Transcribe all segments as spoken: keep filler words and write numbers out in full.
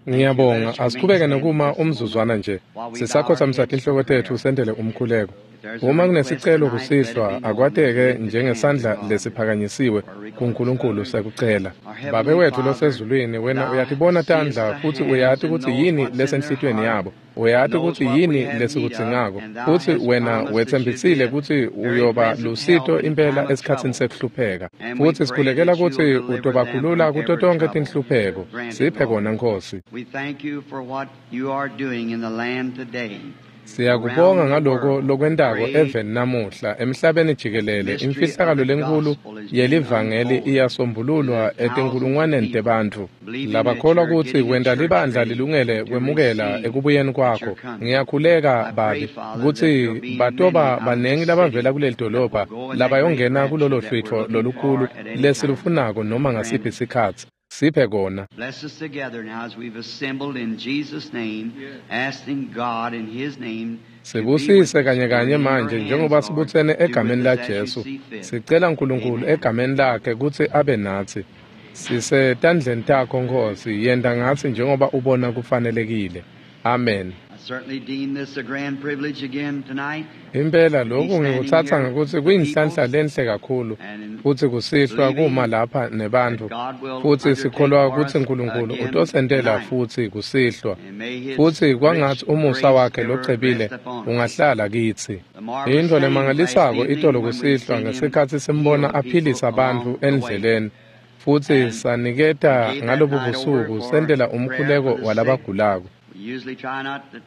Ngiyabonga, asiqhubeke nokuma umzuzwana nje. Sisakhothamisa tinhloko tetfu sentele umkhuleko. Uma kunesicelo kusihlwa, akwateke njengesandla lesiphakanyisiwe kuNkulunkulu sekucela. Babe wethu losezulwini, wena uyatibona tandla futsi uyati kutsi yini lesenhlitiyweni yabo. Uyati kutsi yini lesikudzingako, futsi wena wetsembisile kutsi uyoba lusito impela esikhatsini sekuhlupheka. Futsi sikhulekela kutsi utobakhulula kuto tonkhe tinhlupheko. Siphe kona, Nkhosi. We thank you for what you are doing in the land today. Siyakubonga ngaloko lokwentako eveni namuhla, emhlabeni jikelele. Imfihlakalo lenkhulu yelivangeli iyasombululwa etinkulungwaneni tebantfu labakholwa kutsi wenta libandla lilungele kwemukela ekubuyeni kwakho. Ngiyakhuleka, Babe, kutsi batoba banengi labavela kuleli dolobha labayongena kulolo hlwitfo lolukhulu lesilufunako noma ngasiphi sikhatsi. Siphe kona. Bless us together now as we've assembled in Jesus' name, asking God in His name to be with Sibusise us. kanye We're kanye in your manje hands, njengoba Lord. sibutsene Do with egameni us la as you Jesu. see fit. Sicela uNkulunkulu Amen. egameni lakhe kutsi abe natsi. Sisetandleni takho, Nkhosi, yenta ngatsi njengoba ubona kufanelekile. Amen. I certainly deem this a grand privilege again tonight Impela to be lokhu standing ngikutsatsa here ngekutsi with the kuyinhlanhla people lenhle kakhulu and in futsi kusihlwa believing kuma lapha that nebantfu, God will futsi undertake sikholwa for kutsi us uNkulunkulu again utosentela tonight. futsi kusihlwa. And may His Futsi rich kwangatsi umusa grace wakhe ever locebile rest upon us. ungahlala kitsi. The marvelous Intfo thing last lemangalisako evening itolo when we kusihlwa seen Him ngesikhatsi heal simbona the people aphilisa bantfu along the way endleleni, futsi and saniketa gave that ngalobu night over busuku for sentela prayer for umkhuleko the sick. walabagulako. We usually try not to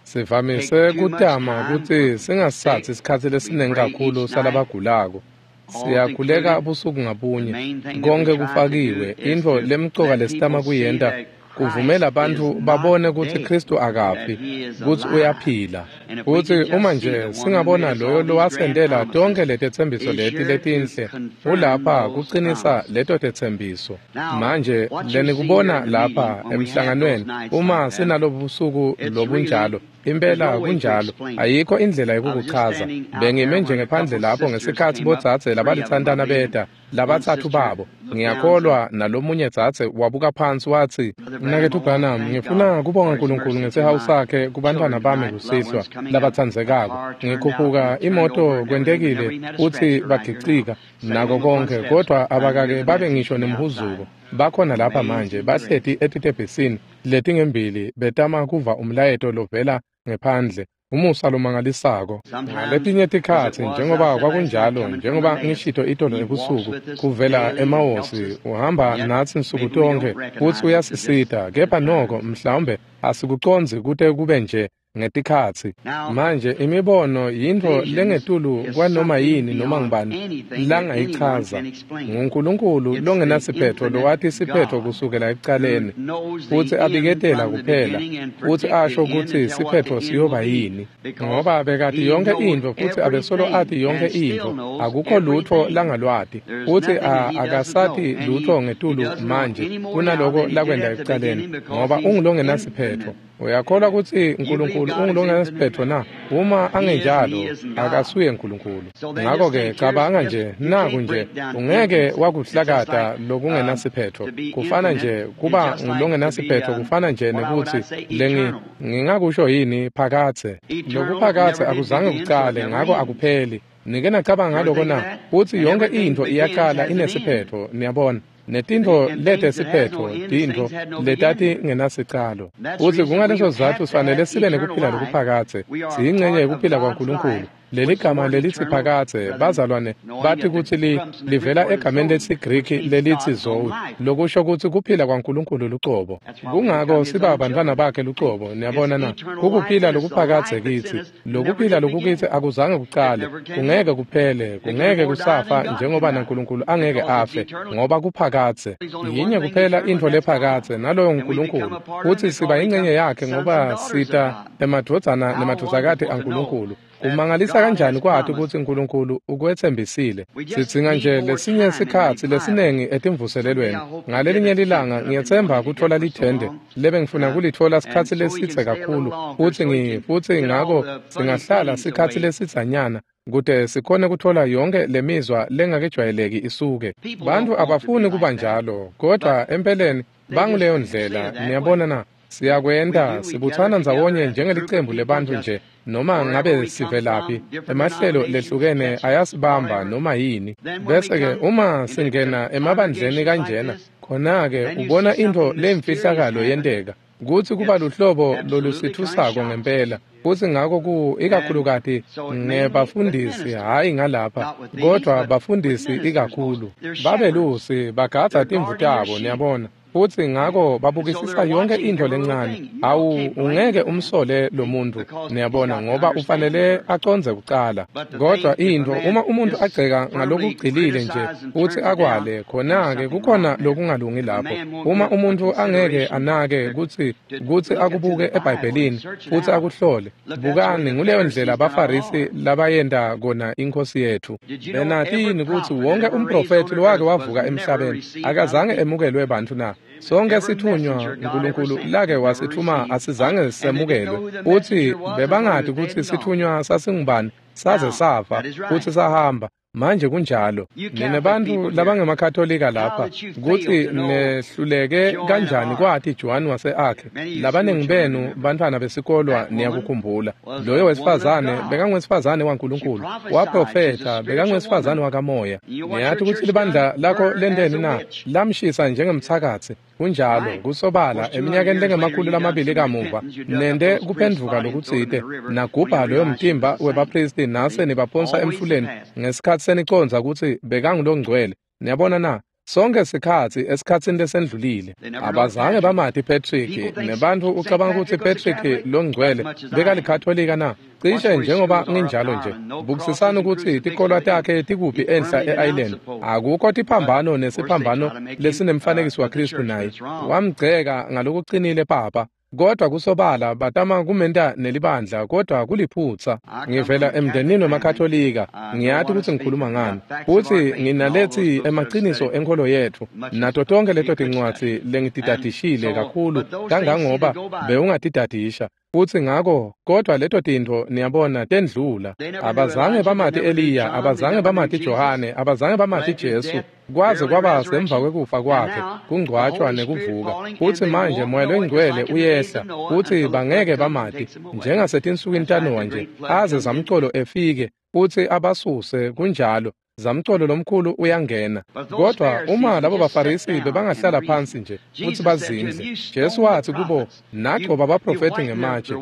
Sivamise take too much kutama time for kutsi the singasitsatsi sick. sikhatsi We lesiningi pray kakhulu each night, salabagulako. all's Siyakhuleka included. busuku The ngabunye, main thing that we konke try to do kufakiwe. is Intfo to lemcoka let lesitama people see kuyenta that kuvumela Christ is bantfu not babone kutsi dead, Khristu that akafi, He is kutsi alive. uyaphila. And if we Futsi could uma just see nje the one who made singabona us loyo all these grand lowasentela tonkhe promises letetsembiso is leti here to letinhle, confirm ulapha those kucinisa promises. leto tetsembiso. Now, Manje what you see here lenikubona in the meeting lapha when we have those emhlanganweni, nights uma like that, sinalobu busuku it's really, lobunjalo, there's impela no way to kunjalo, explain it. ayikho indlela I was just yekukuchaza. standing out there Bengime nje when a ngephandle couple lapho sisters ngesikhatsi came up, bodzadze three of them, I labalitsantana believe, and beta, one labatsatfu sister babo. looked down and said, Ngiyakholwa nalomunye dzadze wabuka phansi watsi, Brother Branham, Mnaketfu I want to Branham, thank God ngifuna kubonga for His uNkulunkulu mercy to ngesihawu my sakhe kubantfwana children bami tonight, loved kusihlwa ones coming up. A labatsandzekako. car turned out Ngikhuphuka and turned over imoto and everything, but never kwentekile even had a kutsi scratch. They're right here now, bagicika sitting nako on the front konke, steps kodwa trying to hear abakake the babe message ngisho from the nemhuzuko. outside. Bakhona lapha manje Amazing grace. bahleti etitebhisini letingembili betama kuva umlayeto lovela ngephandle. Umusa lomangalisako. Sometimes, Ngaletinye as it tikhatsi was, I njengoba said last night, kwakunjalo, coming from njengoba Emmaus, ngishito itolo He walks ebusuku, with us kuvela daily and helps eMawosi, us, uhamba yet natsi nsuku maybe we don't tonkhe futsi recognize it at just uyasisita, at kepha noko times. mhlawumbe asikucondzi kute kube nje ngetikhatsi. Now, Manje imibono yintfo visions lengetulu is kwanoma something yini noma beyond ngubani anything that anyone langayichaza. can explain. NguNkulunkulu It's the longenasiphetho infinite lowati siphetho God kusukela who ekucaleni, knows futsi the end abiketela from the kuphela, beginning and futsi predict the asho end and kutsi tell what the siphetho end will siyoba be yini. because Ngoba bekati he yonke knows intfo futsi abesolo ati everything yonke and still intfo, knows akukho lutfo everything. langalwati, There's futsi nothing that a he doesn't akasati know, and he, lutfo he ngetulu doesn't know manje any more now kunaloko than he did lakwenta at the ekucaleni, beginning because ngoba he's ungulongenasiphetho. infinite. Uyakholwa kutsi You believe uNkulunkulu God is infinite? ungulongenasiphetho na? Uma He is, and he angenjalo, isn't God. akasuye uNkulunkulu. So then just Ngako-ke think, here's cabanga just nje, you naku can't nje, break down ungeke infinite. It's just wakuhlakata like um, lokungenasiphetho. to be Kufana infinite nje is kuba just like to be ngulongenasiphetho um, kufana nje what I would I nekutsi say lengi eternal. ngingakusho yini phakadze. Eternal Lokuphakadze never did akuzange begin, so it kucale, never ngako ends. akupheli. Nike nacabanga You ever ngaloko think of na? that? Kutsi And yonke everything intfo begins iyacala has an end. inesiphetho, niyabona. See, Netintfo and lete things that has no siphetho, end is tintfo things had no letati beginning. ngenasicalo. And that's the Futsi reason we kungaleso have sizatfu to sifanele have sibe eternal nekuphila life. lokuphakadze. We are Siyincenye part of yekuphila God's kwaNkulunkulu. life, Leli which the gama word lelitsi eternal, phakadze, brethren, bazalwane knowing bathi that it kutsi li comes from the Greek livela word egameni zoe, which lesiGriki means lelitsi God's own zoe, life. lokusho kutsi kuphila kwaNkulunkulu lucobo. That's why we Kungako become His siba own bantfwana children. bakhe See, lucobo, it's niyabona na? eternal life, Kukuphila and it's the lokuphakadze life that's in kitsi. us that never Lokuphila did lokukitsi begin. akuzange It kucale, never can kungeke end. kuphele, It can kungeke more die than kusafa God can njengoba die naNkulunkulu angeke because it's afe, eternal. ngoba kuphakadze. There's only one Yinye thing kuphela eternal, intfo and that's God. lephakadze, naloyo And we become nguNkulunkulu. a part of Him Futsi siba because we yincenye become yakhe sons and ngoba daughters of sita God. emadvodzana How nemadvodzakati wonderful to know aNkulunkulu. that Kumangalisa God kanjani has kwati promised. kutsi uNkulunkulu ukwetsembisile. We just Sidzinga need nje more lesinye time in sikhatsi revival. lesinengi Someday etimvuselelweni. I hope to get Ngalelinye a tent lilanga put up in one ngiyetsemba to get kutfola for so lithende long. lebengifuna Uh, kulitfola and sikhatsi so we can lesidze stay a little kakhulu longer futsi so we ngi can futsi get all ngako the funny singahlala things sikhatsi away. lesidzanyana kute sikhone kutfola yonke lemizwa lengakejwayeleki isuke. People Bantfu don't want to be abafuni kuba like that, njalo, kodwa but empeleni they just banguleyo say ndlela, it that niyabona way. na? Siyakwenta sibutsana ndzawonye njengelicembu lebantfu nje, noma ngabe sivelaphi, emahlelo lehlukene ayasibamba noma yini. Bese-ke uma singena emabandleni kanjena, khona-ke ubona intfo lemfihlakalo yenteka, kutsi kuba luhlobo lolusithusako ngempela. Futsi ngako ku ikakhulukati ngebafundisi, hhayi ngalapha, kodvwa bafundisi ikakhulu. Babelusi bagadza timvu tabo, niyabona. Futsi ngako babukisisa yonke intfo lencane. Awu, ungeke umsole lo muntu, niyabona, ngoba ufanele acondze kucala. Kodwa intfo, uma umuntu agceka ngalokugcilile nje futsi akwale, khona-ke kukhona lokungalungi lapho. Uma umuntu angeke anake kutsi kutsi akubuke eBhayibhelini futsi akuhlole, bukani, nguleyo ndlela abaFarisi labayenta kona iNkhosi yethu. Benati yini kutsi wonke umprofethi lowake wavuka emhlabeni akazange emukelwe bantfu na? Sonke sithunywa Nkulunkulu lake wasithuma asizange semukelwe. Futsi bebangati kutsi sithunywa sasingubani, saze safa futsi sahamba. Manje kunjalo. Nine bantfu labangemakatolika lapha, kutsi nehluleke kanjani kwati Joan wase-Arc. Labaningi benu bantfwana besikolwa niyakukhumbula. Loyo wesifazane bekangwesifazane waNkulunkulu, waprofetha, bekangwesifazane wakamoya. Niyati kutsi libandla lakho lenteni na? Lamshisa njengemtsakatsi. Kunjalo, kusobala, eminyakeni lengemakhulu lamabili kamuva, nente kuphendvuka lokutsite, nagubha loyo mtimba webaphristi nase nibaphonsa emfuleni ngesikhatsi senicondza kutsi bekangulongcwele. Niyabona na? Sonke sikhatsi esikhatsini lesendlulile. Abazange bamati Patrick, nebantfu ucabanga kutsi Patrick longcwele bekalikatolika na? Cishe njengoba nginjalo nje. Bukisisani kutsi tikolwa takhe tikuphi enhla e-Ireland. Akukho tiphambano nesiphambano lesinemfanekiso waKhristu naye. Wamgceka ngalokucinile papa. Kodwa kusobala batama kumenta nelibandla, kodwa kuliphutsa. Ngivela emndenini wemaKatolika, ngiyati kutsi ngikhuluma ngani. Futsi nginalethi emaciniso enkholo yetfu, nato tonkhe leto tincwadzi lengitidadishile kakhulu kangangoba bewungatidadisha. Futsi ngako, kodwa leto tintfo niyabona tendlula. Abazange bamati Eliya, abazange bamati Johane, abazange bamati Jesu. Kwaze kwaba semva kwekufa kwakhe, kungcwatshwa nekuvuka. Futsi manje Moya loNgcwele uyehla, futsi bangeke bamati, njengasetinsukwini taNowa nje, aze zamcolo efike, futsi abasuse. Kunjalo, zamcolo lomkhulu uyangena. Kodwa uma labo baFarisi bebangahlala phansi nje futsi bazindle, Jesu watsi kubo, nagcoba baprofethi ngematshe,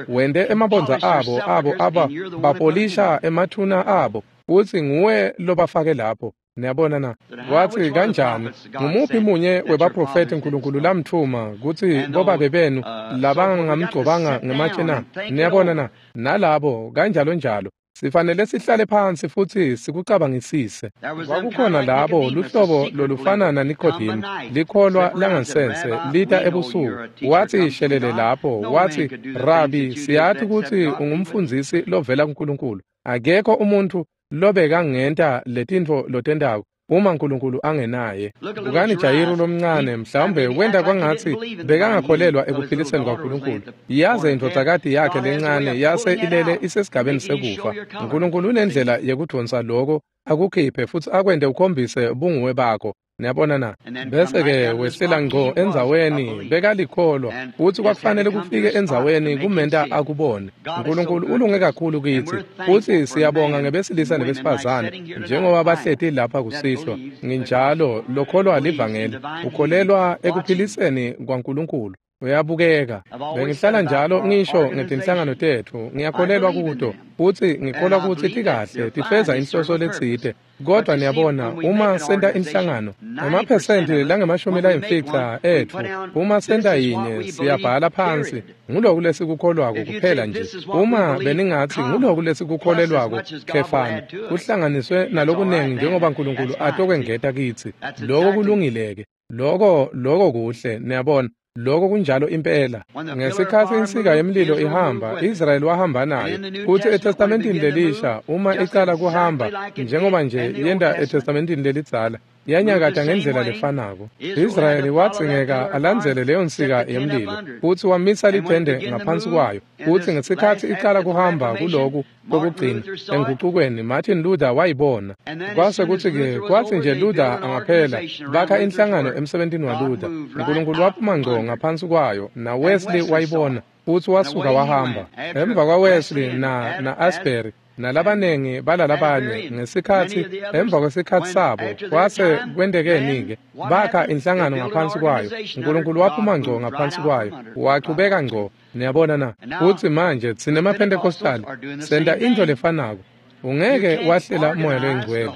wente emabondza abo abo aba bapolisha emathuna abo, futsi nguwe lobafake lapho. Niyabona na? Watsi kanjani, ngumuphi munye webaprofethi Nkulunkulu lamtfuma kutsi bobabe benu labangamgcobanga ngematshe na? Niyabona na? Nalabo kanjalo njalo. Sifanele sihlale phansi futsi sikucabangisise. Kwakukhona labo luhlobo lolufana naNikodemu, likholwa langansense, lita ebusuku. Watsi shelele lapho, watsi, Rabi, siyati kutsi ungumfundzisi lovela kuNkulunkulu. Akekho umuntfu lobekangenta letintfo lotentako uma Nkulunkulu angenaye. Bukani Jayiru lomncane, mhlawumbe wenta kwangatsi bekangakholelwa ekuphiliseni kwaNkulunkulu. Yaze indvodzakati yakhe lencane yase ilele isesigabeni sekufa. Nkulunkulu unendlela yekudvonsa loko akukhiphe futsi akwente ukhombise bunguwe bakho. Niyabona na? Bese-ke wehlela ngco endzaweni, bekalikholwa, futsi kwakufanele kufike endzaweni kumenta akubone. Nkulunkulu ulunge kakhulu kitsi, futsi siyabonga ngebesilisa nebesifazane, njengoba bahleti lapha kusihlwa. Nginjalo, lokholwa livangeli, ukholelwa ekuphiliseni kwaNkulunkulu. Uyabukeka. Bengihlala njalo ngisho ngetinhlangano tetfu, ngiyakholelwa kuto, futsi ngikholwa kutsi tikahle, tifeza inhloso letsite. Kodwa niyabona, uma senta inhlangano, emaphesenti langemashumi layimfica etfu, uma senta yinye, siyabhala phansi, nguloku lesikukholwako kuphela nje. Uma beningatsi nguloku lesikukholelwako, khefana, kuhlanganiswe nalokunengi njengoba Nkulunkulu atokwengeta kitsi. Loko kulungile-ke. Loko, loko kuhle, niyabona. Loko kunjalo impela. Ngesikhatsi insika yemlilo ihamba, Israyeli wahamba nayo. Futsi eTestamentini lelisha, uma icala kuhamba, njengoba nje yenta eTestamentini lelidzala, Yanyakata ngendlela lefanako. Israyeli wadzingeka alandzele leyo nsika yemlilo futsi wamisa lithende ngaphansi kwayo. Futsi ngesikhatsi icala kuhamba kuloku kokugcina engucukweni, Martin Luther wayibona. Kwase kutsi-ke kwatsi nje Luther angaphela, bakha inhlangano emsebentini waLuther. Nkulunkulu waphuma ngco ngaphansi kwayo, na Wesley wayibona futsi wasuka wahamba. Emva kwaWesley na na Asbury nalabanengi balalabanye ngesikhatsi emva kwesikhatsi sabo kwase kwentekeni-ke bakha inhlangano ngaphansi kwayo. Nkulunkulu waphuma ngco ngaphansi kwayo, wachubeka ngco. Niyabona na? Futsi manje tsine maPentecostal senta intfo lefanako. Ungeke wahlela Moya loyiNgcwele,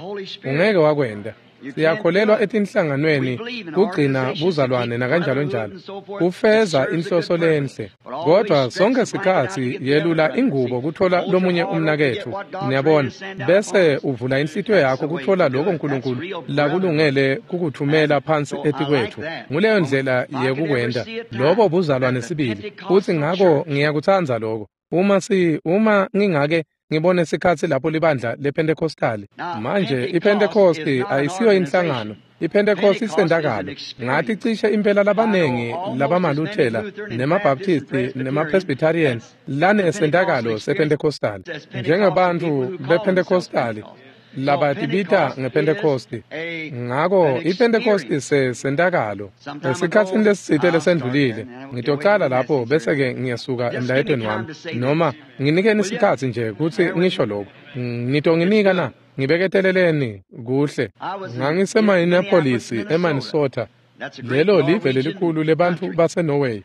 ungeke wakwenta. Siyakholelwa etinhlanganweni kugcina buzalwane nakanjalo njalo, kufeza inhloso lenhle. Kodwa sonke sikhatsi yelula ingubo kuthola lomunye umnaketfu, niyabona, bese uvula inhlitiyo yakho kuthola lokho Nkulunkulu lakulungele kukuthumela phansi etikwetfu. Nguleyo ndlela yekukwenta. Lobo buzalwane sibili. Futsi ngako ngiyakutsandza lokho. Uma si uma ngingake ngibone sikhatsi lapho libandla lePentecostali. Manje iPentecosti ayisiyo inhlangano. iPentecost isentakalo. Ngathi cishe impela labanengi labamaLuthela nemaBaptisti nemaPresbyterian lanesentakalo sePentecostal. Njengebantfu bePentecostali labatibita ngePentecosti. Ngako iPentecosti sesentakalo. Esikhatsini lesitsite lesendlulile ngitocala lapho bese-ke ngiyasuka emlayetweni wami, noma nginikeni isikhatsi nje kutsi ngisho lokhu. Nitonginika na? Ngibeketeleleni kuhle. NgangiseMinneapolis eMinnesota. Lelo live lelikhulu lebantfu baseNorway.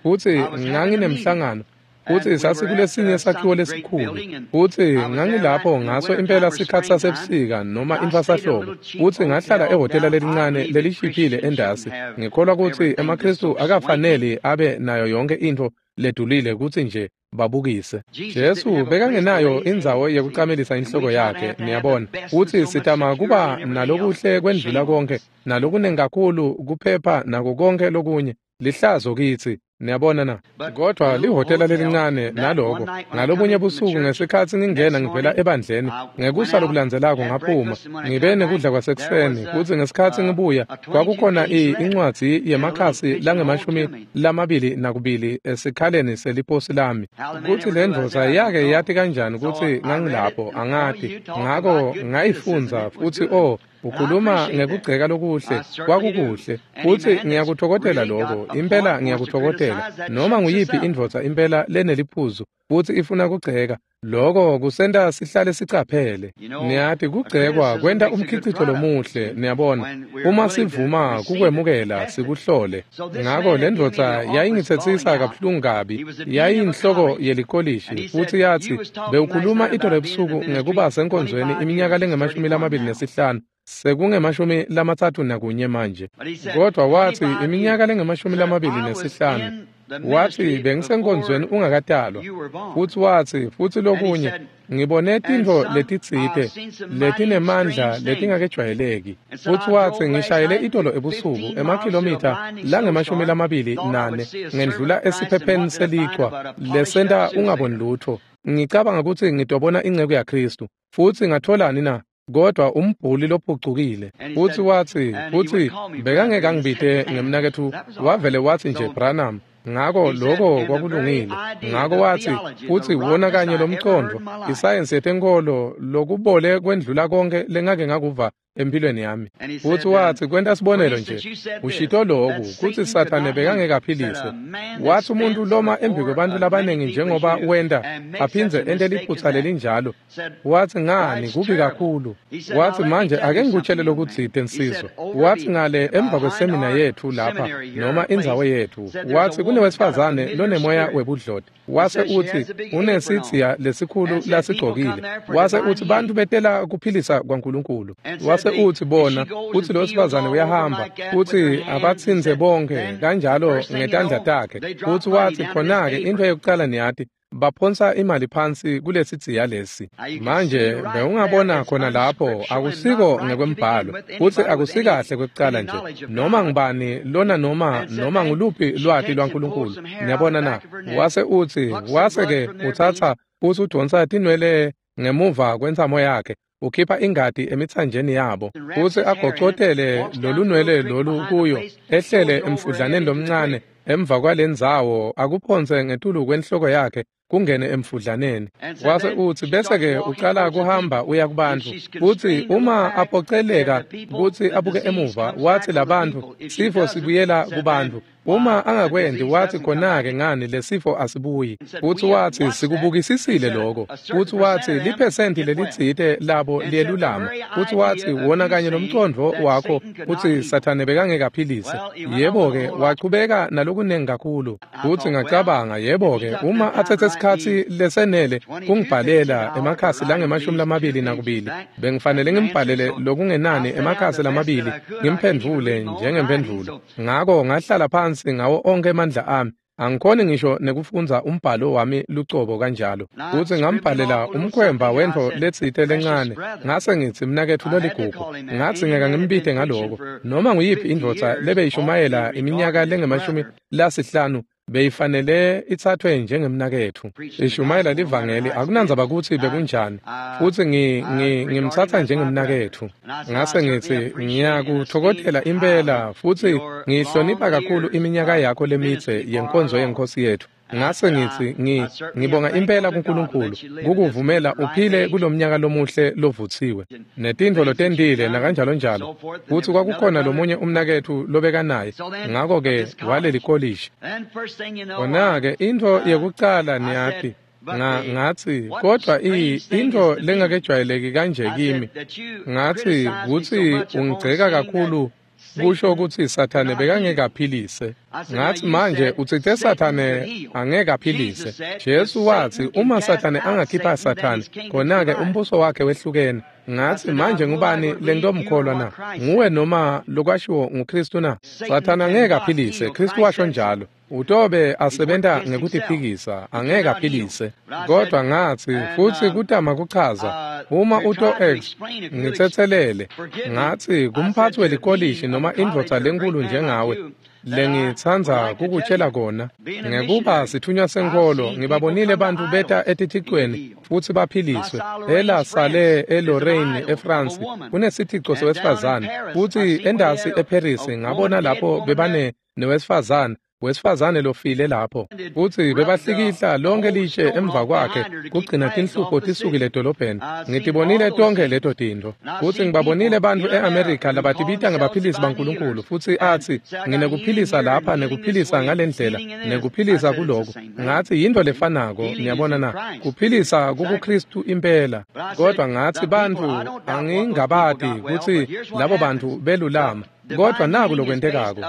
Futsi nganginemhlangano. Futsi sasikulesinye sakhiwo lesikhulu. Futsi ngangilapho ngaso impela sikhatsi sasebusika noma intfwasahlobo. Futsi ngahlala ehhotela lelincane lelishiphile endasi. Ngikholwa kutsi emaKhristu akafaneli abe nayo yonke intfo ledulile kutsi nje babukise. Jesu bekangenayo indzawo yekucamelisa inhloko yakhe, niyabona. Futsi sitama kuba nalokuhle kwendlula konke, nalokunengi kakhulu kuphepha nako konke lokunye. Lihlazo kitsi, niyabona na? Kodwa lihhotela lelincane naloko, ngalobunye busuku ngesikhatsi ngingena ngivela ebandleni, ngekusa lokulandzelako ngaphuma, ngibe nekudla kwasekuseni, futsi ngesikhatsi ngibuya, kwakukhona incwadzi yemakhasi langemashumi lamabili nakubili esikhaleni seliposi lami. Kutsi le ndvodza yake yati kanjani kutsi ngangilapho, angati. Ngako ngayifundza futsi o, ukhuluma ngekugceka lokuhle, kwakukuhle. Futsi ngiyakutfokotela lokho, impela ngiyakutfokotela. Noma nguyiphi indvodza impela leneliphuzu futsi ifuna kugceka, lokho kusenta sihlale sicaphele. Niyati kugcekwa kwenta umkhicito lomuhle, niyabona. Uma sivuma kukwemukela sikuhlole. Ngako le ndvodza yayingitsetsisa kabuhlungu kabi, yayiyinhloko yelikolishi, futsi yatsi bewukhuluma itolo ebusuku ngekuba senkonzweni iminyaka lengemashumi lamabili nesihlanu. Sekungemashumi lamatsatfu nakunye manje. Kodwa watsi iminyaka lengemashumi lamabili nesihlanu. Watsi bengisenkonzweni ungakatalwa. Futsi watsi futsi lokunye ngibone tintfo letitsite letinemandla letingakejwayeleki. Futsi watsi ngishayele itolo ebusuku emakhilomitha langemashumi lamabili nane ngendlula esiphepheni selichwa lesenta ungaboni lutfo. Ngicabanga kutsi ngitobona inceku yaKhristu. Futsi ngatholani na? Kodwa umbhuli lophucukile. Futsi watsi futsi bekangeke angibite ngemnaketfu, wavele watsi nje Branham. Ngako lokho kwakulungile. Ngako watsi futsi wona kanye lomcondvo, isayensi yetenkolo lokubole kwendlula konke lengake ngakuva empilweni yami. Futsi watsi kwenta sibonelo nje, ushito loku kutsi Sathane bekangeke aphilise. Watsi umuntu loma embi kwebantfu labanengi njengoba wenta aphindze ente liphutsa lelinjalo. Watsi ngani kubi kakhulu. Watsi manje ake ngikutshele lokutsite nsizwa. Watsi ngale emva kwesemina yetfu lapha noma indzawo yetfu, watsi kunewesifazane lonemoya webudloti. Wase utsi unesidziya lesikhulu lasigcokile. Wase utsi bantfu betela kuphilisa kwaNkulunkulu. Wase utsi bona utsi lo wesifazane uyahamba utsi abatsintse bonke kanjalo ngetandla takhe. Futsi watsi khona-ke intfo yekucala niyati baphonsa imali phansi kulesidziya lesi. Manje bewungabona khona lapho akusiko ngekwembhalo futsi akusikahle kwekucala nje noma ngubani lona noma noma nguluphi lwati lwaNkulunkulu. Niyabona na? Wase utsi wase-ke utsatsa futsi udonsa tinwele ngemuva kwentsamo yakhe. Ukhipha ingati emithanjeni yabo futsi agocotele lolunwele lolu kuyo ehlele emfudlaneni lomncane emva kwalendzawo akuphonse ngetulu kwenhloko yakhe kungene emfudlaneni. Wase utsi bese-ke ucala kuhamba uya kubantfu futsi uma aphoceleka kutsi abuke emuva watsi labantfu sifo sibuyela kubantfu. Uma angakwendi watsi khona-ke ngani lesifo asibuyi. Futsi watsi sikubukisisile lokho. Futsi watsi liphesenti lelitsite labo liyelulama. Futsi watsi wona kanye lomcondvo wakho kutsi Sathane bekangeke aphilise. Yebo-ke wachubeka nalokunengi kakhulu. Futsi ngacabanga yebo-ke uma athethe sikhatsi lesenele kungibhalela emakhasi langemashumi lamabili nakubili bengifanele ngimbhalele lokungenani emakhasi lamabili ngimphendvule njengemphendvulo. Ngako ngahlala phansi ngawo onke emandla ami. Angikhoni ngisho nekufundza umbhalo wami lucobo kanjalo. Futsi ngambhalela umkhwemba wentfo letsite lencane. Ngase ngitsi mnaketfu loligugu. Ngatsi ngeke ngimbite ngaloko. Noma nguyiphi indvodza lebeyishumayela iminyaka lengemashumi lasihlanu beyifanele ithathwe njengemnaketfu. Ishumayela livangeli akunandzaba kutsi bekunjani. Futsi ngi ngimtsatsa njengemnaketfu. Ngase ngitsi ngiyakuthokothela impela futsi ngihlonipha kakhulu iminyaka yakho lemitse yenkonzo yenkosi yethu. Ngase ngitsi ngi ngibonga impela kuNkulunkulu kukuvumela uphile kulomnyaka lomuhle lovutsiwe netintfo lotentile nakanjalo njalo. Futsi kwakukhona lomunye umnaketfu lobekanaye ngako-ke waleli kolishi. Khona-ke intfo yekucala niyati nga ngatsi kodwa i intfo lengakejwayeleki kanje kimi ngatsi kutsi ungigceka kakhulu kusho kutsi Sathane bekangeke aphilise. Ngatsi manje utsite Sathane angeke aphilise. Jesu watsi uma Sathane angakhipha Sathane khona-ke umbuso wakhe wehlukene. Ngatsi manje ngubani lengitomkholwa na? Nguwe noma lokwashiwo nguKristu na? Sathane angeke aphilise, Kristu washo njalo. Utobe asebenta ngekutiphikisa angeke aphilise. Kodwa ngatsi futsi kutama kuchaza uma uto x ngitsetselele. Ngatsi kumphatsi welikolishi noma indvodza lenkulu njengawe lengitsandza kukutshela kona ngekuba sithunywa senkholo ngibabonile bantfu beta etithicweni futsi baphiliswe. Ela sale eLorraine eFrance kunesithico sewesifazane futsi endasi eParis ngabona lapho bebane newesifazane wesifazane lofile lapho futsi bebahlikihla lonke litshe emva kwakhe kugcina tinhlupho tisukile edolobheni. Ngitibonile tonke leto tintfo futsi ngibabonile bantfu e-Amerika labatibita ngebaphilisi baNkulunkulu futsi atsi nginekuphilisa lapha nekuphilisa ngalendlela nekuphilisa kuloko. Ngatsi yintfo lefanako niyabona na kuphilisa kukuKristu impela. Kodwa ngatsi bantfu angingabati kutsi labo bantfu belulama. Kodwa naku lokwentekako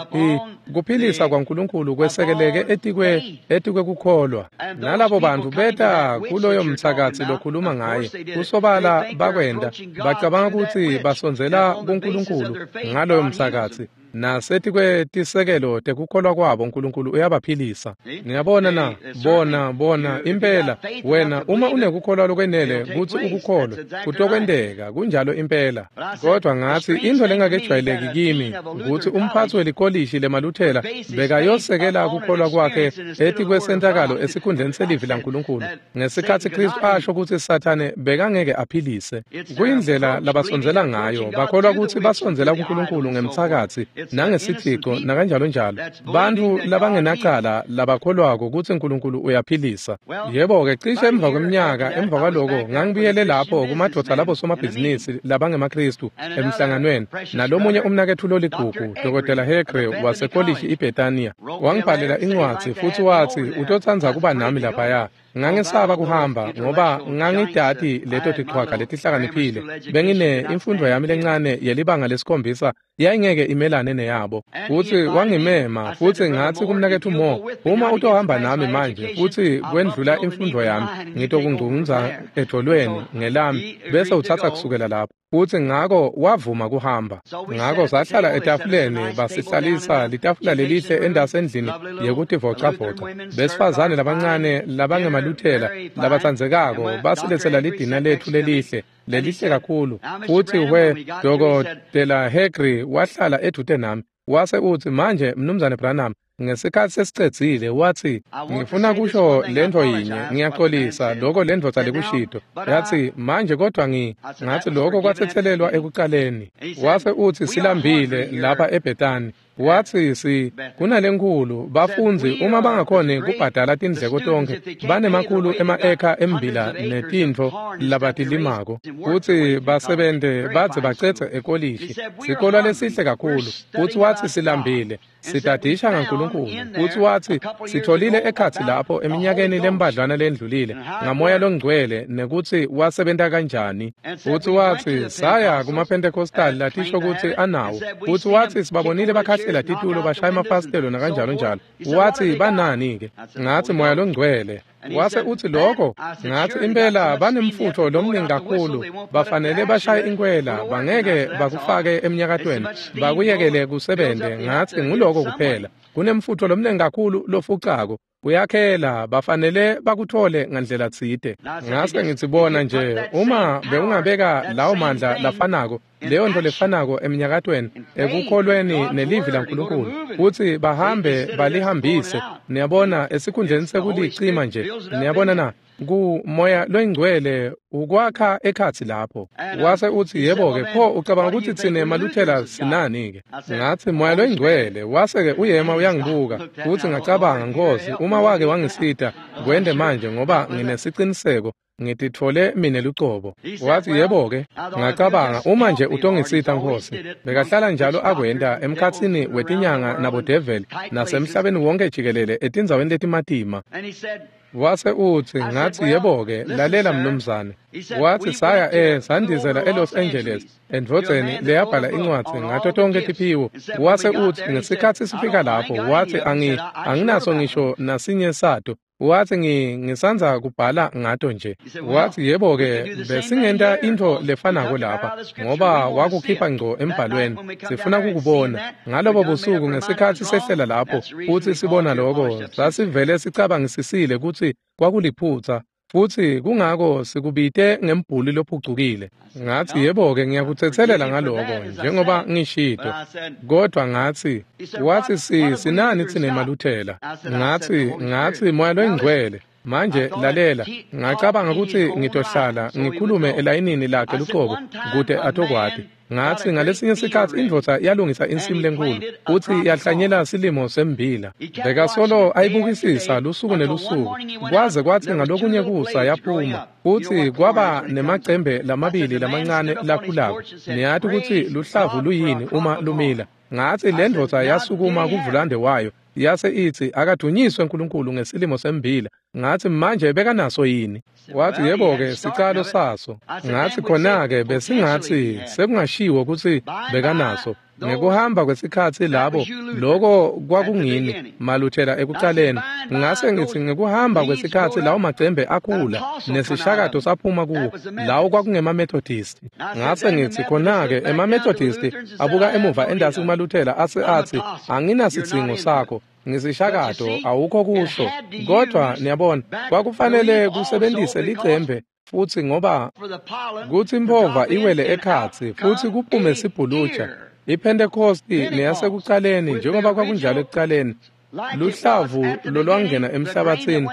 kuphilisa kwaNkulunkulu kwesekeleke etikwe etikwe kukholwa. Nalabo bantfu beta kuloyo mtsakatsi lokhuluma ngaye kusobala bakwenda bacabanga kutsi basondzela kuNkulunkulu ngaloyo mtsakatsi nasetikwe tisekelo tekukholwa kwabo uNkulunkulu uyabaphilisa. Niyabona na bona bona impela wena uma unekukholwa lokwenele kutsi ukukholwe kutokwenteka kunjalo impela. Kodwa ngatsi intfo lengakejwayeleki kimi kutsi umphatsi welikolishi lemaluthela bekayosekela kukholwa kwakhe etikwesentakalo esikhundleni selivi laNkulunkulu ngesikhatsi Kristu asho kutsi Sathane bekangeke aphilise. Kuyindlela labasondzela ngayo bakholwa kutsi basondzela kuNkulunkulu ngemtsakatsi nangesithico nakanjalo njalo. Bantfu labangenacala labakholwako kutsi uNkulunkulu uyaphilisa. Yebo-ke cishe emva kweminyaka emva kwaloko ngangibuyele lapho kumadvodza labo somabhizinisi labangemaKristu emhlanganweni nalomunye umnaketfu loligugu Dokotela Hegre wasekolishi iBethania wangibhalela incwadzi futsi watsi utotsandza kuba nami laphaya. Ngangesaba kuhamba ngoba ngangidati leto tichwaga letihlakaniphile. Bengine imfundo yami lencane yelibanga lesikhombisa yayingeke imelane neyabo. Futsi wangimema futsi ngatsi kumnaketfu Mo uma utohamba nami manje futsi kwendlula imfundo yami ngitokungcungcuza edolweni ngelami bese utsatsa kusukela lapho. Futsi ngako wavuma kuhamba. Ngako sahlala etafuleni basihlalisa litafula lelihle endasi endlini yekutivocavoca. Besifazane labancane labangemaluthela labatsandzekako basiletsela lidina letfu lelihle lelihle kakhulu. Futsi we Dokotela Hegre wahlala edvute nami. Wase utsi, manje Mnumzane Branham, ngesikhatsi sesicedzile, watsi, ngifuna kusho lentfo yinye, ngiyaxolisa lokho lendvodza lekushito. Yatsi, manje kodwa ngi ngatsi lokho kwatsetselelwa ekucaleni. Wase utsi, silambile lapha eBethani. Watsi, si kunalenkulu bafundzi uma bangakhoni kubhadala tindleko tonkhe banemakhulu ema-eka embila netintfo labatilimako kutsi basebente badze bacedze ekolishi, sikolwa lesihle kakhulu. Futsi watsi, silambile, sitadisha ngaNkulunkulu. Futsi watsi, sitholile ekhatsi lapho eminyakeni lembadlwana lendlulile ngaMoya Longcwele nekutsi wasebenta kanjani. Futsi watsi, saya kumaPentecostal latisho kutsi anawo. Futsi watsi, sibabonile bakhahlela titulo bashaya emafasitelo nakanjalo njalo. Watsi, banani-ke? Ngatsi, Moya Longcwele. Wase utsi lokho, ngatsi impela banemfutfo lomningi kakhulu, bafanele bashaye inkwela, bangeke bakufake emnyakatweni, bakuyekele kusebente. Ngatsi nguloko kuphela. Kunemfutfo lomningi kakhulu lofucako, uyakhela, bafanele bakuthole ngandlela tsite. Ngase ngitsi bona nje, uma bewungabeka lawo mandla lafanako, leyo nto lefanako eminyakatweni, ekukholweni nelivi laNkulunkulu, kutsi bahambe balihambise, niyabona, esikhundleni sekulicima nje, niyabona na, ku Moya Loyingcwele ukwakha ekhatsi lapho. Wase utsi, yebo-ke, pho ucabanga kutsi tsine maLuthela sinani-ke? Ngatsi, Moya Loyingcwele. Wase-ke uyema uyangibuka, futsi ngacabanga, Nkosi, uma wake wangisita, kwente manje ngoba nginesiciniseko ngititfole mine lucobo. Watsi, yebo-ke. Ngacabanga, uma nje utongisita Nkosi. Bekahlala njalo akwenta emkhatsini wetinyanga nabodeveli nasemhlabeni wonke jikelele etindzaweni letimatima. Wase utsi, ngatsi, yebo-ke, lalela mnumzane. Watsi, saya e sandizela eLos Angeles endvodzeni leyabhala incwadzi ngato tonkhe tiphiwo. Wase utsi, ngesikhatsi sifika lapho, watsi, angi anginaso ngisho nasinye sato. Watsi, ngi ngisandza kubhala ngato nje. Watsi, yebo-ke, besingenta intfo lefanako lapha, ngoba wakukhipha ngco embhalweni, sifuna kukubona. Ngalobo busuku ngesikhatsi sehlela lapho futsi sibona lokho, sasivele sicabangisisile kutsi kwakuliphutsa, futsi kungako sikubite ngembhuli lophucukile. Ngatsi, yebo-ke, ngiyakutsetselela ngaloko njengoba ngishito, kodwa ngatsi, watsi, si sinani tsine maLuthela? Ngatsi, ngatsi Moya Loyingcwele. Manje lalela, ngacabanga kutsi ngitohlala ngikhulume elayinini lakhe lucobo kute atokwati. Ngatsi ngalesinye sikhatsi indvodza yalungisa insimu lenkulu futsi yahlanyela silimo sembila. Bekasolo ayibukisisa lusuku nelusuku, kwaze kwatsi ngalokunye kusa yaphuma, futsi kwaba nemacembe lamabili lamancane lakhulako. Niyati kutsi luhlavu luyini uma lumila. Ngatsi le ndvodza yasukuma kuvulande wayo, yase itsi, akadunyiswe uNkulunkulu ngesilimo sembila. Ngatsi, manje bekanaso yini? Watsi, yebo-ke, sicalo saso. Ngatsi, khona-ke besingatsi sekungashiwo kutsi bekanaso. Ngekuhamba kwesikhatsi labo, loko kwakungini maLuthela ekucaleni. Ngase ngitsi ngekuhamba kwesikhatsi lawo macembe akhula, nesishakato saphuma kuwo, lawo kwakungemaMethodisti. Ngase ngitsi khona-ke emaMethodisti abuka emuva endasi kumaLuthela ase atsi, anginasidzingo sakho, ngisishakato awukho kuso. Kodwa niyabona, kwakufanele kusebentise licembe futsi ngoba kutsi impova iwele ekhatsi futsi kuphume sibhuluja. IPentecosti neyasekucaleni, njengoba kwakunjalo ekucaleni, luhlavu lolwangena emhlabathini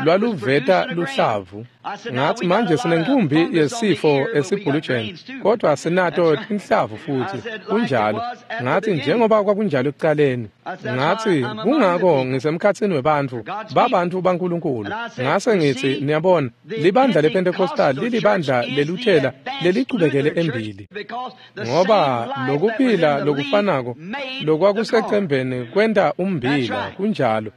lwaluveta luhlavu. Ngatsi manje sinenkumbi yesifo esibhulujeni, kodwa sinato tinhlavu futsi, kunjalo. Ngatsi njengoba kwakunjalo ekucaleni. Ngatsi kungako ngisemkhatsini webantfu, babantfu baNkulunkulu. Ngase ngitsi, niyabona, libandla lePentecostal lilibandla leluthela lelichubekele embili, ngoba lokuphila lokufanako lokwakusecembeni kwenta umbila, kunjalo.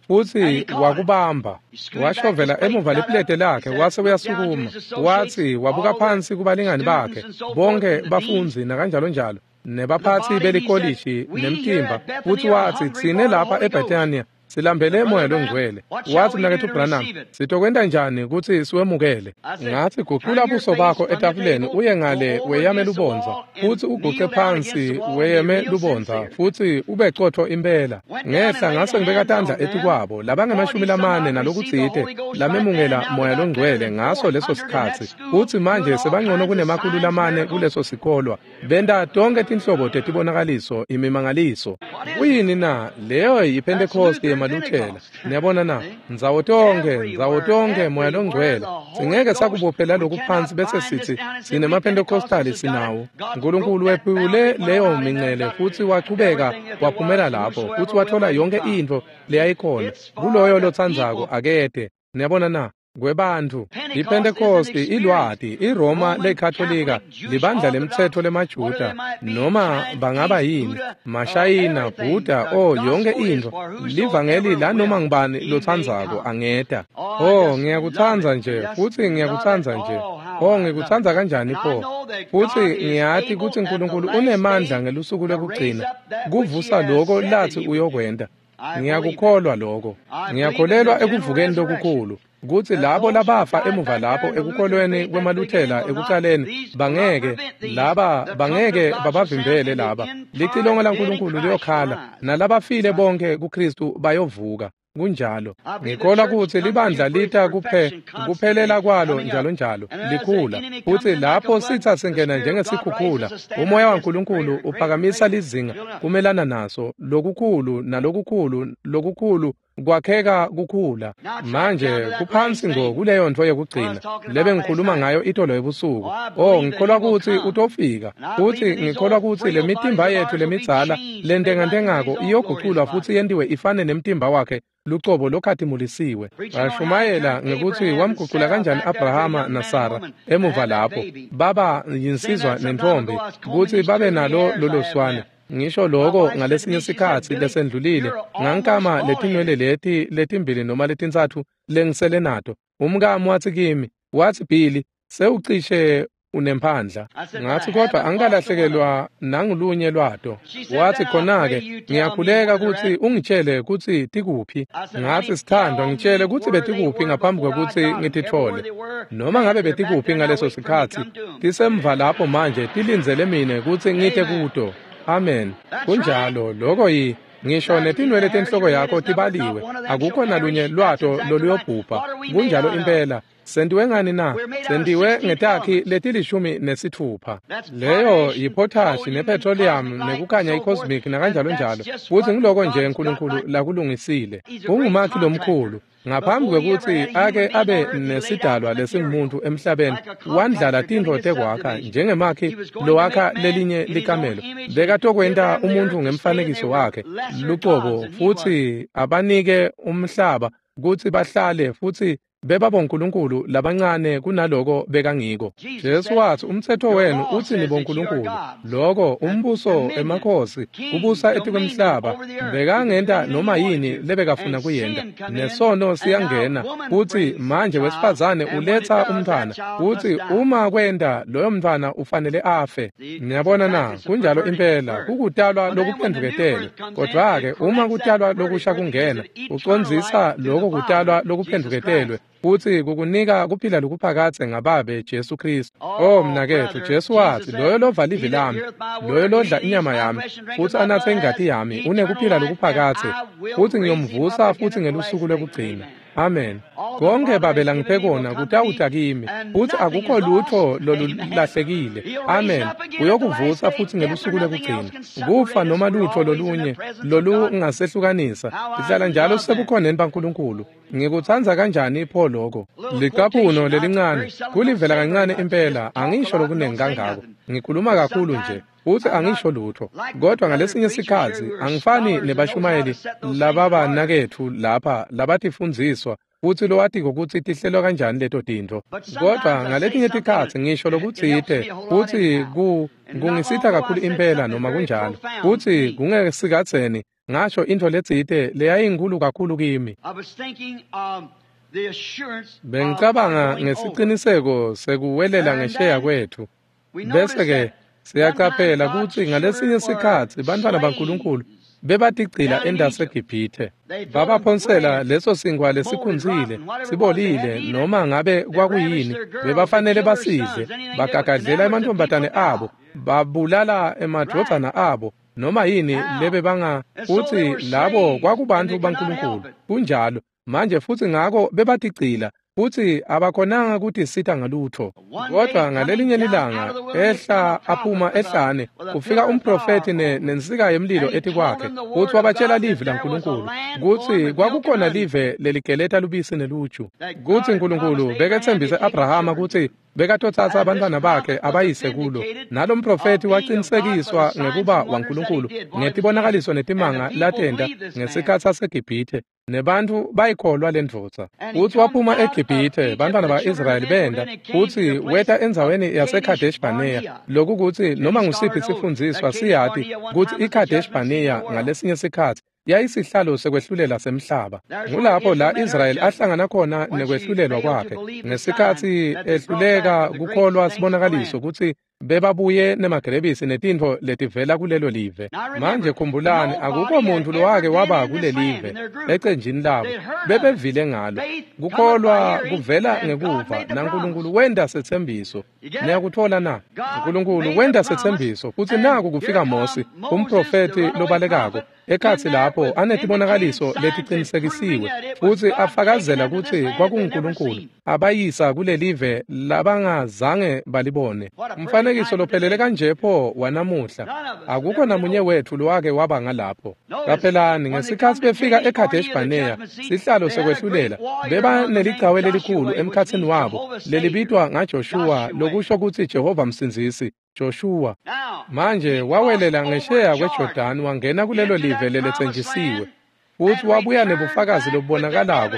Futsi wakubamba, washovela emuva lepulete lakhe, wase uyasukuma. Watsi wabuka phansi kubalingani bakhe, bonke bafundzi nakanjalo njalo, nebaphatsi belikolishi nemtimba. Futsi watsi, tsine lapha eBethania Silambele Moya loNgcwele. Watsi, Mnaketfu Branham, sitokwenta njani kutsi siwemukele? Ngatsi, gucula buso bakho etafuleni uye ngale weyame lubondza, futsi uguce phansi weyeme lubondza, futsi ube cotfo impela. Ngehla ngase ngibeka tandla etikwabo labangemashumi lamane nalokutsite lamemukela Moya loNgcwele ngaso leso sikhatsi, futsi manje sebangcono kunemakhulu lamane kuleso sikolwa. Benta tonkhe tinhlobo tetibonakaliso, imimangaliso. Kuyini na? Leyo yiPhentekoste yemaLuthela. Niyabona na? Ndzawo tonkhe, ndzawo tonkhe Moya loNgcwele. Singeke sakubophela lokhu phansi bese sithi sinemaPentecostali sinawo. Nkulunkulu wephule leyo mincele futsi wachubeka waphumela lapho futsi wathola yonke intfo leyayikhona. Kuloyo lotsandzako akete. Niyabona na? Kwebantfu iPhentekosti ilwati, iRoma leKatolika, libandla lemtsetfo lemaJuda, noma bangaba yini, Mashayina, Buddha, o yonke intfo, livangeli lanoma ngubani lotsandzako angeta. Oh, ngiyakutsandza nje, futsi ngiyakutsandza nje. Oh, ngikutsandza kanjani pho. Futsi ngiyati kutsi Nkulunkulu unemandla ngelusuku lwekugcina kuvusa loko latsi uyokwenta. Ngiyakukholwa lokho. Ngiyakholelwa ekuvukeni lokukhulu, kutsi labo labafa emuva lapho ekukholweni kwemaLuthela ekucaleni bangeke laba bangeke babavimbele laba. Licilongo laNkulunkulu liyokhala, nalabafile bonke kuKristu bayovuka. Kunjalo. Ngikholwa kutsi libandla lita kuphe kuphelela kwalo njalo njalo likhula, futsi lapho sitsa singena njengesikhukhula, umoya waNkulunkulu uphakamisa lizinga kumelana naso, lokukhulu nalokukhulu lokukhulu kwakheka kukhula. Manje kuphansi ngo kuleyo ntfo yekugcina lebe ngikhuluma ngayo itolo ebusuku. Oh, ngikholwa kutsi utofika, futsi ngikholwa kutsi lemitimba yetfu lemidzala lentengantengako iyoguculwa futsi yentiwe ifane nemtimba wakhe lucobo lokhatimulisiwe. Bashumayela ngekutsi wamgucula kanjani Abrahama naSara emuva lapho baba yinsizwa nentfombi kutsi babe nalo lolo swane. Ngisho lokho ngalesinye sikhatsi lesendlulile ngankama letinwele leti letimbili noma letintsatfu lengisele nato. Umkami watsi kimi, watsi, Billy, sewucishe unemphandla. Ngatsi, kodwa angikalahlekelwa nangulunye lwato. Watsi, khona-ke ngiyakhuleka kutsi ungitshele kutsi tikuphi. Ngatsi, sithandwa, ngitshele kutsi betikuphi ngaphambi kwekutsi ngititfole. Noma ngabe betikuphi ngaleso sikhatsi, tisemva lapho manje tilindzele mine kutsi ngite kuto. Amen. Kunjalo, lokho yi ngisho netinwele tenhloko yakho tibaliwe, akukho nalunye lwato loluyobhubha. Kunjalo impela. Sentiwe ngani na? Sentiwe ngetakhi letilishumi nesitfupha. Leyo yipotashi nepetroleum nekukhanya i-cosmic nakanjalo njalo. Futsi ngiloko nje Nkulunkulu lakulungisile. Ungumakhi lomkhulu. Ngaphambi kwekutsi ake abe nesidalwa lesingumuntu emhlabeni, wandlala tintfo tekwakha njengemakhi lowakha lelinye likamelo. Bekatokwenta umuntu ngemfanekiso wakhe lucobo, futsi abanike umhlaba kutsi bahlale, futsi bebabonkulunkulu labancane kunaloko bekangiko. Jesu watsi, umtsetfo wenu utsi nibonkulunkulu. Loko umbuso emakhosi kubusa etikwemhlaba, bekangenta noma yini lebekafuna kuyenta. Nesono siyangena, futsi manje wesifazane uletsa umntfwana, futsi uma kwenta loyo mntfwana ufanele afe. Niyabona na? Kunjalo impela, kukutalwa lokuphendvuketelwe. Kodwa-ke uma kutalwa lokusha kungena, ucondzisa loko kutalwa lokuphendvuketelwe, futsi kukunika kuphila lokuphakadze ngababe Jesu Kristu. Oh mnaketfu, Jesu watsi, loyo lova livi lami, loyo lodla inyama yami, futsi anatse ingati yami, unekuphila lokuphakadze, futsi ngiyomvusa futsi ngelusuku lwekugcina. Amen. Konke Babe langiphe kona kutawuta kimi, futsi akukho lutfo lolulahlekile. Amen. Uyokuvusa futsi ngelusuku lwekugcina. Kufa noma lutfo lolunye lolungasehlukanisa, sihlala njalo sisebukhoneni baNkulunkulu. Ngikutsandza kanjani pho lokho. Licapuno lelincane kulivela kancane impela, angisho lokunengi kangako. Ngikhuluma kakhulu nje, futsi angisho lutfo. Kodwa ngalesinye sikhatsi angifani nebashumayeli lababanaketfu lapha labatifundziswa futsi lowatiko kutsi tihlelwa kanjani leto tintfo. Kodwa ngaletinye tikhatsi ngisho lokutsite futsi ku kungisita kakhulu impela noma kunjalo. Futsi kungesikhatseni ngasho intfo letsite leyayinkulu kakhulu kimi. Bengicabanga ngesiciniseko sekuwelela ngesheya kwethu. Bese-ke siyacaphela kutsi ngalesinye sikhatsi bantfwana baNkulunkulu Bebatigcila endaseGibhithe. Babaphonsela leso sinkwa lesikhunzile, sibolile, noma ngabe kwakuyini, bebafanele basidle. Bagagadlela emantfombatane abo, babulala emadvodzana abo, noma yini lebebanga futsi labo kwakubantfu baNkulunkulu. Kunjalo. Manje futsi ngako bebatigcila futsi abakhonanga kutisita ngalutho. Kodwa ngalelinye lilanga ehla aphuma ehlane kufika umprofethi nensika yemlilo etikwakhe futsi wabatshela livi laNkulunkulu kutsi kwakukhona live leligeleta lubisi neluju, kutsi Nkulunkulu beketsembise Abrahama kutsi bekatotsatsa abantwana bakhe abayise kulo. Nalo mprofethi waqinisekiswa ngekuba waNkulunkulu ngetibonakaliso netimanga latenta ngesikhatsi saseGibhithe. Nebantfu bayikholwa lendvodza. Futsi waphuma eGibhithe, bantfwana ba-Israyeli benda, futsi weta endzaweni yaseKadesh Barnea. Lokukutsi noma ngusiphi sifundziswa siyati kutsi iKadesh Barnea ngalesinye sikhatsi yayisihlalo sekwehlulela semhlaba. Ngulapho la Israyeli ahlangana khona nekwehlulelwa kwakhe ngesikhatsi ehluleka kukholwa sibonakaliso kutsi bebabuye nemagerebisi netintfo letivela kulelo live. Manje khumbulani, akukho muntfu lowake waba kulelive ecenjini labo. Bebevile ngalo. Kukholwa kuvela ngekuva, naNkulunkulu wenta setsembiso. Niyakuthola na? Nkulunkulu wenta setsembiso, futsi naku kufika Mosi, umprofethi lobalekako, ekhatsi lapho anetibonakaliso letiqinisekisiwe futsi afakazela kutsi kwakunguNkulunkulu abayisa kulelive labangazange balibone. Umfanekiso lophelele kanje pho wanamuhla. Akukho namunye wetfu lowake waba ngalapho. Qaphelani, ngesikhatsi befika eKadesh Barnea, sihlalo sekwehlulela, beba neligawe lelikhulu emkhatsini wabo lelibitwa ngaJoshua, lokusho kutsi Jehova Msindzisi. Joshua manje wawelela ngesheya kweJordani wangena kulelo live leletsenjisiwe, futsi wabuya nebufakazi lobubonakalako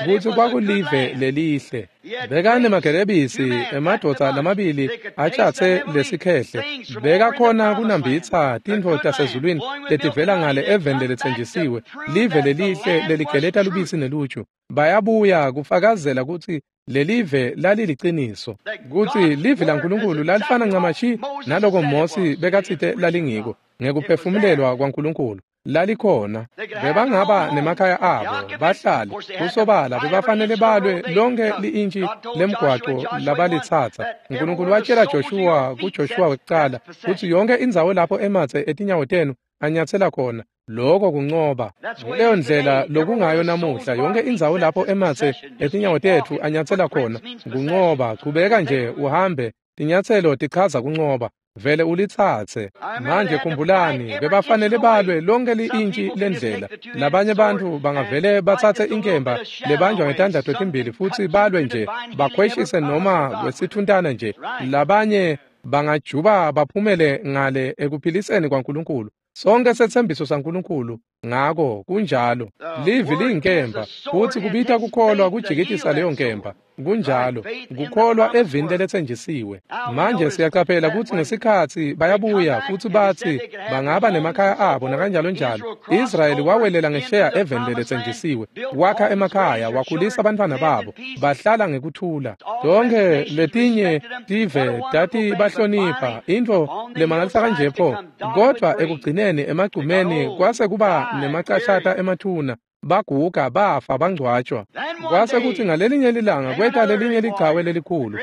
kutsi kwakulive lelihle. Bekanemagerebisi emadvodza lamabili atshatse lesikhehle, bekakhona kunambitsa tintfo tasezulwini letivela ngale eveni leletsenjisiwe, live lelihle leligeleta lubisi neluju. Bayabuya kufakazela kutsi lelive laliliciniso, kutsi live laNkulunkulu lalifana ncamashi naloko Mosi bekatsite lalingiko ngekuphefumulelwa kwaNkulunkulu. Lalikhona. Bebangaba nemakhaya abo bahlale kusobala, bebafanele balwe lonke li-intshi lemgwaco labalitsatsa. Nkulunkulu watshela Joshua kuJoshua wekucala kutsi yonke indzawo lapho ematse etinyawo tenu anyatsela khona, lokho kuncoba. Nguleyo ndlela lokungayo namuhla, yonke indzawo lapho ematse etinyawo tetfu anyatsela khona kuncoba. Chubeka nje uhambe, tinyatselo tichaza kuncoba, vele ulitsatse. Manje khumbulani, bebafanele balwe lonke li-intshi lendlela. Labanye bantfu bangavele batsatse inkemba lebanjwa ngetandla totimbili futsi balwe nje, bakhweshise noma kwesithuntana nje. Labanye bangajuba baphumele ngale ekuphiliseni kwaNkulunkulu. Sonke setsembiso saNkulunkulu ngako kunjalo. Livi liyinkemba, futsi kubita kukholwa kujikitisa leyo nkemba. Kunjalo, kukholwa evini leletsenjisiwe. Manje siyaqaphela kutsi ngesikhatsi bayabuya futsi batsi bangaba nemakhaya abo nakanjalo njalo, Israyeli wawelela ngesheya eveni leletsenjisiwe, wakha emakhaya, wakhulisa abantwana babo, bahlala ngekuthula. Tonke letinye tive tati bahlonipha, intfo lemangalisa kanje pho. Kodwa ekugcineni emagcumeni kwase kuba nemacashata emathuna, baguga bafa bangcwatshwa. Kwase kutsi ngalelinye lilanga kweta lelinye lichawe lelikhulu,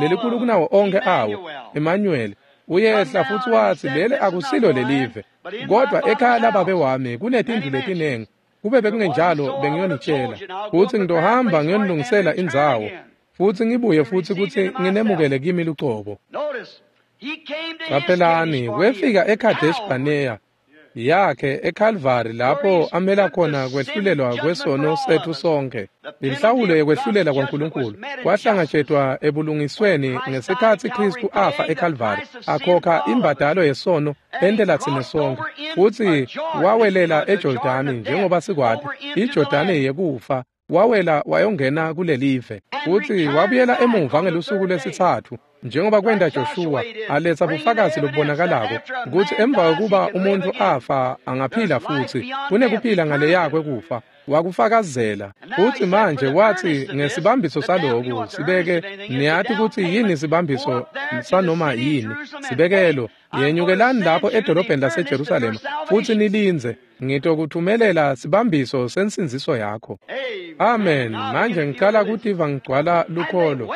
lelikhulu kunawo onke awo, Emmanuel. Uyehla futsi watsi leli akusilo lelive, kodwa ekhaya lababe wami kunetindlu letinengi. Kube bekungenjalo bengiyonitshela, futsi ngitohamba ngiyonilungisela indzawo, futsi ngibuye futsi kutsi nginemukele kimi lucobo. Qaphelani, wefika eKadesh Barnea yakhe eKalvari lapho amela khona kwehlulelwa kwesono setfu sonke. Inhlawulo yekwehlulela kwaNkulunkulu kwahlangatshetswa ebulungisweni ngesikhatsi Khristu afa eKalvari, akhokha imbadalo yesono entela tsine sonke, futsi wawelela eJordani njengoba sikwati, iJordani yekufa. Wawela wayongena kulelive, futsi wabuyela emuva ngelusuku lwesitsatfu njengoba kwenta Joshua, aletsa bufakazi lobubonakalako kutsi emva kokuba umuntfu afa angaphila futsi, kunekuphila ngaleya kwekufa. Wakufakazela. Futhi manje wathi ngesibambiso saloku sibeke, niyati kutsi yini sibambiso sanoma yini, sibekelo, yenyukelani lapho edolobheni laseJerusalema futhi nilindze, ngitokuthumelela sibambiso sensindziso yakho. Amen. Manje ngicala kutiva ngigcwala lukholo.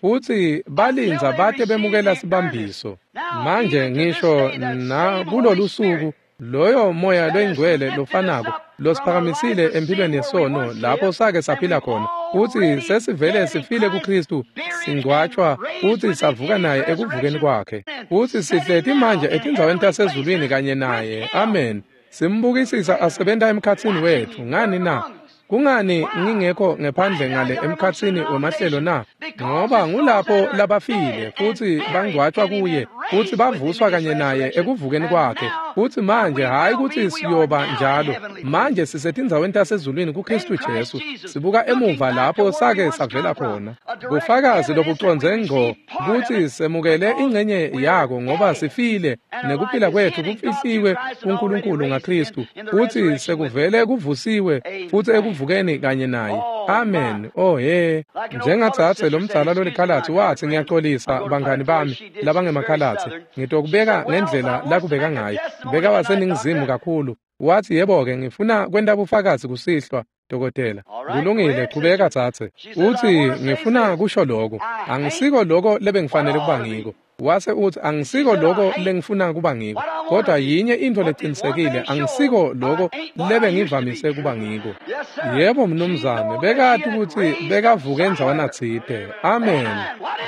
Futhi balindza bate bemukela sibambiso. Manje ngisho na kulolu suku loyo moya loyingcwele lofanako losiphakamisile empilweni yesono lapho sake saphila khona, futhi sesivele sifile kuKristu, singcwatshwa futhi savuka naye ekuvukeni kwakhe, futhi sihleti manje etindzaweni tasezulwini kanye naye. Amen. Simbukisisa asebenta emkhatsini wethu. Ngani na? Kungani ngingekho ngephandle ngale emkhatsini wemahlelo na? Ngoba ngulapho labafile futhi bangcwatshwa kuye futhi bavuswa kanye naye ekuvukeni kwakhe. Futhi manje hayi ukuthi siyoba njalo, manje sisetindzaweni tasezulwini kuKristu Jesu, sibuka emuva lapho sake savela khona. Bufakazi lobucondze ngco kutsi semukele ingcenye yako, ngoba sifile nekuphila kwethu kufihliwe kuNkulunkulu ngaKristu, futhi sekuvele kuvusiwe futhi ekuvukeni kanye naye. Amen. Oh he, njengatsatse lomdzala lolikhalatsi wathi, ngiyaxolisa bangani bami labangemakhalatsi, ngitokubeka ngendlela lakubeka ngayo. Beka waseningizimu kakhulu. Wathi, yebo-ke, ngifuna kwenta bufakazi kusihlwa, dokotela. Kulungile, qhubeka tsatse. Uthi, ngifuna kusho lokho, angisiko lokho lebengifanele kuba ngiko. Wase uthi, angisiko lokho lengifuna kuba ngiko, kodwa yinye into leqinisekile, angisiko lokho lebengivamise kuba ngiko. Yebo mnumzane, bekati ukuthi bekavuke endzawana tsite. Amen.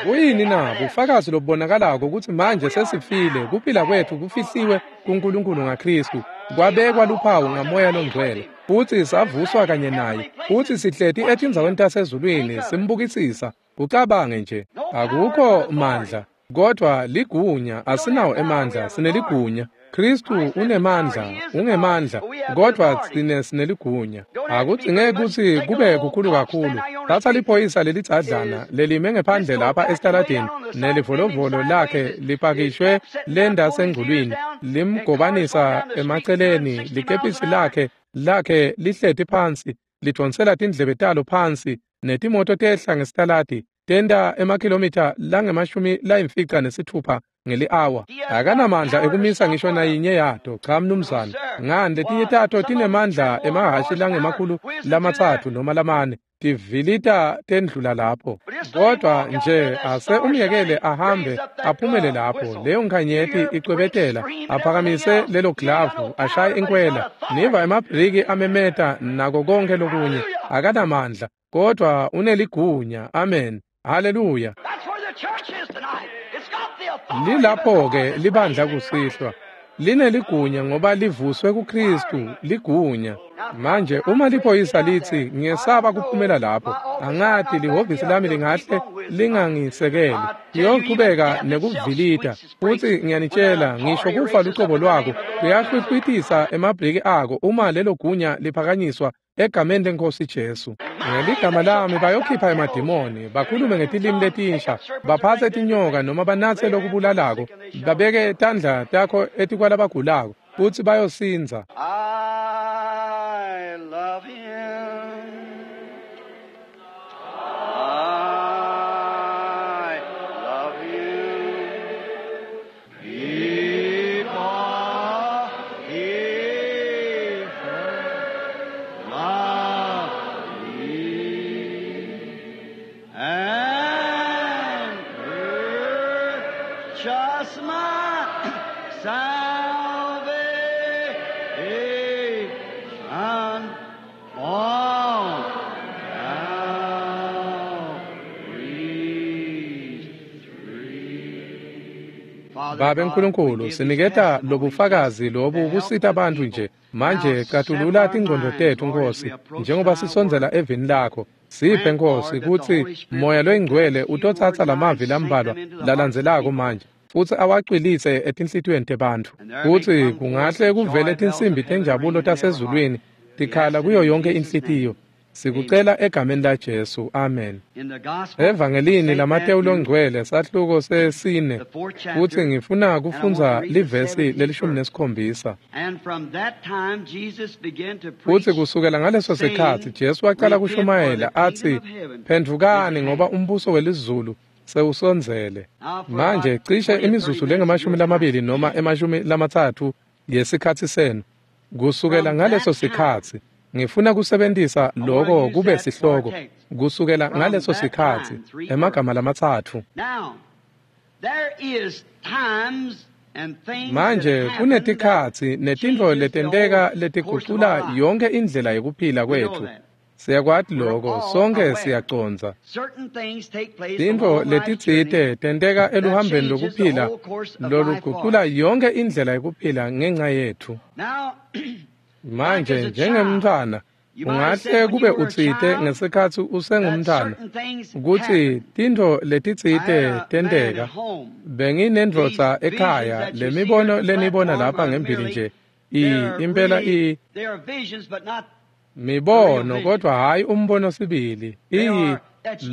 Kuyini na? Bufakazi lobubonakalako ukuthi manje sesifile, kuphila kwethu kufihliwe kuNkulunkulu ngaKristu, kwabekwa luphawu ngamoya longcwele, futhi savuswa kanye naye, futhi sihleti etindzaweni tasezulwini simbukisisa. Kucabange nje, akukho mandla kodwa ligunya. Asinawo emandla, sineligunya. Kristu unemandla, ungemandla, kodwa tsine sineligunya. Akudzingeki kutsi kube kukhulu kakhulu. Tsatsa liphoyisa lelidzadlana lelime ngephandle lapha esitaladini nelivolovolo lakhe lipakishwe lenda sengculwini, limgobanisa emaceleni, likepisi lakhe lakhe lihleti phansi, lidvonsela tindlebe talo phansi, netimoto tehla ngesitaladi tenta emakhilomitha langemashumi layimfica nesithupha ngeli-awa. Akanamandla ekumisa ngisho nayinye yato. Cha mnumzane. Ngani, letinye tato tinemandla emahhashi langemakhulu lamatsatfu noma lamane, tivilita tendlula lapho. Kodwa nje ase umyekele ahambe aphumele lapho, leyo nkhanyeti icwebetela, aphakamise lelo glavu, ashaye inkwela, niva emabhriki amemeta nako konke lokunye. Akanamandla kodwa uneligunya. Amen. Haleluya. Lilapho-ke libandla kusihlwa, lineligunya ngoba livuswe kuKristu, ligunya. Manje uma liphoyisa lithi, ngiyesaba kuphumela lapho, angati lihhovisi lami lingahle lingangisekeli, liyochubeka nekuvilita, futhi ngiyanitshela, ngisho kufa lucobo lwako kuyahlwihlwitisa emabhriki ako uma lelo gunya liphakanyiswa egameni leNkosi Jesu. Ngeligama lami bayokhipha emadimoni, bakhulume ngetilimi letinsha, baphatse tinyoka noma banatse lokubulalako, babeke tandla takho etikwalabagulako, futhi bayosindza. I love him. I love him. Before he first loved me and purchased my salvation on Calvary's tree. Father Babe God, we Nkulunkulu, give this siniketa testimony lobufakazi just lobu to help kusita the bantfu people. nje. Now Manje settle catulula our tingqondo minds, tetfu Lord, as we Nkosi, approach njengoba thy sisondzela word. evini lakho. Siphe Grant, Nkosi Lord, that the kutsi Holy Spirit Moya will take loyingcwele these few utotsatsa words now and lamavi sink lambalwa them into the hearts of the lalandzelako people. manje, futhi awacwilise etinhlitiyweni tebantfu. And there may Kutsi come forth kungahle the kuvele joy bells tinsimbi of heaven tenjabulo ringing in every heart. tasezulwini We tikhala ask it kuyo in yonke Jesus' inhlitiyo. name. Sikucela egameni laJesu. Amen. Evangelini laMateyu longcwele sahluko sesine, futsi ngifuna kufundza livesi lelishumi nesikhombisa. Futsi kusukela ngaleso sikhatsi Jesu wacala kushumayela atsi, "Phendvukani ngoba umbuso welizulu sewusondzele." Manje cishe imizuzu lengemashumi lamabili noma emashumi lamatsatfu yesikhatsi senu. Kusukela ngaleso sikhatsi ngifuna kusebentisa loko kube sihloko. Kusukela ngaleso sikhatsi, emagama lamatsatfu. Manje kunetikhatsi netintfo letenteka letigucula yonke indlela yekuphila kwetfu. Siyakwati loko, sonke siyacondza. Tintfo letitsite tenteka eluhambeni lokuphila lolugucula yonke indlela yekuphila ngenca yetfu. Manje njengemntfwana, ungahle kube utsite ngesikhatsi usengumntfwana kutsi tintfo letitsite tenteka. Benginendvodza ekhaya, lemibono lenibona lapha ngembili nje, i impela i mibono kodwa hhayi umbono sibili. Iyi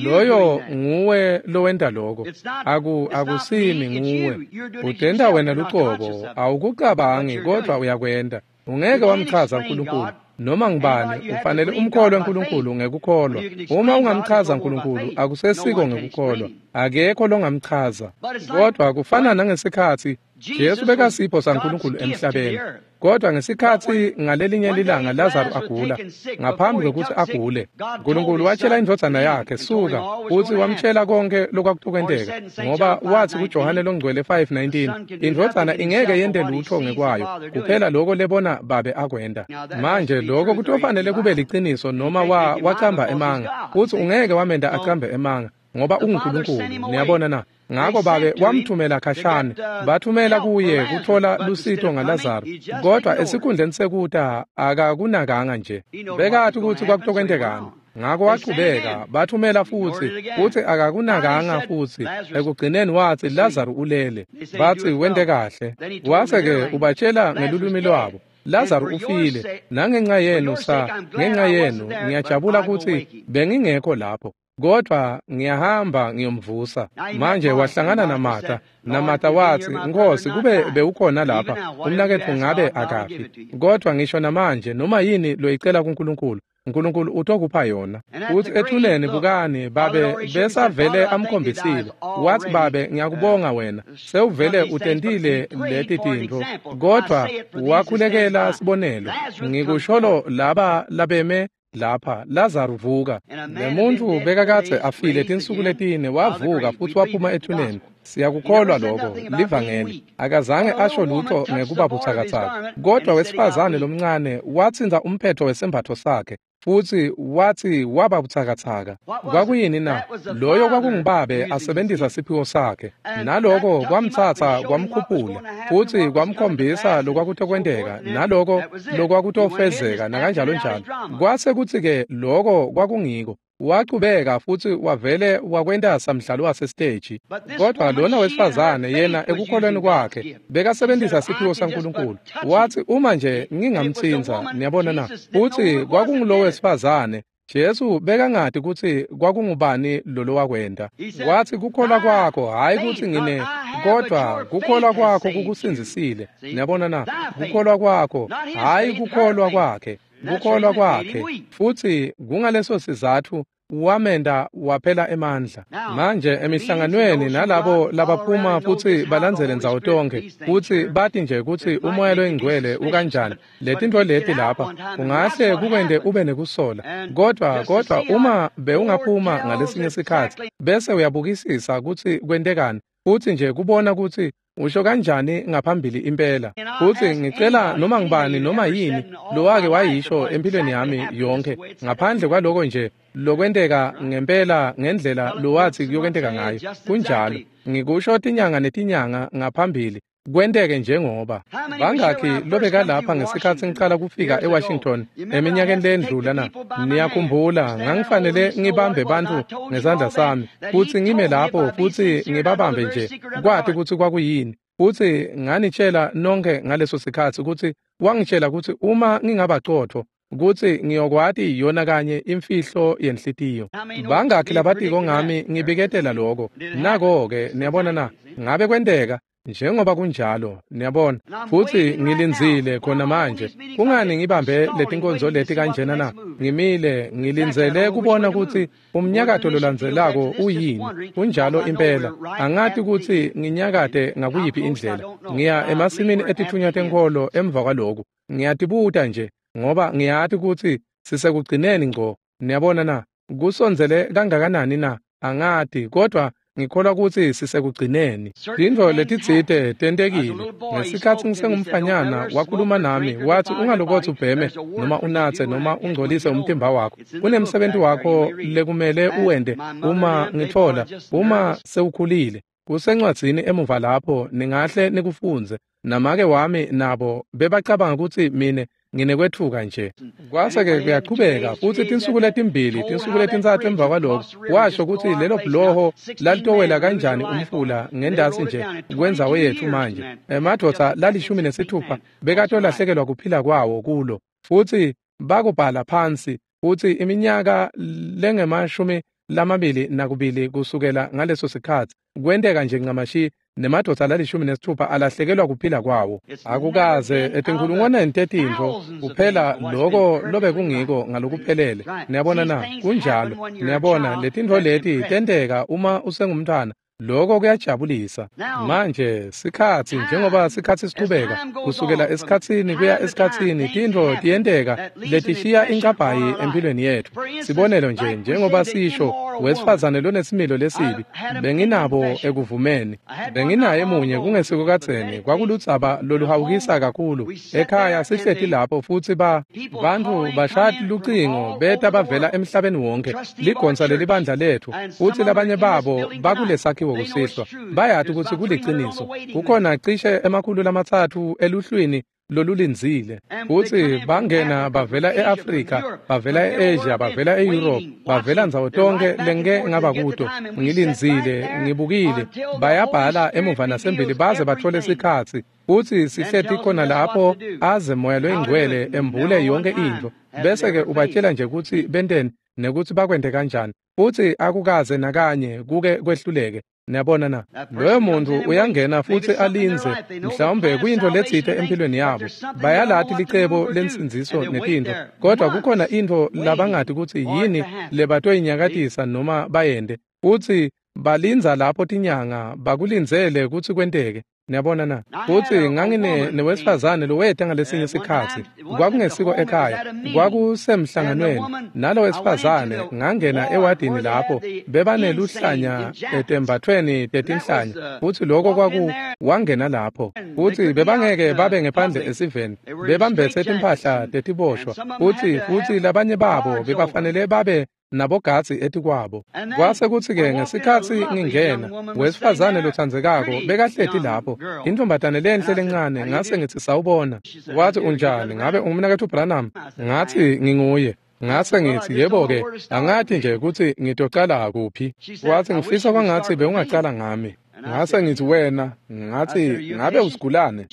loyo nguwe lowenta loko, aku akusimi nguwe. Utenta wena lucobo, awukucabangi kodwa uyakwenta. Ungeke wamchaza uNkulunkulu noma ngubani, ufanele umkholwe uNkulunkulu ngekukholwa. Uma ungamchaza uNkulunkulu akusesiko ngekukholwa, akekho longamchaza. Kodwa kufana nangesikhatsi Jesu bekasipho saNkulunkulu emhlabeni. Kodwa ngesikhatsi ngalelinye lilanga Lazaro agula, ngaphambi kwekutsi agule, uNkulunkulu watshela indvodzana yakhe, "Suka," futsi wamtshela konke lokwakutokwenteka, ngoba wathi kuJohane longcwele five nineteen, indvodzana ingeke yente lutho ngekwayo, kuphela loko lebona babe akwenta. Manje loko kutofanele kube liciniso noma wa wacamba emanga, futsi ungeke wamenta acambe emanga, ngoba unguNkulunkulu. Niyabona na? Ngako babe wamthumela khashane, bathumela kuye kutfola lusito ngaLazaro, kodwa esikhundleni sekuta akakunakanga nje. Bekati kutsi kwakutokwentekani. Ngako wachubeka, bathumela futsi, futsi akakunakanga futsi. Ekugcineni watsi Lazaro ulele. Batsi wente kahle. Wase-ke ubatshela ngelulwimi lwabo, Lazaro ufile, nangenca yenu sa, ngenca yenu ngiyajabula kutsi bengingekho lapho. Kodwa ngiyahamba ngiyomvusa. Manje wahlangana naMartha. NaMartha watsi, "Nkosi, kube bewukhona lapha, umnaketfu ngabe akafi. Kodwa ngisho namanje noma yini loyicela kuNkulunkulu, uNkulunkulu utokupha yona." Futsi ethuneni bukani, babe besavele amkhombisile. Watsi, "Babe, ngiyakubonga wena, sewuvele utentile leti tintfo." Kodwa wakhulekela sibonelo. Ngikusholo laba labeme lapha, Lazaro vuka. Lemuntfu bekakadze afile tinsuku letine, wavuka futsi waphuma ethuneni. Siyakukholwa lokho, livangeli. Akazange asho lutho ngekuba butsakatsaka. Kodwa wesifazane lomncane watsintsa umphetho wesembatfo sakhe, futsi watsi waba butsakatsaka. Kwakuyini na? Loyo kwakungubabe asebentisa siphiwo sakhe. Naloko kwamtsatsa kwamkhuphula, futsi kwamkhombisa lokwakutokwenteka, naloko lokwakutofezeka, nakanjalo njalo. Kwase kutsi-ke loko kwakungiko. Wachubeka futsi wavele wakwenta samdlalo wasesiteji. Kodwa lona wesifazane yena ekukholweni kwakhe bekasebentisa siphiwo saNkulunkulu. Watsi, "Uma nje ngingamtsintsa," niyabona na? Futsi kwakungulo wesifazane. Jesu bekangati kutsi kwakungubani lolo wakwenta. Watsi, "Kukholwa kwakho, hhayi kutsi ngine, kodwa kukholwa kwakho kukusindzisile." Niyabona na? Kukholwa kwakho, hhayi kukholwa kwakhe. Kukholwa kwakhe. Futsi kungaleso sizatfu wamenda waphela emandla. Manje emihlanganweni nalabo labaphuma futsi balandzele ndzawo tonkhe, futsi bati nje kutsi umoya loyingcwele ukanjani, letintfo leti lapha kungahle kukwente ube nekusola. Kodwa kodwa uma bewungaphuma ngalesinye sikhatsi bese uyabukisisa kutsi kwentekani, futsi nje kubona kutsi usho kanjani ngaphambili impela. Futsi ngicela noma ngubani noma yini lowake wayisho empilweni yami yonke, ngaphandle kwaloko nje lokwenteka ngempela ngendlela lowathi kuyokwenteka ngayo. Kunjalo, ngikusho tinyanga netinyanga ngaphambili, kwenteke njengoba. Bangakhi lobeka lapha ngesikhatsi ngicala kufika eWashington eminyakeni lendlula na? Niyakhumbula, ngangifanele ngibambe bantfu ngesandla sami, futsi ngime lapho futsi ngibabambe nje, kwati kutsi kwakuyini. Futsi nganitshela nonke ngaleso sikhatsi kutsi wangitshela kutsi uma ngingabacotfo kutsi ngiyokwati yona kanye imfihlo yenhlitiyo. Bangakhi labatiko ngami ngibiketela lokho? Nako-ke, niyabona na? Ngabe kwenteka? Njengoba kunjalo, niyabona. Futsi ngilindzile khona manje. Kungani ngibambe letinkonzo leti kanjena na? Ngimile, ngilindzele kubona kutsi umnyakato lolandzelako uyini. Kunjalo impela. Angati kutsi nginyakate ngakuyiphi indlela. Ngiya emasimini etitfunywa tenkholo emva kwaloku. Ngiyatibuta nje, ngoba ngiyati kutsi sisekugcineni ngco. Niyabona na? Kusondzele kangakanani na? Angati, kodwa ngikholwa kutsi sisekugcineni. Tintfo letitsite tentekile. Ngesikhatsi ngisengumfanyana wakhuluma nami watsi ungalokotsi ubheme noma unatse noma ungcolise umtimba wakho. Kunemsebenti wakho lekumele uwente uma ngitfola uma sewukhulile. Kusencwadzini emuva lapho ningahle nikufundze. Namake wami nabo bebacabanga kutsi mine nginekwetfuka nje. Kwase-ke kuyaqhubeka futsi tinsuku letimbili, tinsuku letintsatfu emva kwaloko, washo kutsi lelo bhuloho lalitowela kanjani umfula ngendasi nje kwendzawo yetfu manje. Emadvodza lalishumi nesitfupha bekatolahlekelwa kuphila kwawo kulo, futsi bakubhala phansi futsi iminyaka lengemashumi lamabili nakubili kusukela ngaleso sikhatsi kwenteka nje ncamashi nemadvodza lalishumi nesitfupha alahlekelwa kuphila kwawo. Akukaze etinkhulungwaneni tetintfo kuphela loko lobekungiko ngalokuphelele. Niyabona na? Kunjalo. Niyabona letintfo leti tenteka uma usengumntwana. Lokho kuyajabulisa. Manje sikhatsi njengoba sikhatsi sichubeka kusukela esikhatsini kuya esikhatsini tintfo tiyenteka letishiya inkabhayi empilweni yetfu. Sibonelo nje njengoba sisho wesifazane lonesimilo lesibi benginabo ekuvumeni. Benginaye munye kungesiko kadzeni kwakuludzaba loluhawukisa kakhulu. Ekhaya sihleti lapho futsi ba bantfu bashaya lucingo beta bavela emhlabeni wonke ligonsa lelibandla letfu futsi labanye babo bakulesakhiwo kusihlwa. Bayati kutsi kuliciniso. Kukhona cishe emakhulu lamatsatfu eluhlwini lolulindzile. Futsi bangena bavela e-Afrika, bavela e-Asia, bavela e-Europe, bavela ndzawo tonkhe lengike ngaba kuto. Ngilindzile, ngibukile, bayabhala emuva nasembili baze batfole sikhatsi. Futsi sihleti khona lapho aze Moya loyiNgcwele embule yonke intfo. Bese-ke ubatshela nje kutsi benteni nekutsi bakwente kanjani. Futsi akukaze nakanye kuke kwehluleke. Niyabona na? Loyo muntu uyangena futsi alindze, mhlawumbe kuyintfo letsite empilweni yabo. Bayalati licebo lensindziso netintfo, kodwa kukhona intfo labangati kutsi yini lebatoyinyakatisa noma bayente. Futsi balindza lapho tinyanga bakulindzele kutsi kwenteke. Niyabona na? Futsi ngangine newesifazane loweta ngalesinye sikhatsi. Kwakungesiko ekhaya, kwakusemhlanganweni. Nalo wesifazane ngangena ewadini lapho bebaneluhlanya etembathweni tetinhlanya. Futsi lokho kwaku wangena lapho. Futsi bebangeke babe ngephandle esiveni. Bebambetse timphahla tetiboshwa. Futsi futsi labanye babo bebafanele babe nabogadzi etikwabo. Kwase kutsi-ke ngesikhatsi ngingena, wesifazane lotsandzekako bekahleti lapho, intombatane lenhle lencane, ngase ngitsi sawubona. Wathi unjani, ngabe ungumnaketfu Branham? Ngathi nginguye. Ngase ngitsi yebo-ke, angati nje kutsi ngitocala kuphi. Wathi ngifisa kwangatsi bewungacala ngami. Ngase ngitsi wena, ngathi ngabe usigulane?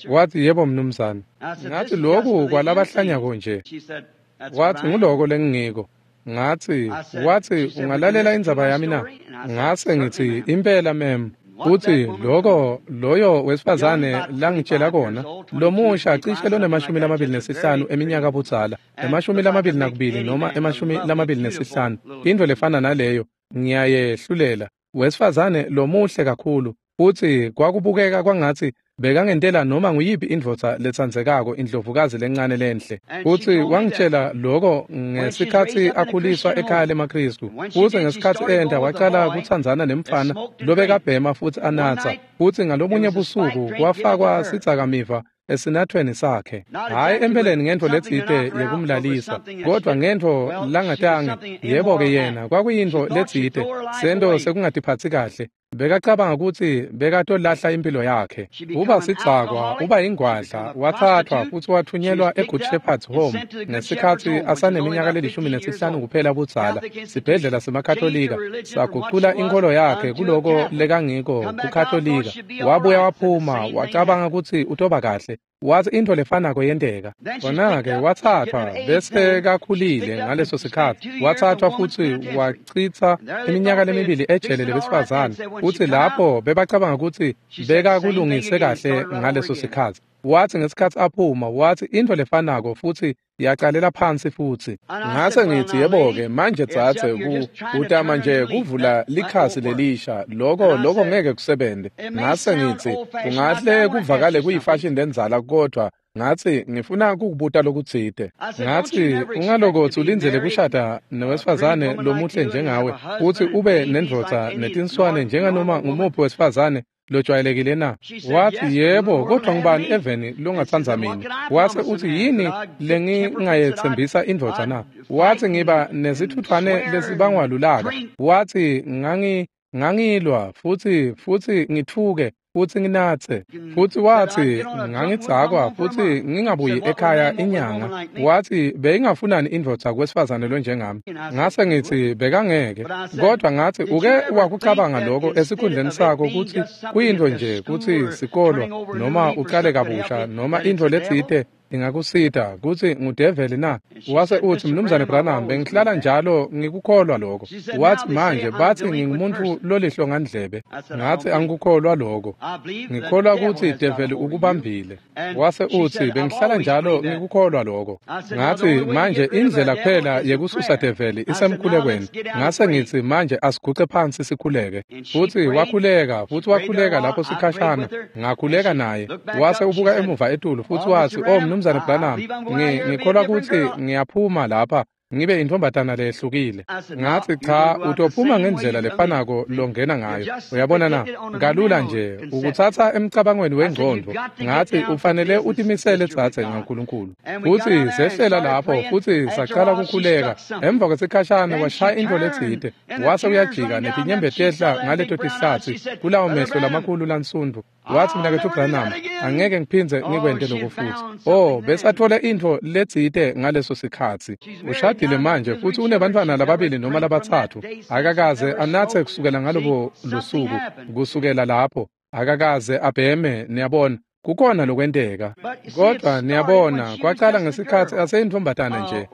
Wathi yebo mnumzane. Ngathi lokhu kwalabahlanyako nje. Wathi nguloko lengingiko. Ngathi wathi ungalalela indzaba yami na? Ngase ngitsi impela mem. Futsi loko loyo wesifazane langitshela kona lomusha cishe lonemashumi lamabili nesihlanu eminyaka budzala, emashumi lamabili nakubili noma emashumi lamabili nesihlanu, intfo lefana naleyo ngiyayehlulela. Wesifazane lomuhle kakhulu futsi kwakubukeka kwangatsi bekangentela noma nguyiphi indvodza letsandzekako indlovukazi lencane lenhle. Futsi wangitshela loko ngesikhatsi akhuliswa ekhaya lemaKhristu. Futsi ngesikhatsi enta wacala kutsandzana nemfana lobekabhema futsi anatsa. Futsi ngalomunye busuku kwafakwa sidzakamiva esinathweni sakhe. Hhayi empeleni ngentfo letsite yekumlalisa, kodwa ngentfo langatange. Yebo-ke yena kwakuyintfo letsite, sento sekungatiphatsi kahle. Bekacabanga kutsi bekatolahla impilo yakhe. Uba sidzakwa, uba ingwadla, wathathwa futsi wathunyelwa eGood Shepherd's Home ngesikhatsi asaneminyaka lelishumi nesihlanu kuphela budzala. Sibhedlela semaKatolika sagucula inkholo yakhe kuloko lekangiko kuKatolika. Wabuya waphuma, wacabanga kutsi utoba kahle. Wathi intfo lefanako yenteka. Khona-ke wathathwa bese kakhulile ngaleso sikhatsi. Wathathwa futsi wachitsa iminyaka lemibili ejele lebesifazane. Futsi lapho bebacabanga kutsi bekakulungise kahle ngaleso sikhatsi. Wathi ngesikhatsi aphuma, wathi intfo lefanako futsi yacalela phansi futsi. Ngase ngithi yebo-ke manje dzadze utama nje kuvula likhasi lelisha, loko loko ngeke kusebente. Ngase ngithi kungahle kuvakale kuyifashini lendzala, kodwa ngathi ngifuna kukubuta lokutsite. Ngathi ungalokotsi ulindzele kushada nowesifazane lomuhle njengawe futsi ube nendvodza netinswane njenganoma ngumuphi wesifazane lojwayelekile na? Wathi yebo, kodwa ngubani eveni longatsandza mina? Wase uthi yini lengingayetsembisa indvodza na? Wathi ngiba nesithuthwane lesibangwa lulaka. Wathi ngangi ngangilwa futsi futsi ngithuke futsi nginatse. Futsi wathi ngangidzakwa futsi ngingabuyi ekhaya inyanga. Wathi beyingafunani indvodza kwesifazane lonjengami? Ngase ngithi bekangeke. Kodwa ngathi uke wakucabanga lokho esikhundleni sakho kutsi kuyintfo nje kutsi sikolo noma uqale kabusha noma intfo letsite ingakusita kutsi ngudeveli na? Wase uthi Mnumzane Branham, bengihlala njalo ngikukholwa lokho. Wathi manje bathi ngingumuntu lolihlongandlebe. Ngathi angikukholwa lokho. Ngikholwa kutsi develi ukubambile. Wase uthi bengihlala njalo ngikukholwa lokho. Ngathi manje indlela kuphela yekususa develi isemkhulekweni. Ngase ngithi manje asiguce phansi sikhuleke. Futhi wakhuleka, futhi wakhuleka lapho sikhashana. Ngakhuleka naye. Wase ubuka emuva etulu futhi wathi, "Oh Mnumzane Branham, ngikholwa kutsi ngiyaphuma lapha ngibe intombatana lehlukile." Ngathi cha, utophuma ngendlela lefanako longena ngayo. Uyabona na? Kalula nje ukutsatsa emcabangweni wengcondvo. Ngathi ufanele utimisele tsatse ngaNkulunkulu. Futhi sehlela lapho futsi saqala kukhuleka. Emva kwesikhashana washaya intfo letsite. Wase uyajika netinyembeti tehla ngaleto tihlatsi kulawo mehlo lamakhulu lansundu. Wathi mnaketfu Branham, angeke ngiphindze ngikwente lokho futhi. Oh, besathole intfo letsite ngaleso sikhatsi. Ushadile manje futhi unebantfwana lababili noma labatsatfu. Akakaze anatse kusukela ngalobo lusuku, kusukela lapho akakaze abheme, niyabona. Kukhona lokwenteka. Kodwa niyabona, kwacala ngesikhatsi aseyintombatana nje.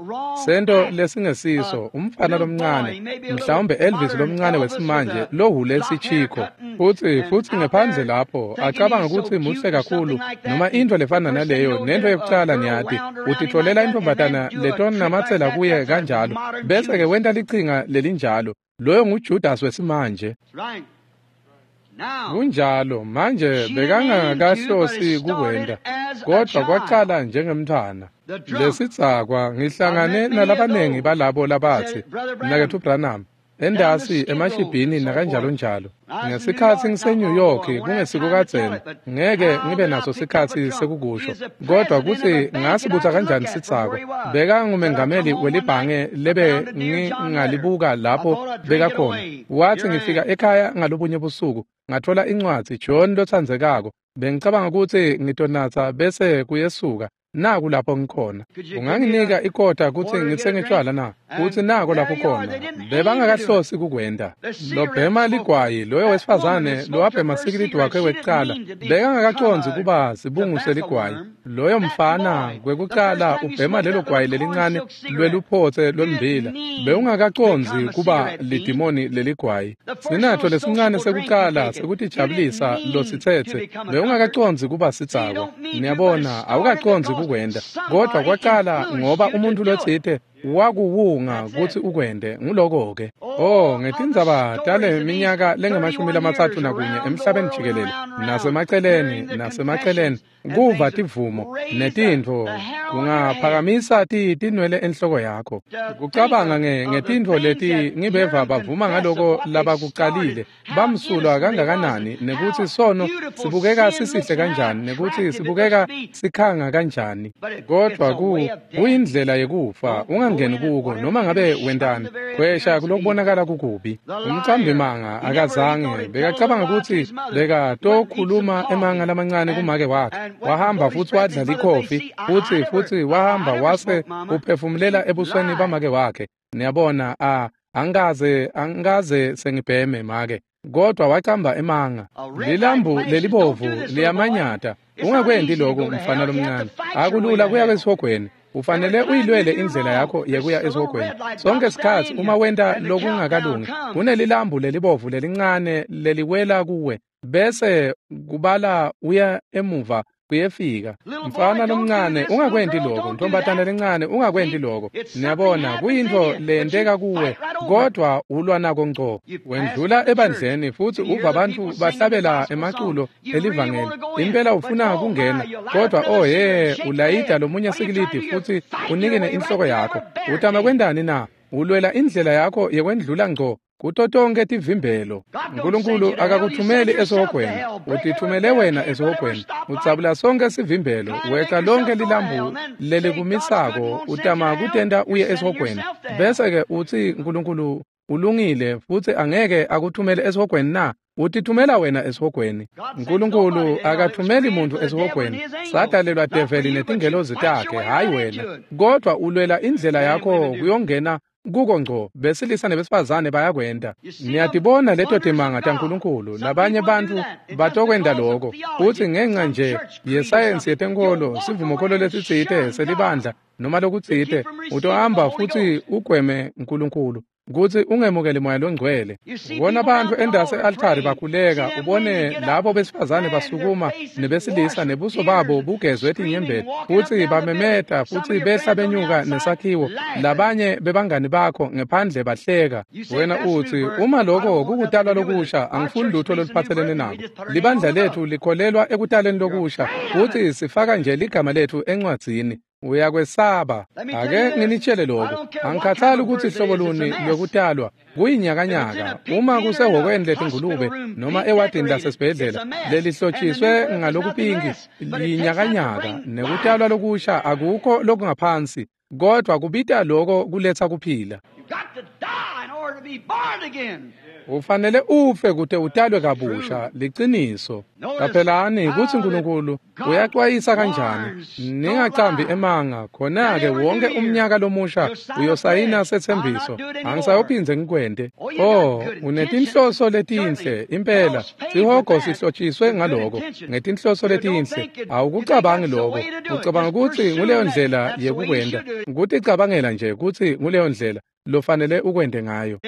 Sento lesingesiso, umfana lomncane, mhlawumbe Elvis lomncane wesimanje lohule sichikho. Futhi futhi ngephandle lapho acabanga ukuthi muhle kakhulu noma into lefana naleyo, nento yokucala niyati, utitfolela intombatana letonamatsela kuye kanjalo, bese ke wenta lichinga lelinjalo. Loyo nguJudas wesimanje. Kunjalo manje bekangakahlosi kukwenta, kodwa kwacala njengemntfwana. Lesidzakwa ngihlangane nalabanengi balabo labatsi, Mnaketfu Branham, endasi emashibhini nakanjalo njalo. Ngesikhatsi ngise-New York kungesikukadzeni, ngeke ngibe naso sikhatsi sekukusho, kodwa kutsi ngasibutsa kanjani sidzakwa. Bekangumengameli welibhange lebe ngingalibuka lapho bekakhona. Wathi ngifika ekhaya ngalobunye busuku, ngathola incwadzi John lotsandzekako. Bengicabanga kutsi ngitonatsa bese kuyesuka. Naku lapho ngikhona. Unganginika ikota kutsi ngitsenge tshwala na? Kutsi nako lapho khona. Bebangakahlosi kukwenta. Lobhema ligwayi loyo wesifazane lowabhema sikilidi wakhe wekucala bekangakacondzi kuba sibungu seligwayi. Loyo mfana kwekucala ubhema lelo gwayi lelincane lweluphotse lwemmbila. Bewungakacondzi kuba lidimoni leligwayi. Sinatfo lesincane sekucala sekutijabulisa lositsetse bewungakacondzi kuba sidzakwa. Niyabona, awukacondzi kukwenta, kodwa kwacala ngoba umuntu lotsite wakuwunga kutsi ukwente. Nguloko-ke. Oh, ngetindzaba tale minyaka lengemashumi lamatsatfu nakunye emhlabeni jikelele, nasemaceleni, nasemaceleni, kuva tivumo netintfo kungaphakamisa tinwele enhloko yakho. Kucabanga ngetintfo leti ngibeva bavuma ngaloko labakucalile, bamsulwa kangakanani, nekutsi sono sibukeka sisihle kanjani, nekutsi sibukeka sikhanga kanjani. Kodwa kuyindlela yekufa, ungangeni kuko noma ngabe wentani. Kwesha kulokubonakala kukubi. Umcambimanga akazange bekacabanga kutsi bekatokhuluma emanga lamancane kumake wakhe. Wahamba futsi wadla likhofi, futsi futsi wahamba wase uphefumulela ebusweni bamake wakhe. Niyabona, a angikaze angikaze sengibheme make. Kodwa wacamba emanga. Lilambu lelibovu liyamanyata. Ungakwenti lokho mfana lomncane. Akulula kuya esihogweni. Ufanele uyilwele indlela yakho yekuya esihogweni. Sonke isikhathi uma wenta lokungakalungi, kunelilambu lelibovu lelincane leliwela kuwe, bese kubala uya emuva kuyefika. Mfana lomncane ungakwenti lokho, ntombatana lencane ungakwenti lokho. Niyabona kuyintfo leyenteka kuwe, kodwa ulwa nako ngco. Wendlula ebandleni futhi uva abantu bahlabela emaculo elivangeli. Impela ufuna kungena, kodwa oh he, ulayida lomunye sikilidi futhi unikene inhloko yakho. Utama kwendani na? Ulwela indlela yakho yekwendlula ngco kuto tonke tivimbelo. Nkulunkulu akakuthumeli esihogweni, utithumele wena esihogweni. Utsabula sonke sivimbelo, weqa lonke lilambu lelikumisako, utama kutenta uye esihogweni. Bese-ke utsi Nkulunkulu ulungile futhi angeke akuthumele esihogweni na? Utithumela wena esihogweni. Nkulunkulu akathumeli muntu esihogweni. Sadalelwa develi netingelozi takhe, hayi wena. Kodwa ulwela indlela yakho kuyongena kuko ngco. Besilisa nebesifazane bayakwenta. Niyatibona leto timanga taNkulunkulu. Labanye bantu batokwenta lokho. Uthi ngenxa nje yesayensi yetenkolo, sivumokholo lesitsite selibandla noma lokutsite, utohamba futhi ugweme Nkulunkulu kutsi ungemukeli moya longcwele. Ubona abantu endase altari bakhuleka, ubone labo besifazane basukuma nebesilisa nebuso babo bugezwe tinyembeti, futsi bamemeta futhi behla benyuka nesakhiwo. Labanye bebangani bakho ngephandle bahleka. Wena utsi uma lokho kukutalwa lokusha, angifuni lutho loluphatselene nako. Libandla lethu likholelwa ekutaleni lokusha, futhi sifaka nje ligama lethu encwadzini. Uyakwesaba. Ake nginitshele lokho. Angikhathali ukuthi hlobo luni lwekutalwa kuyinyakanyaka. Uma kusehhokweni letingulube noma ewadini lasesibhedlela lelihlotshiswe ngalokupinki, liyinyakanyaka. Nekutalwa lokusha akukho lokungaphansi, kodwa kubita lokho kuletha kuphila. Ufanele ufe kute utalwe kabusha. Liciniso. Qaphelani kutsi Nkulunkulu uyaxwayisa kanjani. Ningacambi emanga. Khona-ke wonke umnyaka lomusha uyosayina setsembiso. Angisayophindze ngikwente. Oh, unetinhloso letinhle impela. Sihogo sihlotshiswe ngaloko, ngetinhloso letinhle. Awukucabangi lokho. Ucabanga kutsi nguleyo ndlela yekukwenta. Kuticabangela nje kutsi nguleyo ndlela lofanele ukwente ngayo.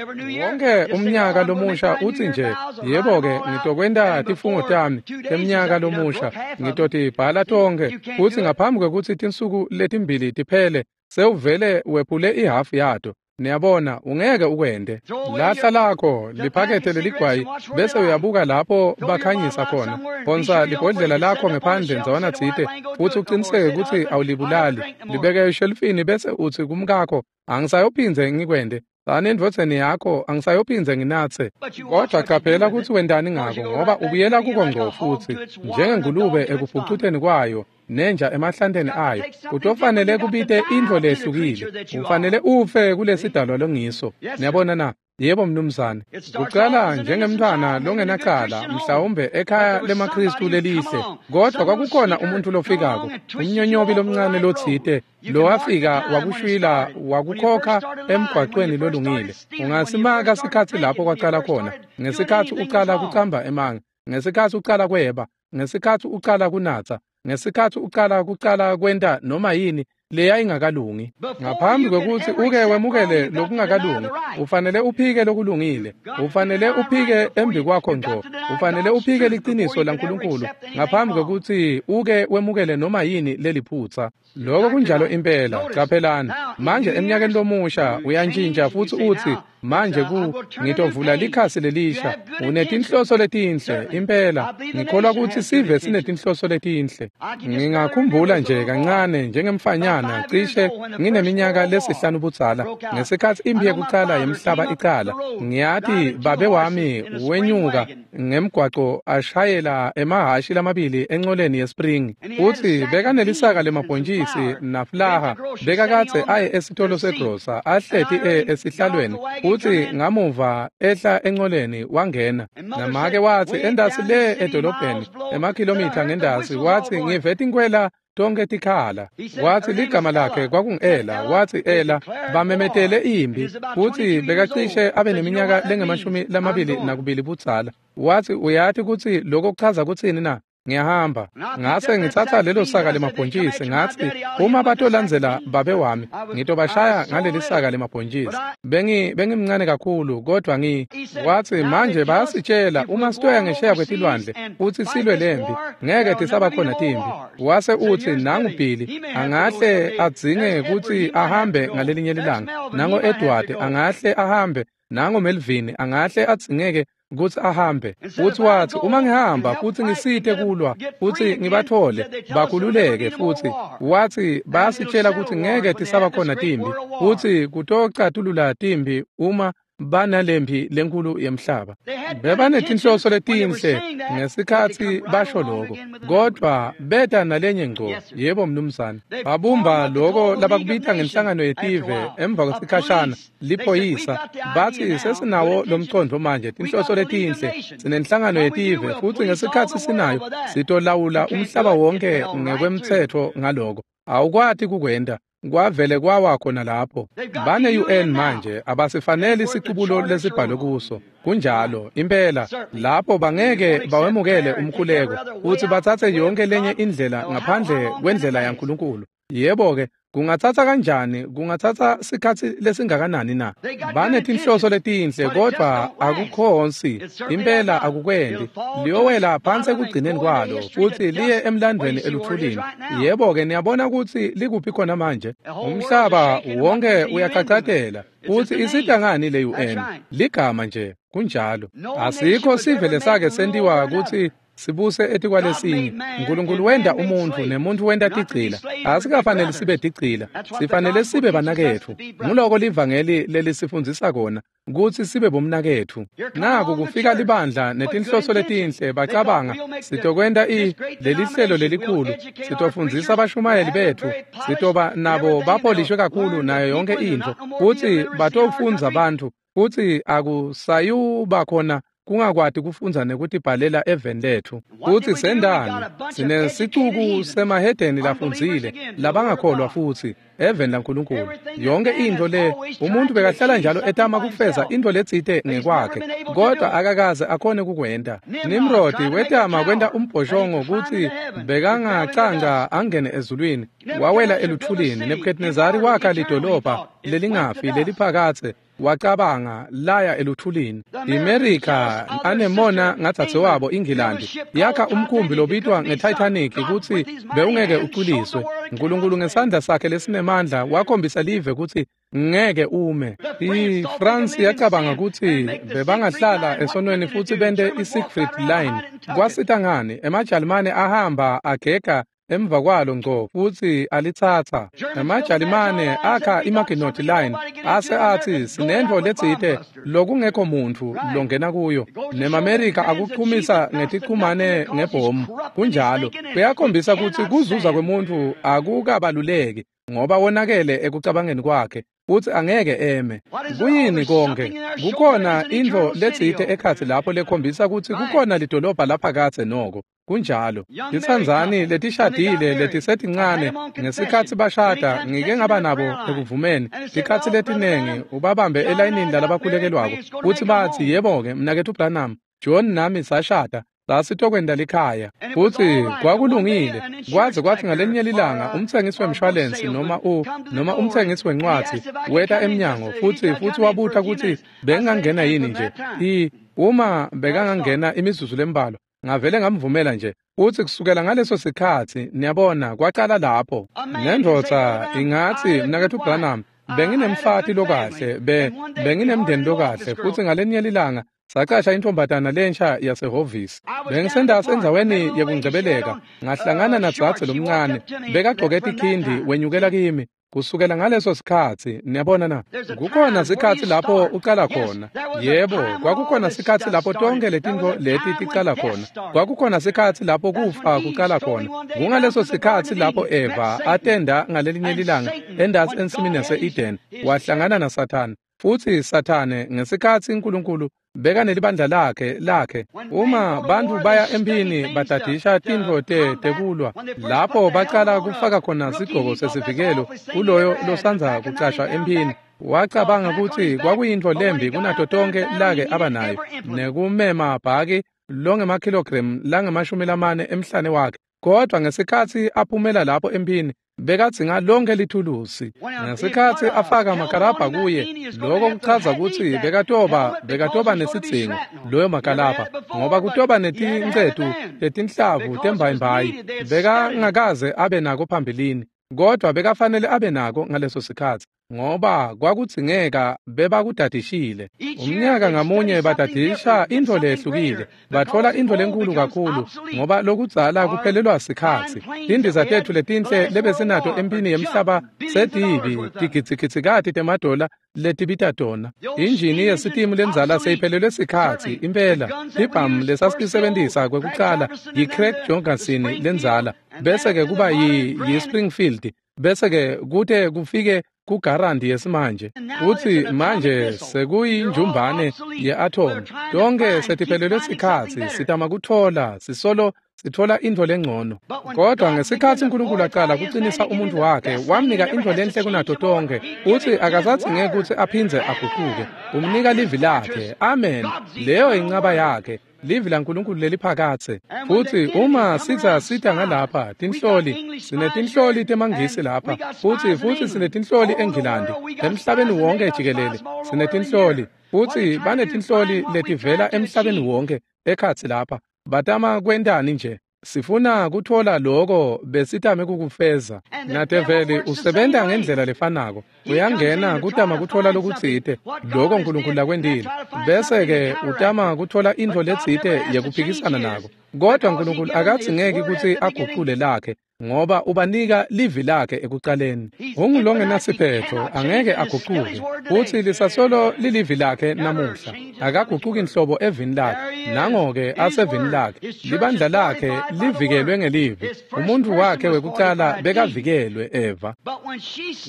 Wonke umnyaka lomusha utsi nje, yebo-ke ngitokwenta tifungo tami temnyaka lomusha, ngitotibhala tonkhe, futsi ngaphambi kwekutsi tinsuku letimbili tiphele, sewuvele wephule ihafu yato. Niyabona, ungeke ukwente. Lahla lakho liphakethe leligwayi, bese uyabuka lapho bakhanyisa khona. Phonsa libhodlela lakho ngephandle ndzawana tsite, futsi uqiniseke kutsi awulibulali. Libeke eshelufini bese utsi kumkakho, angisayophindze ngikwente. Tsani endvodzeni yakho, angisayophindze nginatse. Kodwa qaphela kutsi wentani ngako, ngoba ubuyela kuko ngco futsi, njengengulube ekufucuteni kwayo nenja emahlanteni ayo. Utofanele kubite intfo lehlukile. Ufanele ufe kulesidalwa longiso. Niyabona na? Yebo mnumzane. Kucala njengemntfwana longenacala, mhlawumbe ekhaya lemaKhristu lelihle, kodwa kwakukhona umuntu lofikako, umnyonyobi lomncane lotsite lowafika wakushwila wakukhokha emgwaqweni lolungile. Ungasimaka sikhatsi lapho kwacala khona, ngesikhatsi ucala kucamba emanga, ngesikhatsi ucala kweba, ngesikhatsi ucala kunatsa, ngesikhatsi ucala kucala kwenta noma yini leyayingakalungi. Ngaphambi kwekutsi uke wemukele lokungakalungi, ufanele uphike lokulungile. Ufanele uphike embi kwakho ngco. Ufanele uphike liciniso laNkulunkulu ngaphambi kwekutsi uke wemukele noma yini leliphutsa. Lokho kunjalo impela. Qaphelani manje eminyakeni lomusha uyantshintsha futsi utsi, manje ku ngitovula likhasi lelisha. Unetinhloso letinhle impela. Ngikholwa kutsi sive sinetinhloso letinhle. Ngingakhumbula nje kancane njengemfanyana cishe ngineminyaka lesihlanu budzala, ngesikhatsi imphi yekucala yemhlaba icala. Ngiyati babe wami wenyuka ngemgwaco ashayela emahhashi lamabili encoleni yespring, futsi bekanelisaka lemabhontjisi nafulaha. Bekakadze aye esitolo segrosa, ahleti esihlalweni, futsi ngamuva ehla encoleni wangena. Namake watsi endasi le edolobheni, emakhilomitha ngendasi, watsi ngive tinkwela tonke tikhala. Watsi ligama lakhe kwakungu-Ela. Watsi Ela bamemetele impi, futsi bekacishe abe neminyaka lengemashumi lamabili nakubili budzala. Watsi uyati kutsi lokho kuchaza kutsini na? Ngiyahamba. Ngase ngitsatsa lelo saka lemabhontjisi ngatsi uma batolandzela babe wami ngitobashaya ngaleli saka lemabhontjisi. Bengi bengimncane kakhulu kodwa ngi watsi manje bayasitshela uma sitoya ngesheya kwetilwandle futsi silwe lempi ngeke tisabakhona timpi. Wase utsi nangu Billy angahle adzinge kutsi ahambe ngalelinye lilanga, nango Edward angahle ahambe, nango Melvin angahle adzingeke kutsi ahambe. Futsi watsi uma ngihamba futsi ngisite kulwa futsi ngibathole bakhululeke, futsi watsi bayasitshela kutsi ngeke tisabakhona timpi futsi kutocatulula timpi uma banalempi lenkulu yemhlaba. Bebanetinhloso letinhle ngesikhatsi basho lokho, kodwa beta nalenye ngco. Yebo mnumzane, babumba lokho labakubita ngenhlangano yetive emva kwesikhashana liphoyisa. Batsi sesinawo lomcondvo manje, tinhloso letinhle, sinenhlangano yetive futsi ngesikhatsi sinayo sitolawula umhlaba wonke ngekwemtsetfo ngaloko. Awukwati kukwenta. Kwavele kwawa khona lapho. Bane U N manje abasifanele isicubulo lesibhalwe kuso. Kunjalo impela lapho bangeke bawemukele umkhuleko futsi batsatse yonke lenye indlela ngaphandle kwendlela yaNkulunkulu. Yebo ke, kungatsatsa kanjani, kungatsatsa sikhatsi lesingakanani na? Banetinhloso letinhle kodwa akukhonsi impela akukwendi. Liyowela phansi ekugcineni kwalo futsi liye emlandweni eluthulini. Yebo ke, niyabona kutsi likuphi khona manje. Umhlaba wonke uyaqhaqhatela futsi isita ngani le U N? Ligama nje, kunjalo. Asikho sive lesake sentiwa kutsi sibuse etikwalesinye. Nkulunkulu wenta umuntfu nemuntfu wenta tigcila. Asikafanele sibe tigcila, sifanele sibe banaketfu. Nguloko livangeli lelisifundzisa kona, kutsi sibe bomnaketfu. Naku kufika libandla netinhloso letinhle, bacabanga sitokwenta i lelihlelo lelikhulu, sitofundzisa bashumayeli betfu, sitoba nabo bapolishwe kakhulu nayo yonke intfo, futsi batofundza bantfu, futsi akusayuba khona kungakwati kufundza nekutibhalela eveni letfu. Futsi sendani sinesicuku semahedeni lafundzile labangakholwa futsi eveni laNkulunkulu. Yonke intfo le umuntu bekahlala njalo etama kufeza intfo letsite ngekwakhe, kodwa akakaze akhone kukwenta. Nimrodi wetama kwenta umbhoshongo kutsi bekangacanga angene ezulwini, wawela eluthulini. Nebukhadnezari wakha lidolobha lelingafi leliphakatse, wacabanga laya eluthulini. IMerika anemona ngadzadzewabo iNgilandi yakha umkhumbi lobitwa ngeTitanic kutsi bewungeke uculiswe. Nkulunkulu ngesandla sakhe lesinemandla wakhombisa live kutsi ngeke ume. IFrance yacabanga kutsi bebangahlala esonweni futsi bente iSiegfried Line. Kwasita ngani? EmaJalimane ahamba agega emva kwalo ngco futsi alitsatsa. EmaJalimane akha iMaginot Line ase atsi sinentfo letsite lokungekho muntfu longena kuyo. NemaMerika akuchumisa ngetichumane ngebhomu. Kunjalo, kuyakhombisa kutsi kuzuza kwemuntfu akukabaluleki ngoba wonakele ekucabangeni kwakhe futsi angeke eme. Kuyini konke? Kukhona intfo letsite ekhatsi lapho lekhombisa kutsi kukhona lidolobha laphakatse noko. Kunjalo. Titsandzani letishadile letisetincane ngesikhatsi bashada ngike ngaba nabo ekuvumeni tikhatsi letinengi ubabambe elayinini lalabakhulekelwako futsi batsi yebo-ke mnaketfu Branham, John nami sashada sasitokwenta likhaya. Futsi kwakulungile kwaze kwathi ngalenye lilanga umtsengisi wemshwalensi noma u noma umtsengisi wencwadzi weta emnyango futsi futsi wabuta kutsi bengangena yini nje. I uma bekangangena imizuzu lembalwa ngavele ngamvumela nje. Futsi kusukela ngaleso sikhatsi niyabona kwacala lapho. Nendvodza ingatsi mnaketfu Branham, benginemfati lokahle, be benginemndeni lokahle, futsi ngalenye lilanga sacasha intombatana lensha yasehhovisi. Bengisendase endzaweni yekungcebeleka, ngahlangana nadzadze lomncane bekagcoke tikhindi wenyukela kimi. Kusukela ngaleso sikhatsi niyabona na, kukhona sikhatsi lapho ucala khona. Yebo, kwakukhona sikhatsi lapho tonke letintfo leti ticala khona. Kwakukhona sikhatsi lapho kufa kucala khona. Kungaleso sikhatsi lapho Eva atenda ngalelinye lilanga endasi ensimini yase-Eden wahlangana naSathane. Futsi Sathane ngesikhatsi uNkulunkulu beka nelibandla lakhe lakhe uma bantfu baya emphini badadisha tintfo te tekulwa lapho bacala kufaka khona sigqoko sesivikelo kuloyo losandza kucashwa emphini, wacabanga kutsi kwakuyintfo lembi kunato tonke lake abanayo nekumema bhaki longemakhilogremu langamashumi lamane emhlane wakhe, kodwa ngesikhatsi aphumela lapho emphini bekadzinga lonke lithulusi. Ngesikhatsi afaka makalabha kuye, lokho kuchaza kutsi bekatoba bekatoba nesidzingo loyo makalabha, ngoba kutoba netincetu tetinhlavu tembayimbayi. Bekangakaze abe nako phambilini, kodwa bekafanele abe nako ngaleso sikhatsi, ngoba kwakudzingeka bebakudadishile. Umnyaka ngamunye badadisha intfo lehlukile, batfola intfo lenkulu kakhulu, ngoba lokudzala kuphelelwa sikhatsi. Tindiza tetfu letinhle lebesinato emphini yemhlaba setibi tigidzigitsikati temadola letibita tona. Injini yesitimu lendzala seyiphelelwe sikhatsi impela. Tibhamu lesasitisebentisa kwekucala yi-Craig Jorgensen lendzala, bese-ke kuba yi-Springfield, bese-ke kute kufike kugarandi yesimanje. Utsi manje sekuyinjumbane ye-atom. Tonke setiphelelwe sikhatsi, sitama kutfola, sisolo sitfola intfo lengcono. Kodwa ngesikhatsi uNkulunkulu aqala kucinisa umuntu wakhe, wamnika intfo lenhle kunato tonke. Utsi akasadzingeki kutsi aphindze aguquke. Umnika livi lakhe. Amen. Leyo incaba yakhe. Livi laNkulunkulu leliphakatse. Futsi uma sitsa sita ngalapha tinhloli, sinetinhloli temaNgisi lapha, futsi futsi sinetinhloli eNgilandi, emhlabeni wonke jikelele sinetinhloli, futsi banetinhloli letivela emhlabeni wonke ekhatsi lapha. Batama kwentani nje? Sifuna kutfola loko besitame kukufeza. Nadeveli usebenta ngendlela lefanako. Uyangena kutama kutfola lokutsite, loko uNkulunkulu lakwentile, bese-ke utama kutfola intfo letsite yekuphikisana nako. Kodwa uNkulunkulu akadzingeki kutsi agucule lakhe, ngoba ubanika livi lakhe ekucaleni. Ungulongenasiphetho, angeke agucuke, futsi lisasolo lilivi lakhe namuhla. Akagucuki nhlobo evini lakhe, nango-ke asevini lakhe. Libandla lakhe livikelwe ngelivi. Umuntu wakhe wekucala bekavikelwe Eva.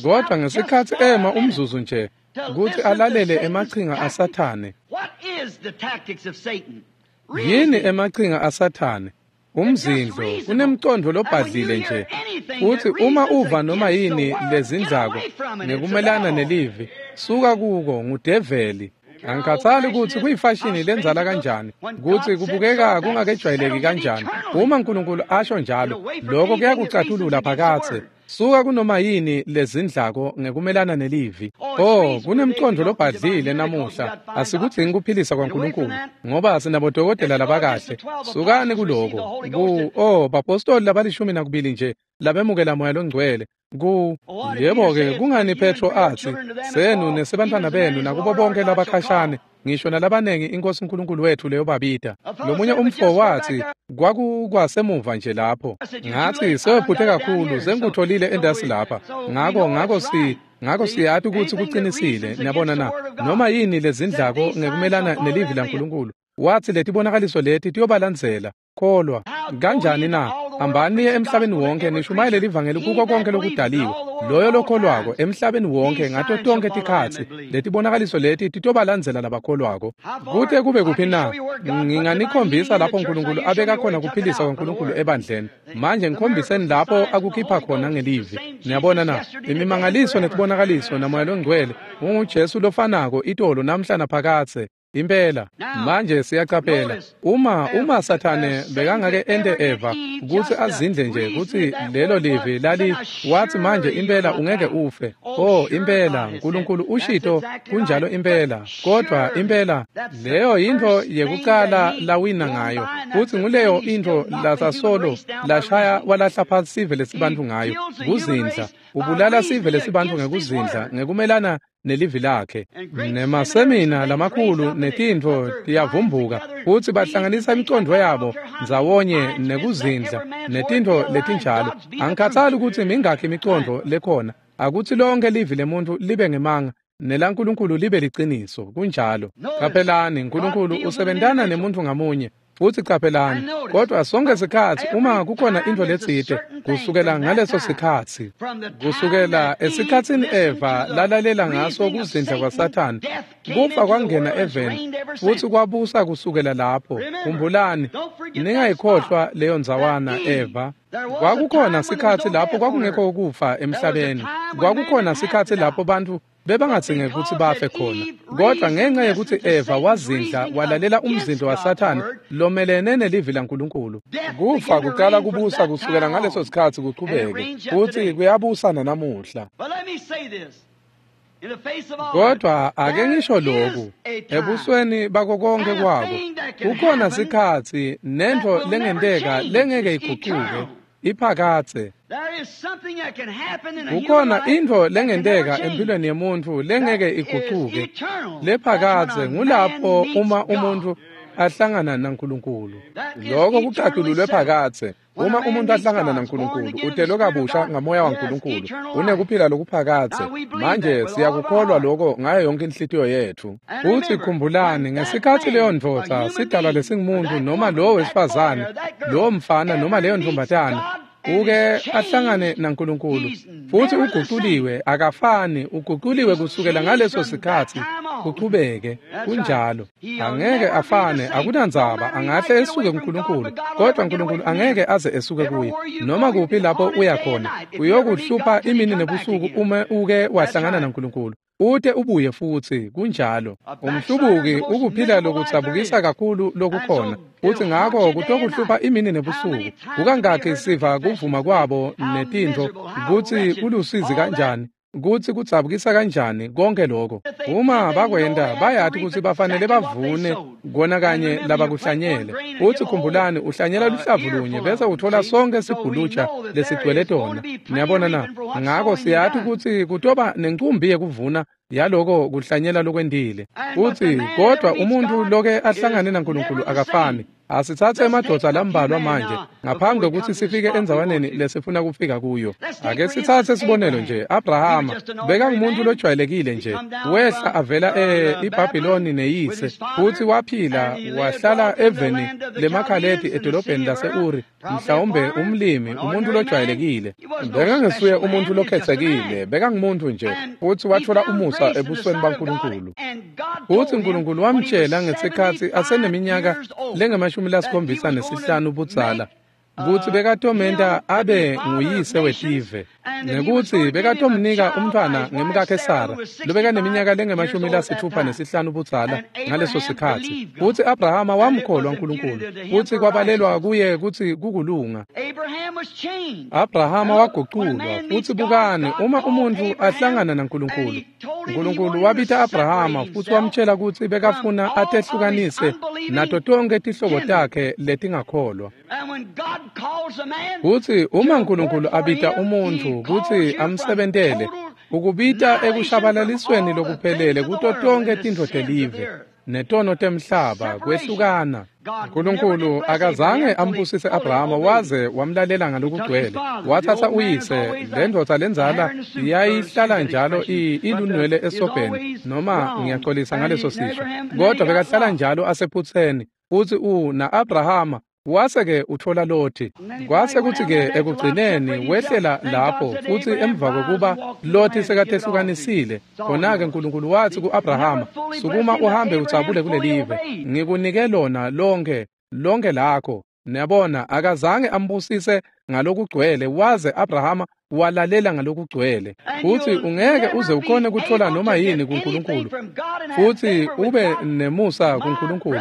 Kodwa ngesikhatsi ema umzuzu nje kutsi alalele emachinga aSathane. Yini emachinga aSathane? Umzindlo kunemcondvo lobhadlile nje. Futsi uma uva noma yini lezindlako ngekumelana nelivi, suka kuko, ngudeveli. Angikhathali kutsi kuyifashini lendzala kanjani, kutsi kubukeka kungakejwayeleki kanjani. Uma uNkulunkulu asho njalo, lokho kuyakucatulula phakatse. Suka kunoma yini lezindlako ngekumelana nelivi. Oh, kunemcondvo lobhadlile namuhla. Asikudzingi kuphilisa kwaNkulunkulu, ngoba sinabodokotela labakahle. Sukani kuloko. Ku oh, bapostoli labalishumi nakubili nje labemukela Moya loNgcwele. Ku yebo-ke, kungani Petro atsi senu nesebantfwana benu nakubo bonke labakhashane, ngisho nalabanengi iNkosi uNkulunkulu wethu leyobabita. Lomunye umfo wathi kwakukwasemuva nje lapho. Ngathi sewephuthe kakhulu, sengikutholile endasi lapha. Ngako ngako si ngako siyati kutsi kucinisile. Niyabona na? Noma yini lezindlako ngekumelana nelivi laNkulunkulu, wathi letibonakaliso leti tiyobalandzela. Kholwa kanjani na? Hambani niye emhlabeni wonke nishumayele livangeli kuko konke lokudaliwe. Loyo lokholwako emhlabeni wonke ngato tonke tikhatsi, letibonakaliso leti titobalandzela labakholwako. Kute kube kuphi na? Nginganikhombisa lapho uNkulunkulu abeka khona kuphilisa kwaNkulunkulu ebandleni. Manje ngikhombiseni lapho akukhipha khona ngelivi. Niyabona na? Imimangaliso netibonakaliso naMoya loNgcwele unguJesu lofanako itolo namhla naphakadze. Impela manje siyacaphela uma uma Sathane bekangake ente Eva kutsi azindle nje kutsi lelo livi lali wathi manje impela ungeke ufe. Oh, impela uNkulunkulu ushito kunjalo impela, kodwa impela leyo intfo yekucala lawina ngayo, futsi nguleyo intfo lasasolo lashaya walahla phansi sive lesibantu ngayo, kuzindla. Ubulala sive lesibantu ngekuzindla ngekumelana nelivi lakhe. Nemasemina lamakhulu netintfo tiyavumbuka, futsi bahlanganisa imicondvo yabo ndzawonye nekuzindla netintfo letinjalo. Angikhathali kutsi mingakhi imicondvo lekhona, akutsi lonke livi lemuntfu libe ngemanga nelaNkulunkulu libe liciniso. Kunjalo. Caphelani, uNkulunkulu usebentana nemuntfu ngamunye. Futsi caphelani, kodwa sonke sikhatsi uma kukhona intfo letsite, kusukela ngaleso sikhatsi, kusukela esikhatsini Eva lalalela ngaso kuzindla kwaSathane, kufa kwangena eveni futsi kwabusa kusukela lapho. Khumbulani, ningayikhohlwa leyo ndzawana Eva. Kwakukhona sikhatsi lapho kwakungekho kufa emhlabeni. Kwakukhona sikhatsi lapho bantfu Bebangadzinge kutsi bafe khona. Kodwa ngenxa yekutsi Eva wazindla walalela umzindlo waSathane lomelene nelivi laNkulunkulu, kufa kuqala kubusa kusukela ngaleso sikhatsi kuchubeke, futsi kuyabusa nanamuhla. Kodwa ake ngisho lokhu, ebusweni bako konke kwako, kukhona sikhatsi nentfo lengenteka lengeke igucuke, iphakatse. Kukhona intfo lengenteka empilweni yemuntfu lengeke igucuke, lephakatse. Ngulapho uma umuntfu ahlangana naNkulunkulu. Lokho kucatululwe phakatse. Uma umuntu ahlangana naNkulunkulu, utelwe kabusha ngamoya waNkulunkulu, unekuphila lokuphakatse. Manje siyakukholwa lokho ngayo yonke inhlitiyo yethu. Futhi khumbulani, ngesikhatsi leyo ndvodza, sidalwa lesingumuntu noma lowo wesifazane, lowo mfana noma leyo ntombatana, uke ahlangane naNkulunkulu, futhi uguculiwe, akafani, uguculiwe kusukela ngaleso sikhatsi kuchubeke. Kunjalo, angeke afane, akunandzaba, angahle esuke kuNkulunkulu, kodwa uNkulunkulu angeke aze esuke kuye. Noma kuphi lapho uya khona, uyokuhlupha imini nebusuku uma uke wahlangana naNkulunkulu, ute ubuye futsi. Kunjalo. Umhlubuki ukuphila lokutsabukisa kakhulu lokukhona, futhi ngako kutokuhlupha imini nebusuku. Kukangakhi siva kuvuma kwabo netintfo kutsi kulusizi kanjani, kutsi kudzabukisa kanjani konke lokho. Uma bakwenta, bayati kutsi bafanele bavune kona kanye labakuhlanyele. Futhi khumbulani, uhlanyela luhlavu lunye bese uthola sonke sibhuluja lesigcwele tona. Niyabona na? Ngako siyati kutsi kutoba nencumbi yekuvuna yaloko kuhlanyela lokwentile. Futhi kodwa umuntfu loke ahlangane naNkulunkulu akafani. Asitsatse emadvodza lambalwa manje ngaphambi kokuthi sifike endzawaneni lesifuna kufika kuyo. Ake sitsatse sibonelo nje, Abrahama bekangumuntu lojwayelekile nje, wehla avela eBhabhiloni neyise, futhi waphila wahlala eveni lemaKhaledi edolobheni lase-Uri, mhlawumbe umlimi, umuntu lojwayelekile. Bekangesuye umuntu lokhetsekile, bekangumuntu nje, futhi wathola umusa ebusweni baNkulunkulu. Futhi uNkulunkulu wamtshela ngesikhatsi aseneminyaka lengamashumi lasikhombisa nesihlanu budzala kutsi bekatomenta abe nguyise wetive, nekutsi bekatomnika umntfwana ngemkakhe Sara lobekaneminyaka lengamashumi lasitfupha nesihlanu budzala ngaleso sikhatsi. Futsi Abrahama wamkholwa uNkulunkulu, futsi kwabalelwa kuye kutsi kukulunga. Abrahama waguculwa. Futsi bukani, uma umuntfu ahlangana naNkulunkulu, uNkulunkulu wabita Abrahama futsi wamtshela kutsi bekafuna atehlukanise nato tonkhe tihlobo takhe letingakholwa. Futsi uma uNkulunkulu abita umuntfu kutsi amsebentele, ukubita ekushabalalisweni lokuphelele kuto tonkhe tintfo telive netono temhlaba, kwehlukana. uNkulunkulu akazange ambusise Abrahama waze wamlalela ngalokugcwele. Wathatha uyise, lendvodza lendzala yayihlala njalo ilunwele esobheni, noma ngiyaxolisa ngaleso sisho, kodwa bekahlala njalo asephutseni. Futsi u na-Abrahama wase-ke uthola Loti. Kwase kutsi-ke ekugcineni wehlela lapho, futsi emva kokuba Loti sekatehlukanisile, khona-ke uNkulunkulu watsi ku-Abrahama, sukuma uhambe udzabule kulelive, ngikunike lona lonke, lonke lakho. Niyabona, akazange ambusise ngalokugcwele waze Abrahama walalela ngalokugcwele. Futsi ungeke uze ukhone kuthola noma yini kuNkulunkulu, futsi ube nemusa kuNkulunkulu.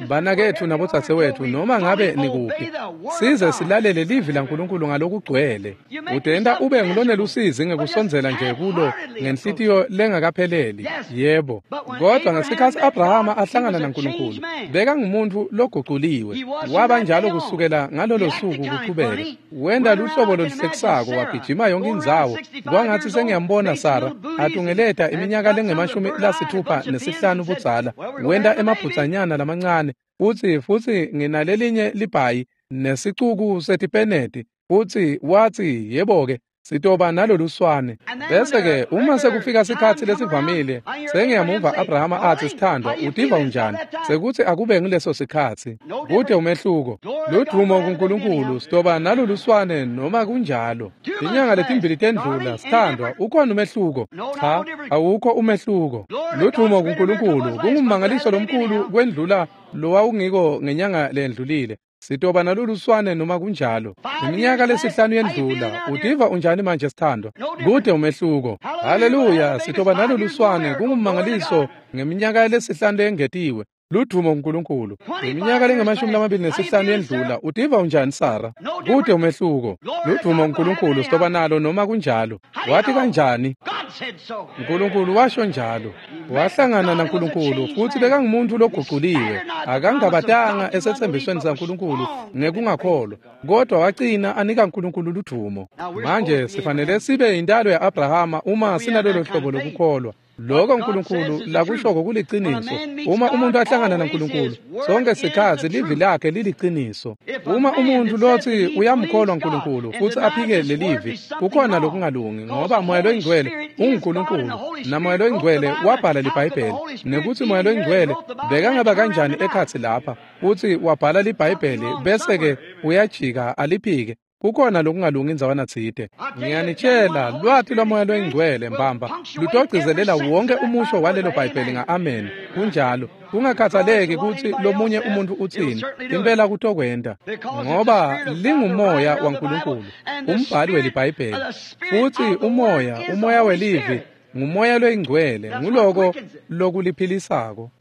Banaketfu nabodzadzewetfu, noma ngabe nikuphi, size silalele livi laNkulunkulu ngalokugcwele. Utenta ube ngulonelusizi ngekusondzela nje kulo ngenhlitiyo lengakapheleli. Yebo. Kodwa ngesikhatsi Abrahama ahlangana naNkulunkulu, bekangumuntu loguculiwe. Waba njalo kusukela ngalolo suku kuchubeke. Wenta luhlobo loluhlekisako, wagijima yonke indzawo. Kwangatsi sengiyambona Sara atungeleta iminyaka lengemashumi lasitfupha nesihlanu budzala. Wenta emabhudzanyana lamancane, futsi futsi nginalelinye libhayi nesicuku setipeneti, futsi watsi, yebo-ke, sitoba naloluswane. Bese-ke uma sekufika sikhatsi lesivamile, sengiyamuva Abrahama atsi, sithandwa, utiva unjani? Sekutsi akube nguleso sikhatsi. Kute umehluko. Ludvumo kuNkulunkulu, sitoba naloluswane noma kunjalo. Tinyanga letimbili tendlula, sithandwa, ukhona umehluko? Cha, awukho umehluko. Ludvumo kuNkulunkulu, kungummangaliso lomkhulu kwendlula lowawungiko ngenyanga lendlulile. Sitoba naloluswane noma kunjalo. Iminyaka lesihlanu yendlula, utiva unjani manje sithandwa? Kude umehluko. Haleluya, sitoba naloluswane kungumangaliso ngeminyaka lesihlanu lengetiwe. Ludumo uNkulunkulu. Iminyaka lengamashumi lamabili nesihlanu yendlula, utiva unjani Sara? Kude umehluko. Ludumo uNkulunkulu, sitoba nalo noma kunjalo. Wathi kanjani? uNkulunkulu washo njalo. Wahlangana naNkulunkulu futhi bekangumuntu loguquliwe. Akangabatanga esethembisweni saNkulunkulu ngekungakholwa, kodwa wagcina anika uNkulunkulu ludumo. Manje sifanele sibe intalo ya-Abrahama uma sinalolo hlobo lokukholwa. Lokho uNkulunkulu lakushoko kuliciniso. Uma umuntu ahlangana naNkulunkulu, sonke sikhathi livi lakhe liliqiniso. Uma umuntu lothi uyamkholwa uNkulunkulu futhi aphike lelivi, kukhona lokungalungi, ngoba Moya loyiNgcwele unguNkulunkulu, naMoya loyiNgcwele wabhala liBhayibheli. Nekuthi Moya loyiNgcwele bekangaba kanjani ekhatsi lapha futhi wabhala liBhayibheli bese-ke uyajika aliphike, kukhona lokungalungi indzawana tsite. Ngiyanitshela, lwati lwaMoya loyiNgcwele mbamba lutogcizelela wonke umusho walelo Bhayibheli nga-amen. Kunjalo, kungakhathaleki kutsi lomunye umuntu utsini, impela kutokwenta, ngoba lingumoya waNkulunkulu, umbhali weliBhayibheli. Futsi umoya, umoya welivi, ngumoya loyingcwele, nguloko lokuliphilisako.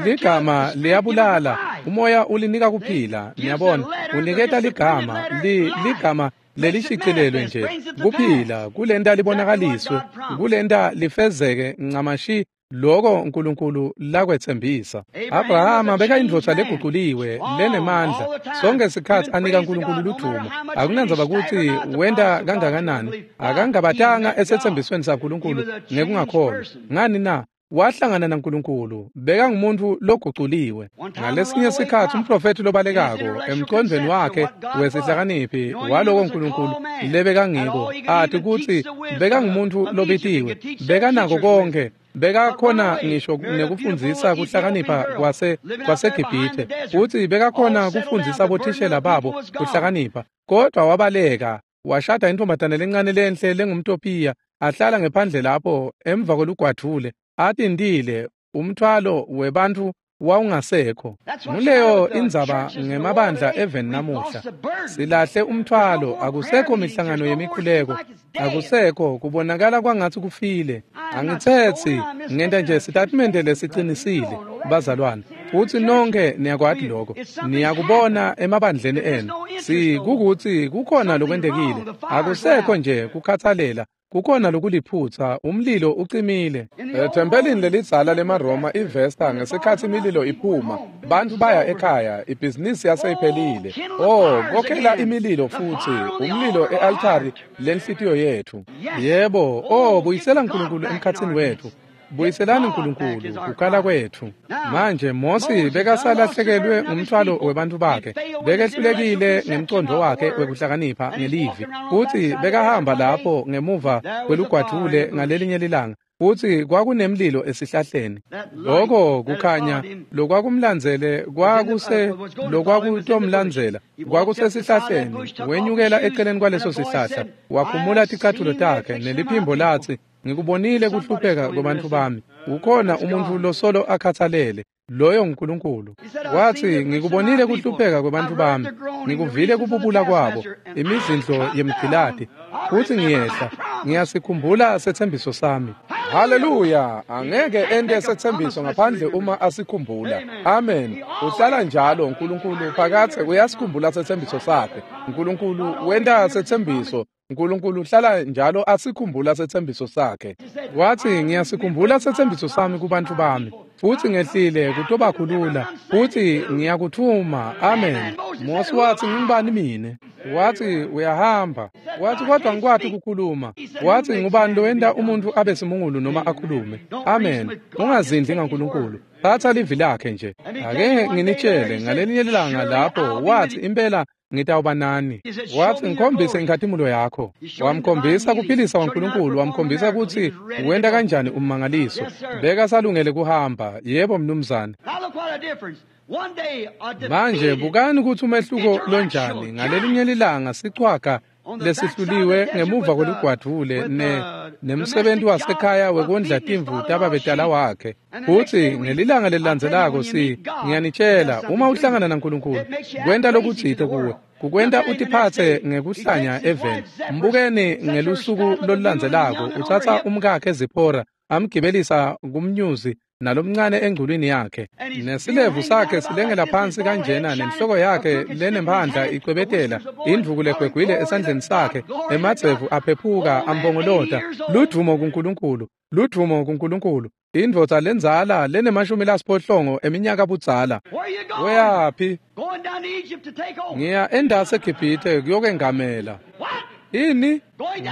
Ligama liyabulala, umoya ulinika kuphila. Niyabona, uniketa ligama, li ligama lelishicilelwe nje kuphila, kulenta libonakaliswe, kulenta lifezeke ncamashi loko uNkulunkulu lakwetsembisa. Abrahama bekayindvodza leguquliwe lenemandla, sonke sikhathi anika uNkulunkulu ludumo. Akunandzaba kutsi wenta kangakanani, akangabatanga esetsembisweni saNkulunkulu ngekungakholwa. Ngani na? Wahlangana naNkulunkulu, bekangumuntu loguculiwe. Ngalesinye sikhathi umprofethi lobalekako emcondvweni wakhe wesihlakaniphi waloko uNkulunkulu lebekangiko, athi kutsi bekangumuntu lobitiwe, bekanako konke, bekakhona ngisho nekufundzisa kuhlakanipha kwase kwaseGibhithe, futsi bekakhona kufundzisa bothishela babo kuhlakanipha, kodwa wabaleka washada intombazane lencane lenhle lengumTopiya, ahlala ngephandle lapho emva kolugwadvule, atintile umthwalo webantfu wawungasekho. Nguleyo indzaba ngemabandla eveni namuhla. Silahle umthwalo, akusekho mihlangano yemikhuleko, akusekho kubonakala kwangatsi kufile. Angitsetsi, ngenta nje sitatimende lesicinisile, bazalwane, futsi nonke niyakwati lokho, niyakubona emabandleni enu. Sikukutsi kukhona lokwentekile, akusekho nje kukhatsalela. Kukhona lokuliphutsa, umlilo ucimile. Ethempelini lelidzala lemaRoma iVesta, ngesikhatsi imililo iphuma, bantfu baya ekhaya, ibhizinisi yaseyiphelile. Oh, kokhela imililo futsi, umlilo e-altari lenhlitiyo yetfu. Yebo, oh, buyisela uNkulunkulu emkhatsini wetfu. Buyiselani uNkulunkulu kukhala kwetfu. Manje Mosi bekasalahlekelwe ngumthwalo webantfu bakhe, bekehlulekile ngemcondvo wakhe wekuhlakanipha ngelivi, futsi bekahamba lapho ngemuva kwelugwadvule ngalelinye lilanga, futsi kwakunemlilo esihlahleni. Loko kukhanya lokwakumlandzele kwakuse lokwakutomlandzela kwakusesihlahleni. Wenyukela eceleni kwaleso sihlahla, wakhumula ticatfulo takhe, neliphimbo latsi, "Ngikubonile kuhlupheka kwebantfu bami. Ukhona umuntfu losolo akhatsalele, loyo nguNkulunkulu." Watsi, "Ngikubonile kuhlupheka kwebantfu bami, ngikuvile kububula kwabo, imizindlo yemgcilati, futsi ngiyehla, ngiyasikhumbula setsembiso sami." Haleluya! Angeke ente setsembiso ngaphandle uma asikhumbula. Amen. Uhlala njalo uNkulunkulu phakathe uyasikhumbula setsembiso sakhe. uNkulunkulu wenta setsembiso. uNkulunkulu uhlala njalo asikhumbula setsembiso sakhe. Watsi, "Ngiyasikhumbula setsembiso sami kubantfu bami, futsi ngehlile kutobakhulula, futsi ngiyakuthuma." Amen. Mosi watsi, "Ngingubani mine?" Watsi, "Uyahamba." Watsi, "Kodwa ngikwati kukhuluma." Watsi, "Ngubani lowenta umuntfu abe simungulu noma akhulume?" Amen. Ungazindli ngaNkulunkulu. Tsatsa livi lakhe nje. Ake nginitshele, ngalelinye lilanga lapho watsi, "Impela ngitawuba nani." Watsi, "Ngikhombise inkhatimulo yakho." Wamkhombisa kuphilisa kwaNkulunkulu, wamkhombisa kutsi wenta kanjani ummangaliso. Bekasalungele kuhamba. Yebo mnumzane. Manje bukani kutsi umehluko lonjani. Ngalelinye lilanga sichwaga lesihluliwe ngemuva kwelugwadvule ne nemsebenzi wasekhaya wekondla timvu tababetala wakhe. Futsi ngelilanga lelilandzelako si ngiyanitshela uma uhlangana naNkulunkulu kwenta lokutsite kuwe kukwenta utiphatse ngekuhlanya eveni. Mbukeni ngelusuku lolulandzelako utsatsa umkakhe Zipporah amgibelisa kumnyuzi nalomncane engculwini yakhe nesilevu sakhe silengela phansi kanjena nenhloko yakhe lenemphandla icwebetela indvuku legwegwile esandleni sakhe emadzevu aphephuka ambongolota ludvumo kuNkulunkulu ludvumo kuNkulunkulu indvodza lendzala lenemashumi lasiphohlongo eminyaka budzala. Uyaphi? Ngiya endase eGibhithe kuyokengamela. Ini?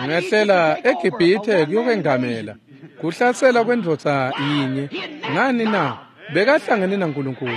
Ngehlela eGibhithe kuyokengamela. Kuhlasela kwendvodza yinye. Ngani na? Bekahlangene naNkulunkulu.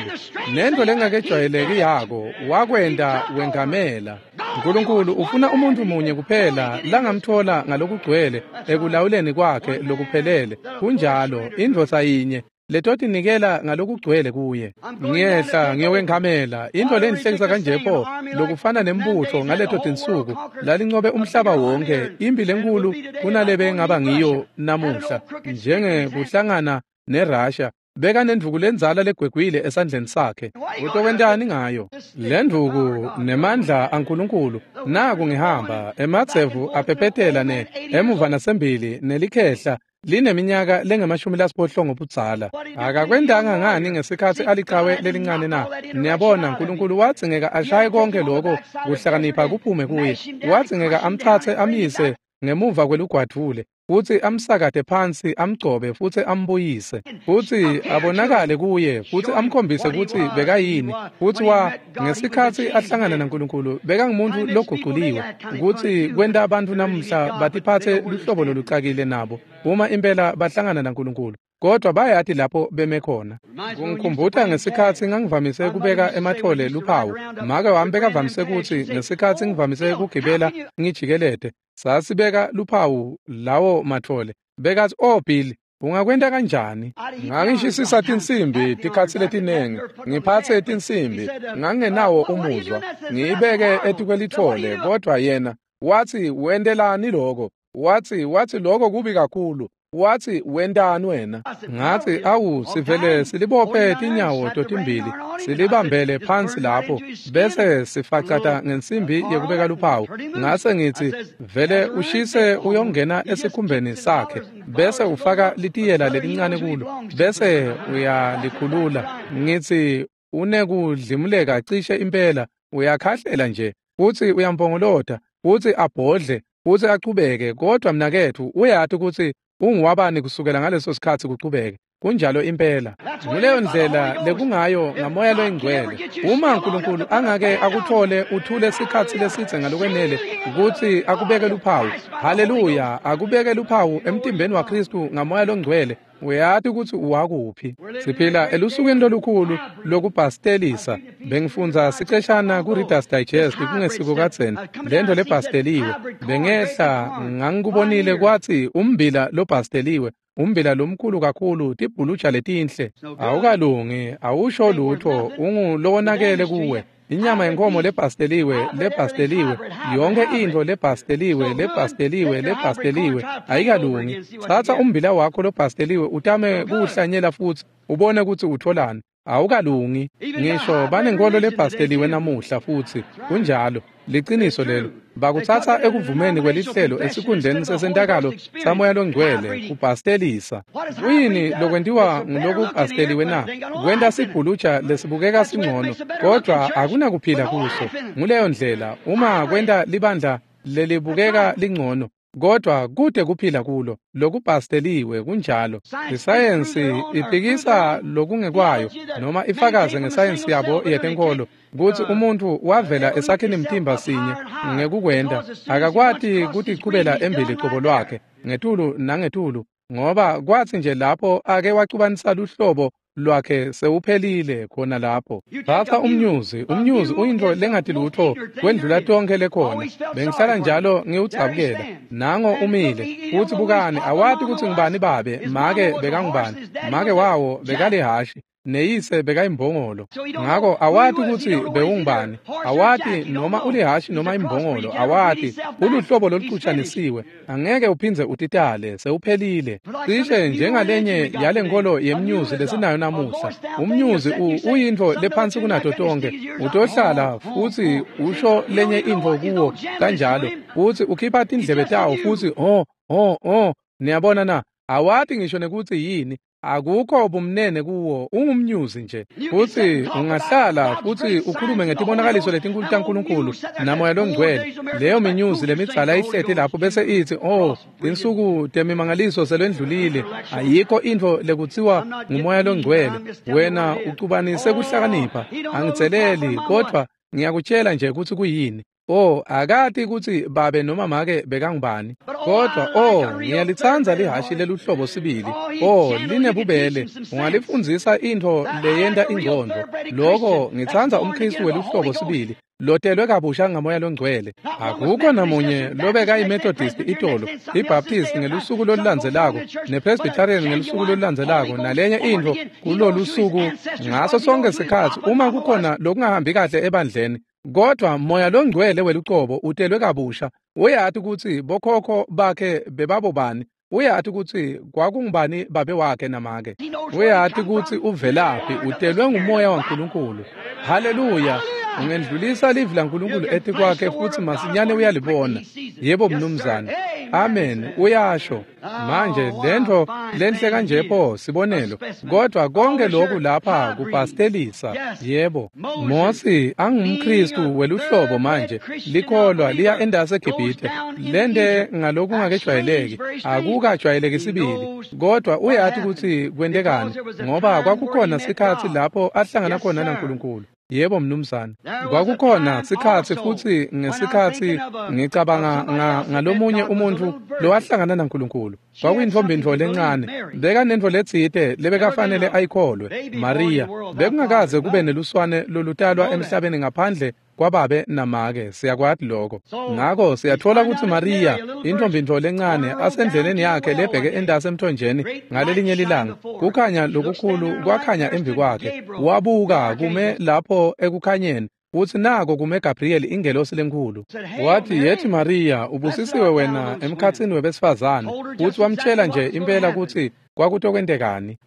Nento lengakejwayeleki yako wakwenda wengamela. uNkulunkulu ufuna umuntu munye kuphela langamthola ngalokugcwele ekulawuleni kwakhe lokuphelele. Kunjalo indvodza yinye letotinikela ngalokugcwele kuye. Ngiyehla ngiyowengamela into lenhlekisa kanje pho lokufana nembutho ngaleto tinsuku lalincobe umhlaba wonke impi lenkulu kunalebe ngaba ngiyo namuhla njengekuhlangana neRussia. Beka nendvuku lendzala legwegwile esandleni sakhe. Utokwentani ngayo? Lendvuku nemandla aNkulunkulu naku ngihamba emadzevu aphephetela ne emuva nasembili nelikhehla lineminyaka lengemashumi lasiphohlongo budzala. Akakwentanga ngani ngesikhatsi aliqhawe lelincane na? Niyabona uNkulunkulu wadzingeka ashaye konke lokho kuhlakanipha kuphume kuye. Wadzingeka amthathe amise ngemuva kwelugwadvule futsi amsakate phansi amgcobe futsi ambuyise futsi abonakale kuye futsi amkhombise kutsi bekayini futsi wa ngesikhatsi ahlangana naNkulunkulu bekangumuntu loguculiwe kutsi kwenta abantu namuhla batiphatse luhlobo lolucakile nabo uma impela bahlangana naNkulunkulu kodwa bayati lapho beme khona. Kungikhumbuta ngesikhatsi ngangivamise kubeka emathole luphawu. Make wami bekavamise kutsi ngesikhatsi ngivamise kugibela ngijikelete sasibeka luphawu lawo mathole. Bekathi, "Oh Bill, ungakwenta kanjani?" Ngangishisisa tinsimbi tikhatsi letinengi, ngiphatse tinsimbi, ngangenawo umuzwa, ngiyibeke etikwelithole, kodwa yena wathi, "Wentelani lokho?" Wathi, wathi lokho kubi kakhulu. Wathi, "Wentani wena?" Ngathi, "Awu, sivele silibophe tinyawo totimbili, silibambele phansi lapho, bese sifacata ngensimbi yekubeka luphawu." Ngase ngithi, "Vele ushise uyongena esikhumbeni sakhe, bese ufaka litiyela lelincane kulo, bese uyalikhulula." Ngithi, "Unekudlimuleka cishe impela, uyakhahlela nje, futsi uyampongolota, futsi abhodle, futsi achubeke, kodwa mnaketfu uyati kutsi unguwabani kusukela ngaleso sikhatsi kuchubeke." Kunjalo impela. Nguleyo ndlela lekungayo ngamoya loyingcwele. Uma uNkulunkulu angake akuthole uthule sikhatsi lesidze ngalokwenele kutsi akubeke luphawu, haleluya, akubeke luphawu emtimbeni waKhristu ngamoya longcwele, uyati kutsi uwakuphi. Siphila elusukwini lolukhulu lokubhastelisa. Bengifundza siceshana ku-Reader's Digest kungesiko kadzeni lento lebhasteliwe. Bengehla ngangikubonile kwatsi umbila lobhasteliwe, umbila lomkhulu kakhulu, tibhuluja letinhle, awukalungi, awusho lutho, ungulowonakele kuwe. Inyama yenkomo lebhasteliwe, lebhasteliwe, yonke into lebhasteliwe, lebhasteliwe, lebhasteliwe, ayikalungi. Tsatsa umbila wakho lobhasteliwe utame kuwuhlanyela futsi ubone kutsi utholani. Awukalungi. Ngisho banenkolo lebhasteliwe namuhla futsi. Kunjalo. Liciniso lelo. Bakutsatsa ekuvumeni kwelihlelo esikhundleni sesentakalo samoya longcwele kubhastelisa. Kuyini lokwentiwa ngulokubhasteliwe na? Kwenta sibhuluja lesibukeka singcono, kodwa akunakuphila kuso. Nguleyo ndlela uma kwenta libandla lelibukeka lingcono, kodwa kude kuphila kulo lokubhasteliwe. Kunjalo. Isayensi iphikisa lokungekwayo noma ifakaze ngesayensi yabo yetenkolo kutsi umuntfu wavela esakhini mtimba sinye ngekukwenta akakwati kutichubela embili cobo lwakhe ngetulu nangetulu, ngoba kwatsi nje lapho ake wacubanisa luhlobo lwakhe sewuphelile khona lapho. Thatha umnyuzi, umnyuzi uyintfo lengati lutho kwendlula tonke lekhona. Bengihlala njalo ngiwudzabukela. Nango umile, futsi bukani, awati kutsi ngubani babe, make bekangubani, make wawo bekalihashi. Neyise bekayimbongolo. Ngako awati kutsi bewungubani, awati noma ulihashi noma imbongolo, awati uluhlobo lolucutshanisiwe, angeke uphindze utitale, sewuphelile. Cishe njengalenye yalenkolo yemnyuzi lesinayo namuhla. Umnyuzi uyintfo lephansi kunato tonke, utohlala futsi usho lenye intfo kuwo kanjalo, futsi ukhipha tindlebe tawo futsi oh oh oh, niyabona na, awati ngisho nekutsi yini. Akukho bumnene kuwo, ungumnyuzi nje. Futsi ungahlala futsi ukhulume ngetibonakaliso letinkulu taNkulunkulu naMoya Longcwele. Leyo minyuzi lemidzala ihleti lapho bese itsi, oh, tinsuku temimangaliso selwendlulile, ayikho intfo lekutsiwa nguMoya Longcwele. Wena ucubanise kuhlakanipha, angitseleli, kodvwa ngiyakutshela nje kutsi kuyini. Oh, akati kutsi babe noma make bekangubani. Kodwa oh, ngiyalitsandza lihashi leluhlobo sibili. Oh, linebubele, ungalifundzisa intfo leyenta ingcondvo. Loko ngitsandza umKhristu weluhlobo sibili, lotelwe kabusha ngaMoya Longcwele. Akukho namunye lobeka iMethodist itolo, iBaptist ngelusuku lolulandzelako, nePresbyterian ngelusuku lolulandzelako, nalenye intfo kulolusuku ngaso sonke sikhatsi uma kukhona lokungahambi kahle ebandleni. Kodwa Moya Longcwele welucobo utelwe kabusha, uyati kutsi bokhokho bakhe bebabobani, uyati kutsi kwakungubani babe wakhe namake, uyati kutsi uvelaphi, utelwe nguMoya waNkulunkulu. Haleluya! Ungendlulisa livi laNkulunkulu etikwakhe futsi masinyane uyalibona. Yebo mnumzane. Amen. Uyasho. Manje lentfo lenhle kanje pho sibonelo, kodwa konke lokhu lapha kupastelisa. Yebo. Mosi angumKhristu weluhlobo manje, likholwa liya endase eGibhithe, lente ngalokungakejwayeleki, akukajwayeleki sibili, kodwa uyati kutsi kwentekani, ngoba kwakukhona sikhatsi lapho ahlangana khona naNkulunkulu. Yebo mnumzane. Kwakukhona sikhatsi futsi ngesikhatsi ngicabanga ngalomunye umuntfu lowahlangana naNkulunkulu. Kwakuyintfombi lencane, bekanentfo letsite lebekafanele ayikholwe, Maria. Bekungakaze kube neluswane lolutalwa emhlabeni ngaphandle kwababe namake, siyakwati lokho. Ngako siyatfola kutsi Maria, intfombi lencane, asendleleni yakhe lebheke endase emthonjeni ngalelinye lilanga, kukhanya lokukhulu kwakhanya emvi kwakhe. Wabuka kume lapho ekukhanyeni, futsi nako kume Gabriel ingelosi lenkhulu. Wathi, yethi Maria, ubusisiwe wena emkhatsini webesifazane. Futsi wamtshela nje impela kutsi kwakutokwentekani.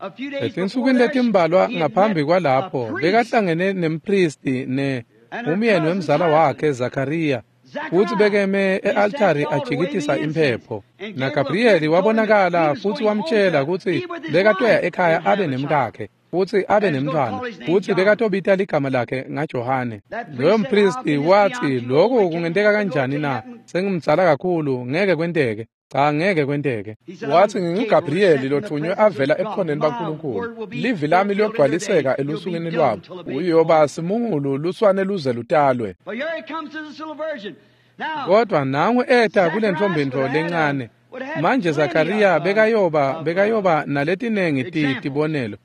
Etinsukwini letimbalwa ngaphambi kwalapho, bekahlangene nempristi ne umyeni wemzala wakhe Zakariya, futsi bekeme e-altari ajikitisa imphepho. NaGabrieli wabonakala futsi wamtshela kutsi bekatoya ekhaya abe nemkakhe futsi abe nemntfwana, futsi bekatobita ligama lakhe ngaJohane. Loyo mpristi watsi, lokhu kungenteka kanjani na? Sengimdzala kakhulu, ngeke kwenteke. Cha, ngeke kwenteke. Wathi, nginguGabrieli lothunywe avela ebukhoneni baNkulunkulu. Livi lami liyogcwaliseka elusukwini lwabo. Uyoba simungulu luswane luze lutalwe. Kodwa nangu eta kulentfombi lencane. Manje Zakariya bekayoba bekayoba naletinengi tibonelo,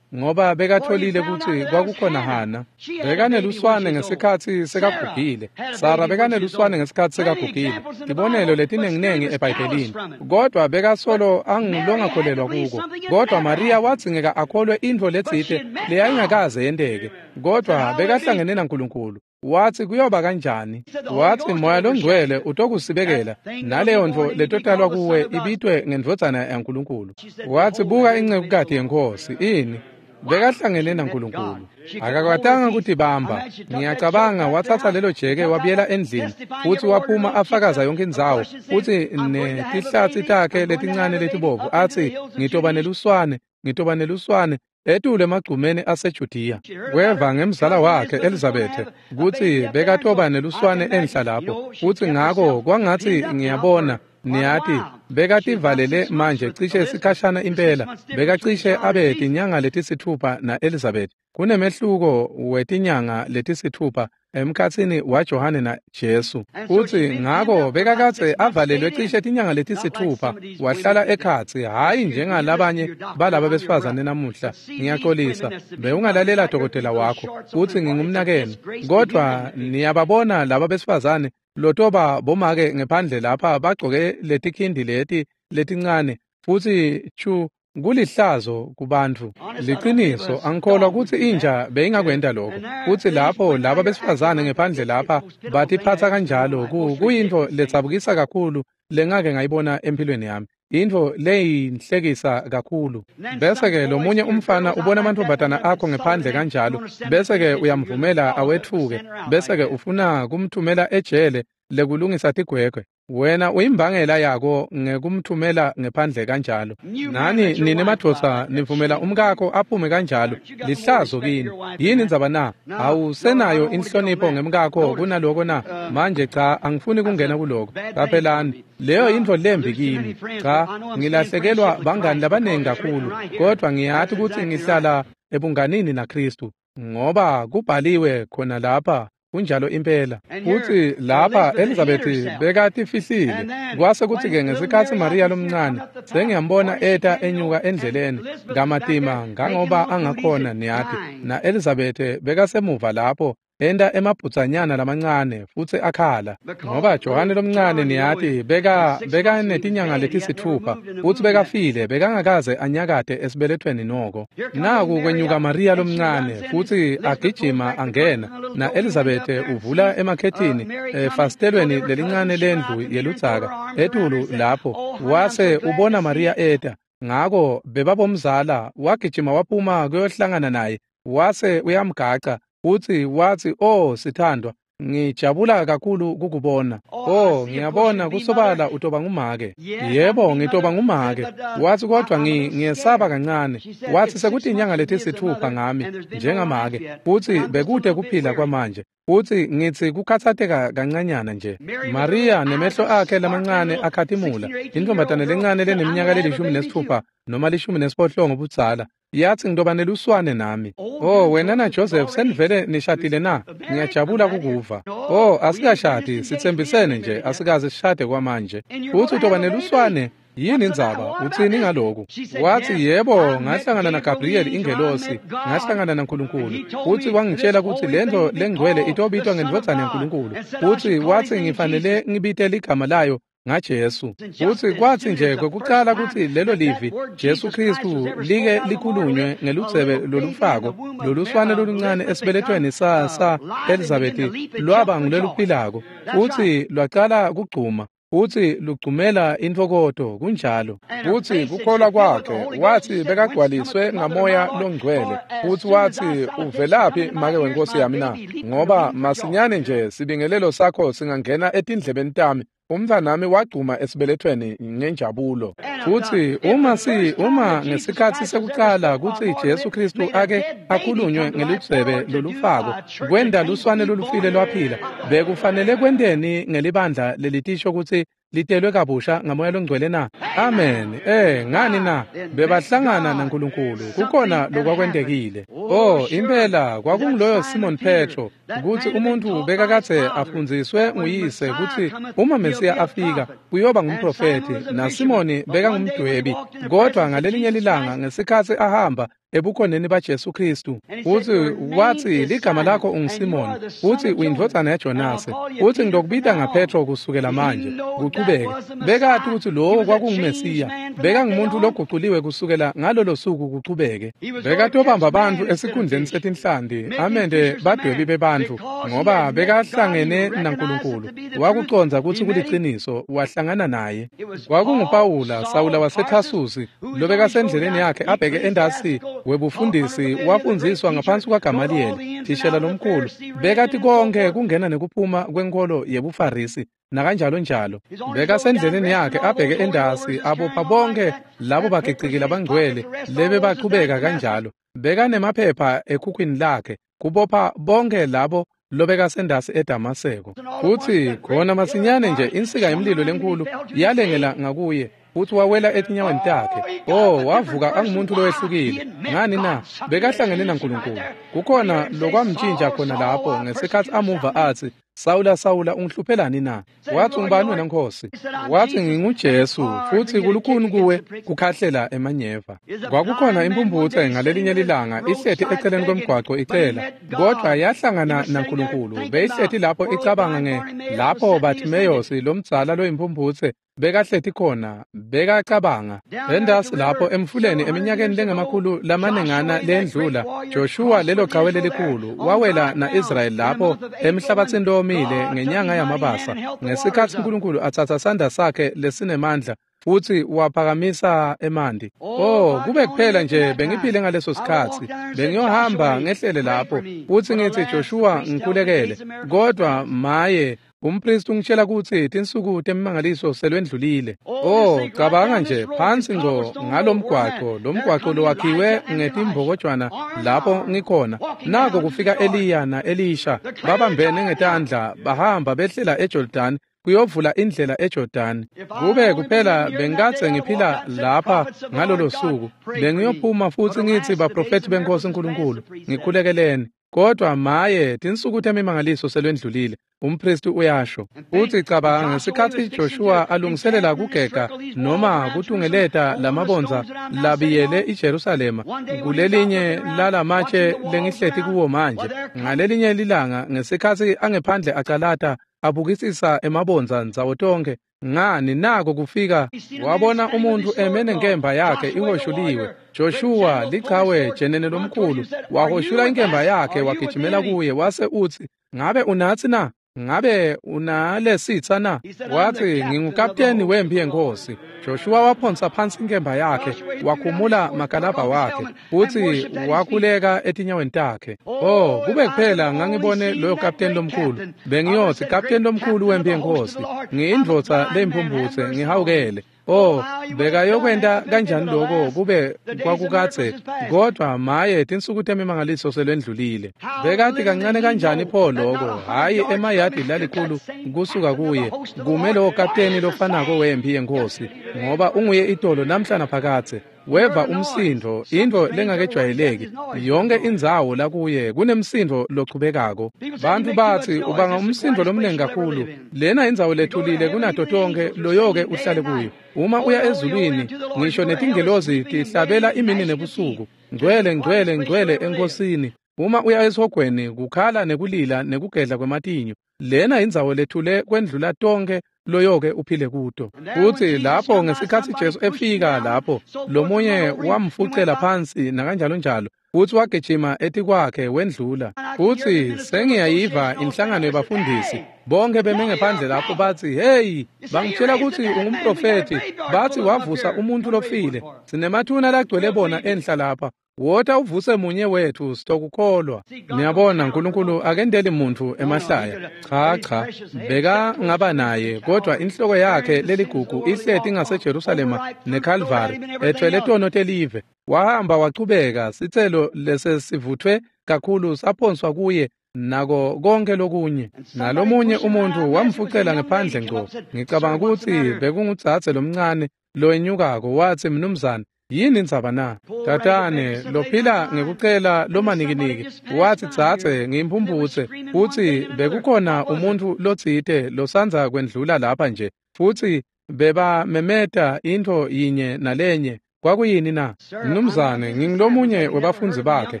ngoba bekatholile kutsi kwakukhona Hana. Bekaneluswane ngesikhatsi sekagugile. Sara bekaneluswane ngesikhatsi sekagugile. Tibonelo letinenginengi eBhayibhelini. Kodwa bekasolo angulongakholelwa kuko. Kodwa Maria wadzingeka akholwe intfo letsite leyayingakaze yenteke. Kodwa bekahlangene naNkulunkulu. Wathi kuyoba kanjani? Wathi Moya Longcwele utokusibekela, naleyo ntfo letotalwa kuwe ibitwe ngendvodzana yaNkulunkulu. Wathi buka incekukati yeNkhosi, ini? Bekahlangene naNkulunkulu. Akakwatanga kutibamba. Ngiyacabanga watsatsa lelo jeke wabuyela endlini, futsi waphuma afakaza yonke indzawo, futsi netihlatsi takhe letincane letibovu athi, ngitoba neluswane, ngitoba neluswane, etulu emagcumeni aseJudiya. Weva ngemzala wakhe Elizabethe kutsi bekatoba neluswane enhla lapho, futsi ngako kwangatsi ngiyabona, niyati, bekativalele manje cishe sikhashana impela, bekacishe abe tinyanga letisithupha na-Elizabeth. Kunemehluko wetinyanga letisithupha emkhatsini waJohane naJesu. Futsi ngako bekakadze avalelwe cishe tinyanga letisithupha, wahlala ekhatsi, hhayi njengalabanye balaba besifazane namuhla. Ngiyaxolisa, bewungalalela dokotela wakho, futsi ngingumnakenu. Kodwa niyababona laba besifazane lotoba bomake ngephandle lapha bagcoke letikhindi leti letincane, futsi chu Kulihlazo kubantu. Liqiniso, angikholwa kutsi inja beyingakwenta lokho. Kutsi lapho laba besifazane ngephandle lapha batiphatsa kanjalo, kuyintfo letsabukisa kakhulu lengake ngayibona empilweni yami. Intfo leyinhlekisa kakhulu. Bese-ke lomunye umfana ubona amantombazana akho ngephandle kanjalo, bese-ke uyamvumela awetfuke, bese-ke ufuna kumthumela ejele lekulungisa tigwegwe. Wena uyimbangela yako ngekumthumela ngephandle kanjalo. Nani nine madvodza nivumela umkakho aphume kanjalo, lihlazo kini. Yini indzaba na? Awusenayo inhlonipho ngemkakho kunaloko na? Manje cha, angifuni kungena kuloko. Qaphelani, leyo yintfo lembi kimi. Cha, ngilahlekelwa bangani labanengi kakhulu, kodwa ngiyati kutsi ngihlala ebunganini naKhristu, ngoba kubhaliwe khona lapha. Kunjalo impela. Futsi lapha Elizabeth bekatifihlile. Kwase kutsi-ke ngesikhatsi Maria lomncane sengiyambona eta enyuka endleleni kamatima ngangoba angakhona niyati, na Elizabeth bekasemuva lapho enta emabhudzanyana lamancane futsi akhala, ngoba Johane lomncane niyati beka bekanetinyanga letisitfupha futsi bekafile, bekangakaze anyakate esibelethweni noko. Naku kwenyuka Maria lomncane futsi agijima angena, na Elizabeth uvula emakhethini efasitelweni lelincane lendlu yeludzaka etulu lapho, wase ubona Maria eta. Ngako bebabomzala wagijima waphuma kuyohlangana naye, wase uyamgaca futsi watsi, "Oh sithandwa, ngijabula kakhulu kukubona. Oh, ngiyabona kusobala utoba ngumake." "Yebo, ngitoba ngumake." Watsi, "Kodwa ngiyesaba kancane." Watsi, "Sekutinyanga letisitfupha ngami njengamake, futsi bekute kuphila kwamanje. Futsi ngitsi kukhatsateka kancanyana nje." Maria nemehlo akhe lamancane akhatimula, intombazane lencane leneminyaka lelishumi nesitfupha noma lishumi nesiphohlongo budzala, yathi, "Ngitoba neluswane nami." "Oh, wena na Joseph senivele nishadile na? Ngiyajabula kukuva." "Oh, asikashadi, sitsembisene nje, asikaze sishade kwamanje." "Futsi utoba neluswane? Yini indzaba? Utsini ngaloku?" Watsi, "Yebo, ngahlangana naGabriel ingelosi, ngahlangana naNkulunkulu, futsi wangitshela kutsi lentfo lengcwele itobitwa ngendvodzana yaNkulunkulu, futsi watsi ngifanele ngibite ligama layo ngaJesu." Futsi kwatsi nje kwekucala kutsi lelo livi Jesu Khristu like likhulunywe ngeludzebe lolufako loluswane loluncane esibelethweni sa sa Elizabeth lwaba nguleluphilako, futsi lwacala kugcuma, futsi lugcumela intfokoto. Kunjalo. Futsi kukholwa kwakhe, watsi bekagcwaliswe ngamoya longcwele, futsi watsi, "Uvelaphi make wenkosi yami na? Ngoba masinyane nje sibingelelo sakho singangena etindlebeni tami, umntfanami wagcuma esibelethweni ngenjabulo." Futsi uma si uma ngesikhatsi sekucala kutsi Jesu Khristu ake akhulunywe ngeludzebe lolufako kwenta luswane lolufile lwaphila, bekufanele kwenteni ngelibandla lelitisho kutsi litelwe kabusha ngamoya longcwele na? Amen. Eh, ngani na? Bebahlangana naNkulunkulu. Kukhona lokwakwentekile. Oh, impela kwakunguloyo Simon Petro, kutsi umuntu bekakadze afundziswe nguyise kutsi uma Mesiya afika uyoba ngumprofethi, na Simoni bekangumdwebi. Kodwa ngalelinye lilanga ngesikhatsi ahamba ebukhoneni baJesu Khristu, futsi watsi, "Ligama lakho unguSimoni, futsi uyindvodzana yaJonase, futsi ngitokubita ngaPetro kusukela manje kuchubeke." Bekati kutsi lowo kwakunguMesiya, bekangumuntu loguculiwe kusukela ngalolo suku kuchubeke. Bekatobamba bantfu esikhundleni setinhlanti amende badwebi bebantfu, ngoba bekahlangene naNkulunkulu. Wakucondza kutsi kuliciniso, wahlangana naye. KwakunguPawula, Sawula waseThasusi, lobekasendleleni yakhe abheke endasi webufundisi, wafundziswa ngaphansi kwaGamaliyeli, thishela lomkhulu. Bekati konke kungena nekuphuma kwenkolo yebuFarisi nakanjalo njalo. Bekasendleleni yakhe abheke endasi, abopha bonke labo bagiciki labangcwele lebebachubeka kanjalo. Bekanemaphepha ekhukhwini lakhe kubopha bonke labo lobekasendasi eDamaseko. Futsi khona masinyane nje insika yemlilo lenkulu yalengela ngakuye, futsi wawela etinyaweni takhe. Oh, wavuka angumuntu lowehlukile. Ngani na? Bekahlangene naNkulunkulu. Kukhona lokwamtshintsha khona lapho ngesikhatsi amuva atsi, Sawula, Sawula, ungihluphelani na? Wathi, ungubani wena Nkosi? Wathi, nginguJesu, futhi kulukhuni kuwe kukhahlela emanyeva. Kwakukhona impumputhe ngalelinye lilanga ihleti eceleni komgwaqo icela, kodwa yahlangana naNkulunkulu. Beyihleti lapho icabanga nge lapho Bartimeyosi lomdzala loyimpumputhe bekahleti khona, bekacabanga. Entasi lapho emfuleni eminyakeni lengamakhulu lamanengana lendlula, Joshua lelo qhawe lelikhulu wawela na-Israyeli lapho emhlabathini lowomile ngenyanga yamabasa, ngesikhatsi uNkulunkulu atsatsa sandla sakhe lesinemandla futhi waphakamisa emanti. Oh, kube kuphela nje bengiphile ngaleso sikhatsi, bengiyohamba ngehlele lapho futhi ngithi, Joshua, ngikhulekele. Kodwa maye, umpristi ungitshela ukuthi tinsuku temimangaliso selwendlulile. Oh, cabanga nje phansi ngco ngalomgwaqo, lomgwaqo lowakhiwe ngetimbokojwana lapho ngikhona. Nako kufika Eliya na-Elisha, babambene ngetandla, bahamba behlela eJordan kuyovula indlela eJordan. Kube kuphela bengikadze ngiphila lapha ngalolo suku, bengiyophuma futhi ngithi, baprofethi benkosi uNkulunkulu, ngikhulekeleni. Kodwa maye, tinsuku temimangaliso selwendlulile, umpristi uyasho. Uthi cabanga ngesikhatsi Joshua alungiselela kugega noma kutungeleta lamabondza labiyele iJerusalema kulelinye lalamatshe lengihleti kuwo manje, ngalelinye lilanga ngesikhatsi angephandle acalata abukisisa emabondza ndzawo tonke, ngani nako kufika wabona umuntu eme nenkemba yakhe ihoshuliwe. Joshua lichawe jenene lomkhulu wahoshula inkemba yakhe wagijimela kuye wase uthi, ngabe unatsi na? Ngabe unalesitsa na? Wathi, ngingukapteni wempi yenkosi. Joshua waphonsa phansi inkemba yakhe, wakhumula makalabha wakhe, futhi wakhuleka etinyaweni takhe. Oh, kube kuphela ngangibone loyo kapteni lomkhulu, bengiyothi, kapteni lomkhulu wempi yenkosi, ngiyindvodza leyimpumputhe, ngihawukele. Oh, bekayokwenta kanjani lokho kube kwakukadze? Kodwa maye, tinsuku temimangaliso selwendlulile. Bekati kancane kanjani pho lokho? Hhayi emayadi lalikhulu kusuka kuye, kume lowo kapteni lofanako wempi yenkosi, ngoba unguye itolo namhla naphakadze. Weva umsindo, intfo lengakejwayeleki. Yonke indzawo lakuye kunemsindo lochubekako. Bantfu batsi ubanga umsindo lomnengi kakhulu. Lena indzawo lethulile kunato tonke loyoke uhlale kuyo. Uma uya ezulwini, ngisho netingelozi tihlabela imini nebusuku, ngcwele ngcwele ngcwele enkosini. Uma uya esihogweni, kukhala nekulila nekugedla kwematinyo. Lena indzawo lethule kwendlula tonke loyoke uphile kuto. Futhi lapho ngesikhatsi Jesu efika lapho, lomunye wamfucela phansi nakanjalo njalo, futhi wagijima etikwakhe wendlula. Futhi sengiyayiva inhlangano yebafundisi bonke beme ngephandle lapho bathi, hey, bangitshela ukuthi ungumprofethi, bathi wavusa umuntu lofile, sinemathuna lagcwele bona enhla lapha, wota uvuse munye wethu sitokukholwa. Niyabona, uNkulunkulu akendeli muntu emahlaya. Cha cha, beka ngaba naye, kodwa inhloko yakhe leligugu ihleti ngaseJerusalema neCalvary, ethwele tono telive. Wahamba wachubeka, sitselo lesesivuthwe kakhulu saphonswa kuye nako konke lokunye. Nalomunye umuntu wamfucela ngephandle ngco. Ngicabanga ukuthi bekungudzadze lomncane lowenyukako, wathi, mnumzane, yini indzaba na? Tatane lophila ngekucela lomanikiniki wathi, dzadze, ngiyimpumputse, futhi bekukhona umuntu lotsite losandza kwendlula lapha nje, futhi bebamemeta intfo yinye nalenye. Kwakuyini na? Mnumzane, ngingulomunye webafundzi bakhe.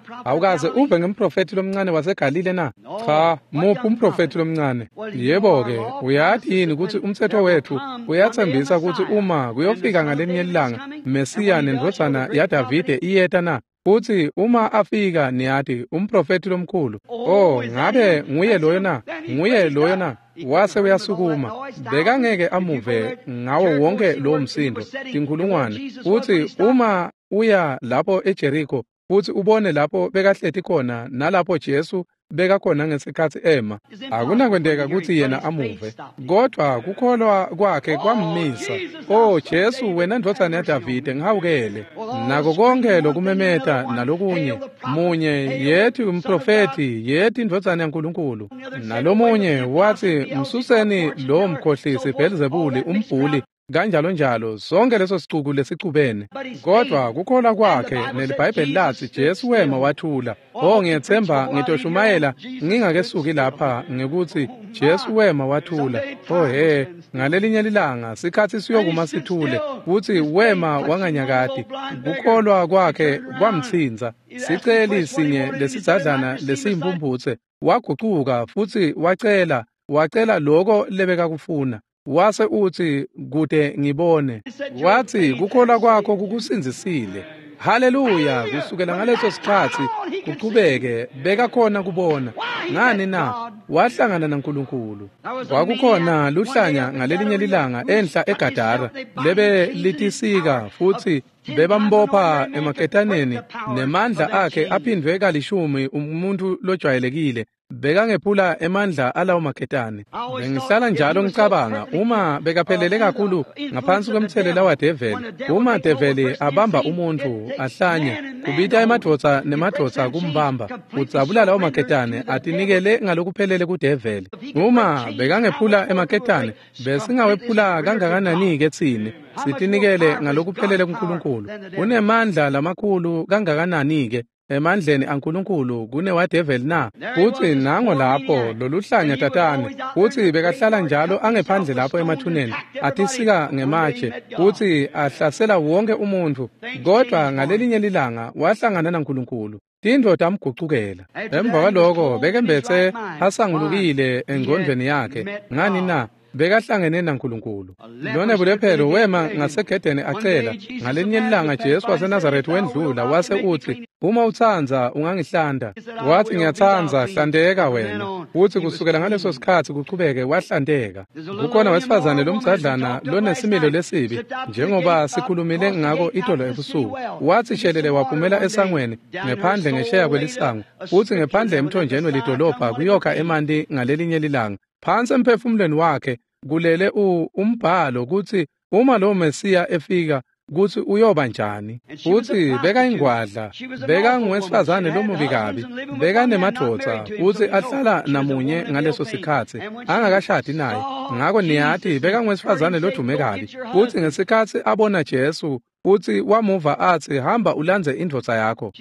Awukaze uve ngemprofethi lomncane waseGalile na? Cha, muphi umprofethi lomncane? Yebo-ke, uyati yini ukuthi umtsetfo wethu uyatsembisa ukuthi uma kuyofika ngalenye ilanga Mesiya nendvodzana yaDavide iyeta na? Futhi uma afika, niyati, umprofethi lomkhulu. Oh, ngabe nguye loyo na? Nguye loyo na? Wase uyasukuma, bekangeke amuve ngawo wonke lowo msindo, tinkhulungwane. Futhi uma uya lapho eJeriko futhi ubone lapho bekahleti khona nalapho Jesu bekakhona ngesikhatsi ema, akunakwenteka ukuthi yena amuve, kodwa kukholwa kwakhe kwammisa. Oh Jesu, wena ndvodzana yaDavide, ngihawukele. Nako konke lokumemeta nalokunye, munye yethi umprofethi, yethi indvodzana yaNkulunkulu. Nalomunye wathi, msuseni lowo mkhohlisi Belzebuli umbhuli kanjalo njalo, sonke leso sicuku lesicubene. Kodwa kukholwa kwakhe neliBhayibheli lathi Jesu wema wathula. Oh, ngiyethemba ngitoshumayela ngingakesuki lapha ngekuthi Jesu wema wathula. Oh he, ngalelinye lilanga sikhathi siyokuma sithule, futhi wema wanganyakati. Kukholwa kwakhe kwamtsinza. Siceli sinye lesidzadlana lesiyimpumputse wagucuka futhi wacela, wacela lokho lebekakufuna. Wase uthi, kude ngibone. Wathi, kukholwa kwakho kukusindzisile. Haleluya! Kusukela ngaleso sikhathi kuchubeke bekakhona kubona. Ngani na? Wahlangana naNkulunkulu. Kwakukhona luhlanya ngalelinye lilanga enhla eGadara lebe litisika, futhi bebambopha emaketaneni nemandla akhe aphindwe kalishumi umuntu lojwayelekile. Bekangephula emandla alawo maketane. Bengihlala njalo ngicabanga, uma bekaphelele kakhulu ngaphansi kwemthelela wadeveli, uma develi abamba umuntu ahlanye, kubita emadvodza nemadvodza kumbamba, udzabula lawo maketane atinikele ngalokuphelele kudeveli. Uma bekangephula emaketane, besingawephula kangakanani-ke tsine sitinikele ngalokuphelele kuNkulunkulu. Unemandla lamakhulu kangakanani-ke emandleni aNkulunkulu kunewadeveli na? Futhi nango lapho loluhlanya tatane, futhi bekahlala njalo angephandle lapho emathuneni, atisika ngematshe, futhi ahlasela wonke umuntu. Kodwa ngalelinye lilanga wahlangana naNkulunkulu, tintfo tamgucukela. Emva kwaloko bekembetse asangulukile engqondweni yakhe. Ngani na? Bekahlangene naNkulunkulu. Lona bulephelo wema ngasegedeni acela. Ngalinye ilanga Jesu waseNazaretha wendlula wase uthi, uma utsandza ungangihlanda. Wathi, ngiyatsandza, hlandeka wena. Futhi kusukela ngaleso sikhathi kuchubeke wahlandeka. Kukhona wesifazane lomdzadlana lonesimilo lesibi, njengoba sikhulumile ngako itolo ebusuku. Wathi shelele waphumela esangweni ngephandle ngesheya kwelisango, futhi ngephandle emthonjeni welidolobha kuyokha emanti ngalelinye lilanga. Phansi emphefumulweni wakhe kulele umbhalo kutsi uma lo Mesiya efika kutsi uyoba njani. Futsi bekayingwadla, bekanguwesifazane lomubi kabi, bekanemadvodza futsi ahlala namunye ngaleso sikhatsi angakashadi naye. Ngako niyati bekanguwesifazane lodume kabi. Futsi ngesikhatsi abona Jesu, futhi wamuva athi, hamba ulandze indvodza yakho.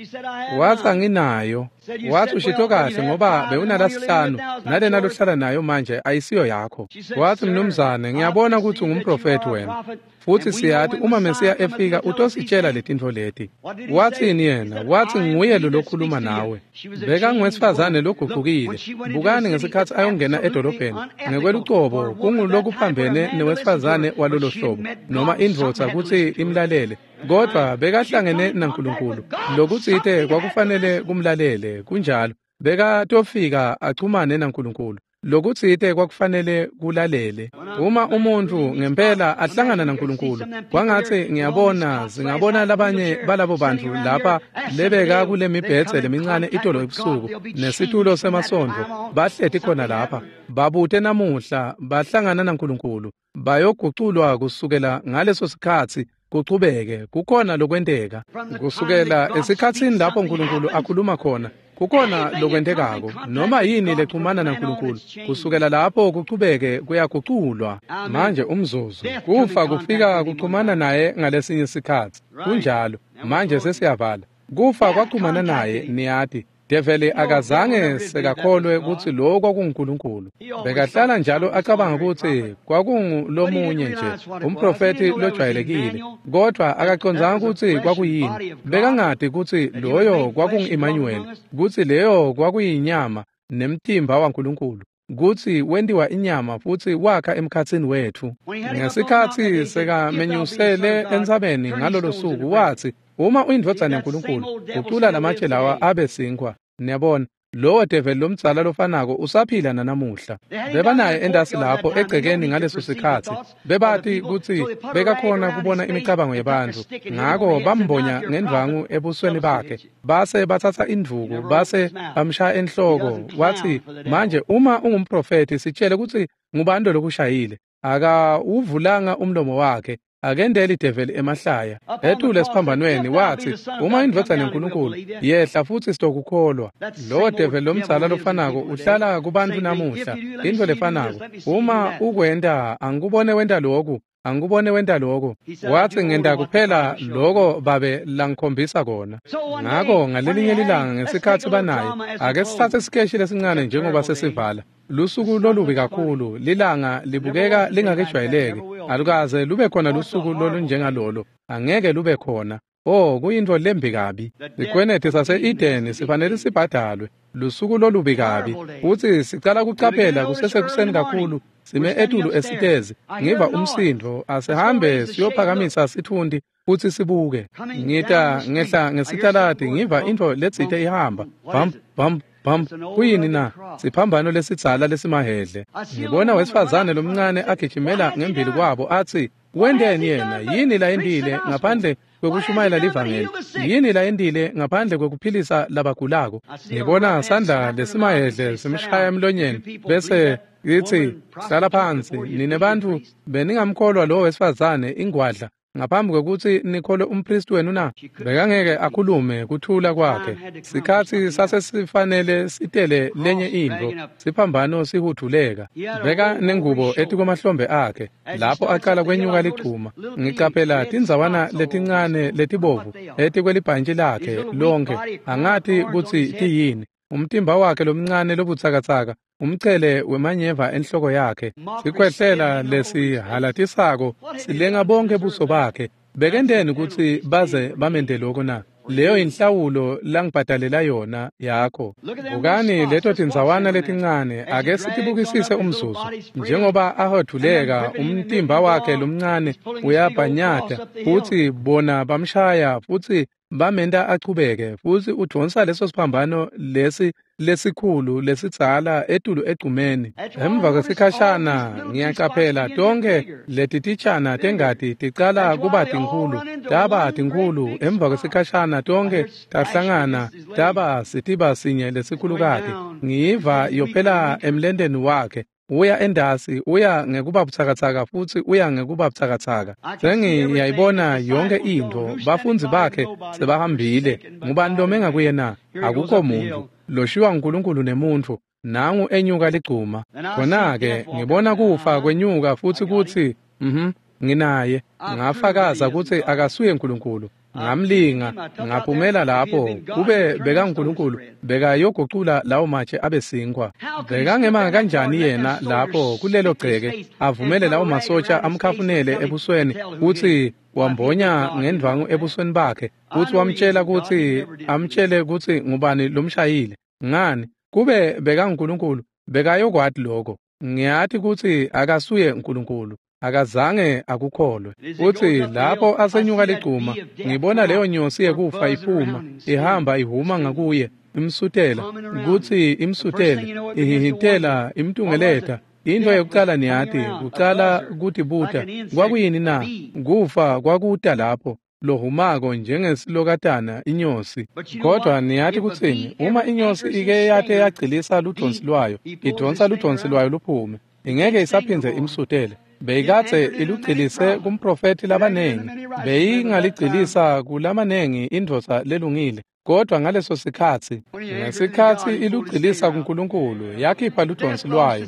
Wathi, anginayo. Wathi, ushito kahle ngoba bewunalasihlanu nalena lohlala nayo manje ayisiyo yakho. Wathi, mnumzane, ngiyabona ukuthi ungumprofethi wena, futhi siyati uma Mesiya efika utositshela letintfo leti. Wathini yena? Wathi, nguye lo lokhuluma nawe. Bekanguwesifazane logucukile. Bukani ngesikhatsi ayongena edolobheni ngekwelucobo kungulokuphambene newesifazane walolo hlobo noma indvodza kutsi imlalele, kodwa bekahlangene naNkulunkulu. Lokutsite kwakufanele kumlalele, kunjalo. Bekatofika achumane naNkulunkulu. Lokutsite kwakufanele kulalele. Uma umuntu ngempela ahlangana naNkulunkulu, kwangatsi ngiyabona singabona labanye balabo bantfu lapha lebeka kule mibhedze lemincane itolo ebusuku nesitulo semasondvo, bahleti khona lapha babute namuhla bahlangana naNkulunkulu, bayoguculwa kusukela ngaleso sikhatsi kuchubeke. Kukhona lokwenteka kusukela esikhatsini lapho uNkulunkulu akhuluma khona. Kukhona lokwentekako noma yini lexhumana naNkulunkulu kusukela lapho kuchubeke kuyaguculwa. Manje umzuzu kufa kufika kuxhumana naye ngalesinye sikhatsi. Kunjalo. Manje sesiyavala. Kufa kwaxhumana naye, niyati. Develi akazange sekakholwe kutsi lokho kwakunguNkulunkulu. Bekahlala njalo acabanga kutsi kwakungulomunye nje umprofethi lojwayelekile, kodwa akacondzanga kutsi kwakuyini. Bekangati kutsi loyo kwakungu-Emmanuel, kutsi leyo kwakuyinyama nemtimba waNkulunkulu, kutsi wentiwa inyama futsi wakha emkhatsini wetfu. Ngesikhatsi sekamenyusele entsabeni ngalolo suku, wathi, uma uyindvodzana yaNkulunkulu, gucula lamatshe lawa abe sinkhwa. Niyabona, lowo develi lomdzala lofanako usaphila nanamuhla. Bebanaye endasi lapho egcekeni ngaleso sikhatsi. Bebati kutsi bekakhona kubona imicabango yebantfu, ngako bambonya ngendvangu ebusweni bakhe, base batsatsa indvuku base bamshaya enhloko. Wathi, manje uma ungumprofethi sitshele kutsi ngubani lokushayile. Akawuvulanga umlomo wakhe, akendeli develi emahlaya. Etule esiphambanweni wathi, uma indvodzana yaNkulunkulu yehla futsi sitokukholwa. Lowo develi lomdzala lofanako uhlala kubantfu namuhla. Intfo lefanako, uma ukwenta angikubone wenta lokhu, Angikubone wenta lokho. Wathi ngenta kuphela lokho babe langikhombisa kona. Ngakho ngalelinye ilanga ngesikhathi banaye, ake sithathe isikeshi lesincane njengoba sesivala. Lusuku lolubi kakhulu, lilanga libukeka lingakejwayeleki. Alukaze lube khona lusuku lolunjengalolo, angeke lube khona. Oh, kuyintfo lembi kabi. Sikweneti sase-Edeni sifanele sibhadalwe. Lusuku lolubi kabi. Futsi sicala kucaphela kusesekuseni kakhulu, sime etulu esitezi. Ngiva umsindvo, asihambe siyophakamisa sitfunti futsi sibuke. Ngita ngehla ngesitaladi ngiva intfo letsite ihamba. Bam bam bam. Kuyini na? Siphambano lesidzala lesimahhedle. Ngibona wesifazane lomncane agijimela ngembili kwabo atsi, wenteni yena? Yini layentile ngaphandle kwekushumayela livangeli? Yini layentile ngaphandle kwekuphilisa labagulako? Ngibona sandla lesimahhedle simshaya emlonyeni bese ngithi, hlala phansi nine bantfu, beningamkholwa lo wesifazane ingwadla ngaphambi kwekutsi nikholwe umpristi wenu na? Bekangeke akhulume kuthula kwakhe. Sikhatsi sasesifanele sitele lenye intfo, siphambano sihuduleka. Beka nengubo etikwemahlombe akhe lapho aqala kwenyuka ligcuma. Ngicaphela tindzawana letincane letibovu etikwelibhantshi lakhe lonke, angati kutsi tiyini. Umtimba wakhe lomncane lobutsakatsaka, umchele wemanyeva enhloko yakhe, sikhwehlela lesihalatisako silenga bonke buso bakhe. Bekenteni kutsi baze bamente lokho na? Leyo inhlawulo langibhadalela yona yakho. Bukani leto tindzawana letincane, ake sitibukisise umzuzu. Njengoba ahoduleka umtimba wakhe lomncane uyabhanyata, futsi bona bamshaya futsi bamenta achubeke, futsi udvonsa leso siphambano lesi lesikhulu lesidzala etulu egcumeni. Emva kwesikhashana ngiyacaphela tonke leti titshana tengati ticala kuba tinkhulu, taba tinkhulu. Emva kwesikhashana tonke tahlangana taba sitiba sinye lesikhulukati. Ngiyiva yophela emlenteni wakhe. Uya endasi, uya ngekuba butsakatsaka futsi uya ngekuba butsakatsaka. Sengiyayibona yonke intfo, bafundzi bakhe sebahambile. Ngubani lomenga kuye na? Akukho muntu. Loshiwa nguNkulunkulu nemuntfu, nangu enyuka ligcuma. Khona-ke ngibona kufa kwenyuka futsi kutsi, mhm, nginaye. Ngafakaza kutsi akasuye uNkulunkulu. Ngamlinga, ngaphumela lapho, kube beka nguNkulunkulu, bekayogucula lawo matshe abe sinkwa. Bekangema kanjani yena lapho kulelo gceke, avumele lawo masotsha amkhafunele ebusweni, kutsi wambonya ngendvangu ebusweni bakhe, kutsi wamtshela kutsi amtshele kutsi ngubani lomshayile. Ngani? Kube beka nguNkulunkulu, bekayokwati lokho. Ngiyati kutsi akasuye uNkulunkulu. Akazange akukholwe. Futsi lapho asenyuka ligcuma, ngibona leyo nyosi yekufa iphuma, ihamba ihuma ngakuye, imsutela, kutsi imsutele, ihihitela, imtungeleta. Into yokucala niyati, kucala kutibuta, kwakuyini na? Kufa kwakuta lapho, lohumako njengesilokatana inyosi. Kodwa niyati kutsini, uma inyosi ike yate yagcilisa ludonsi lwayo, idonsa ludonsi lwayo luphume, ingeke isaphindze imsutele. Beyikadze ilugcilise kumprofethi labanengi, beyingaligcilisa kulamanengi indvodza lelungile. Kodwa ngaleso sikhatsi, ngesikhatsi ilugcilisa kuNkulunkulu, yakhipha ludonsi lwayo.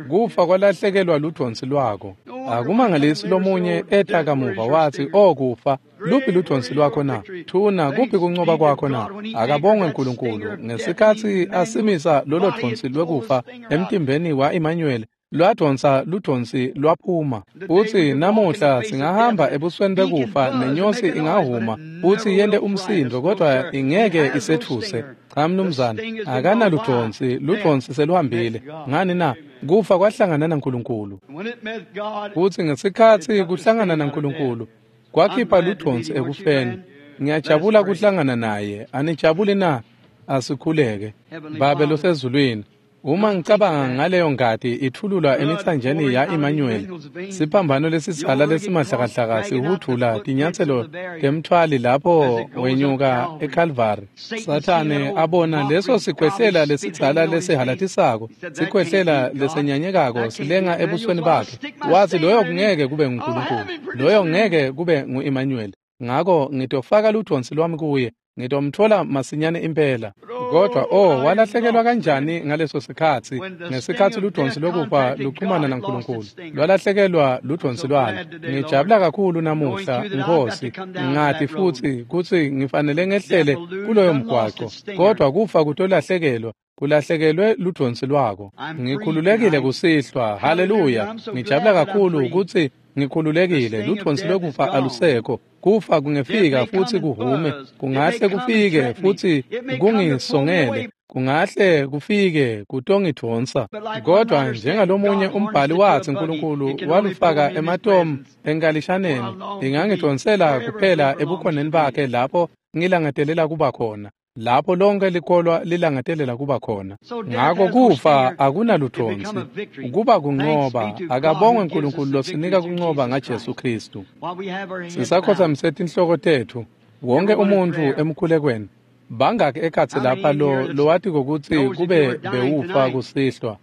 Kufa kwalahlekelwa ludonsi lwako. Akumangalisi lomunye eta kamuva wathi, "O kufa, luphi ludonsi lwakho na? Thuna, kuphi kuncoba kwakho na?" Akabongwe uNkulunkulu ngesikhatsi asimisa lolo donsi lwekufa emtimbeni wa-Emmanuel. Lwadonsa ludonsi lwaphuma. Futsi namuhla singahamba ebusweni bekufa, nenyosi ingahuma futsi yente umsindo, kodwa ingeke isethuse. Cha mnumzane, akanaludonsi, ludonsi seluhambile. Ngani na? Kufa kwahlangana naNkulunkulu. Futsi ngesikhatsi kuhlangana naNkulunkulu, kwakhipha ludonsi ekufeni. Ngiyajabula kuhlangana naye. Anijabuli na? Asikhuleke. Babe losezulwini, uma ngicabanga ngaleyo ngati ithululwa emithanjeni ya-Emmanuel, siphambano lesidzala lesimahlakahlaka sihudvula tinyatselo temtfwali lapho wenyuka eKalvari. Sathane abona leso sikhwehlela lesidzala lesihalatisako, sikhwehlela lesenyanyekako silenga ebusweni bakhe. Wathi loyo kungeke kube nguNkulunkulu, loyo ngeke kube ngu-Emmanuel. Ngako ngitofaka ludvonsi lwami kuye, ngitomtfola masinyane impela. Kodwa oh, walahlekelwa kanjani ngaleso sikhatsi, ngesikhatsi ludvonsi lokufa luxhumana naNkulunkulu, lwalahlekelwa ludvonsi lwalo. Ngijabula kakhulu namuhla, Nkosi, ngati futsi kutsi ngifanele ngehlele kuloyo mgwaco, kodwa kufa kutolahlekelwa, kulahlekelwe ludvonsi lwako. Ngikhululekile kusihlwa, haleluya. Ngijabula kakhulu kutsi ngikhululekile, ludvonsi lokufa alusekho. Kufa kungefika futsi kuhume, kungahle kufike futsi kungisongele, kungahle kufike kutongidvonsa. Kodwa njengalomunye umbhali watsi Nkulunkulu walufaka ematomu enkalishaneni, ingangidvonsela kuphela ebukhoneni bakhe lapho ngilangatelela kuba khona, lapho lonke likholwa lilangatelela kuba khona. Ngako kufa akunaludvonsi, kuba kuncoba. Akabongwe Nkulunkulu losinika kuncoba ngaJesu Kristu. Sisakhotsamise tinhloko tetfu, wonke umuntfu emkhulekweni. Bangaki ekhatsi lapha lo lowati kokutsi kube bewufa kusihlwa,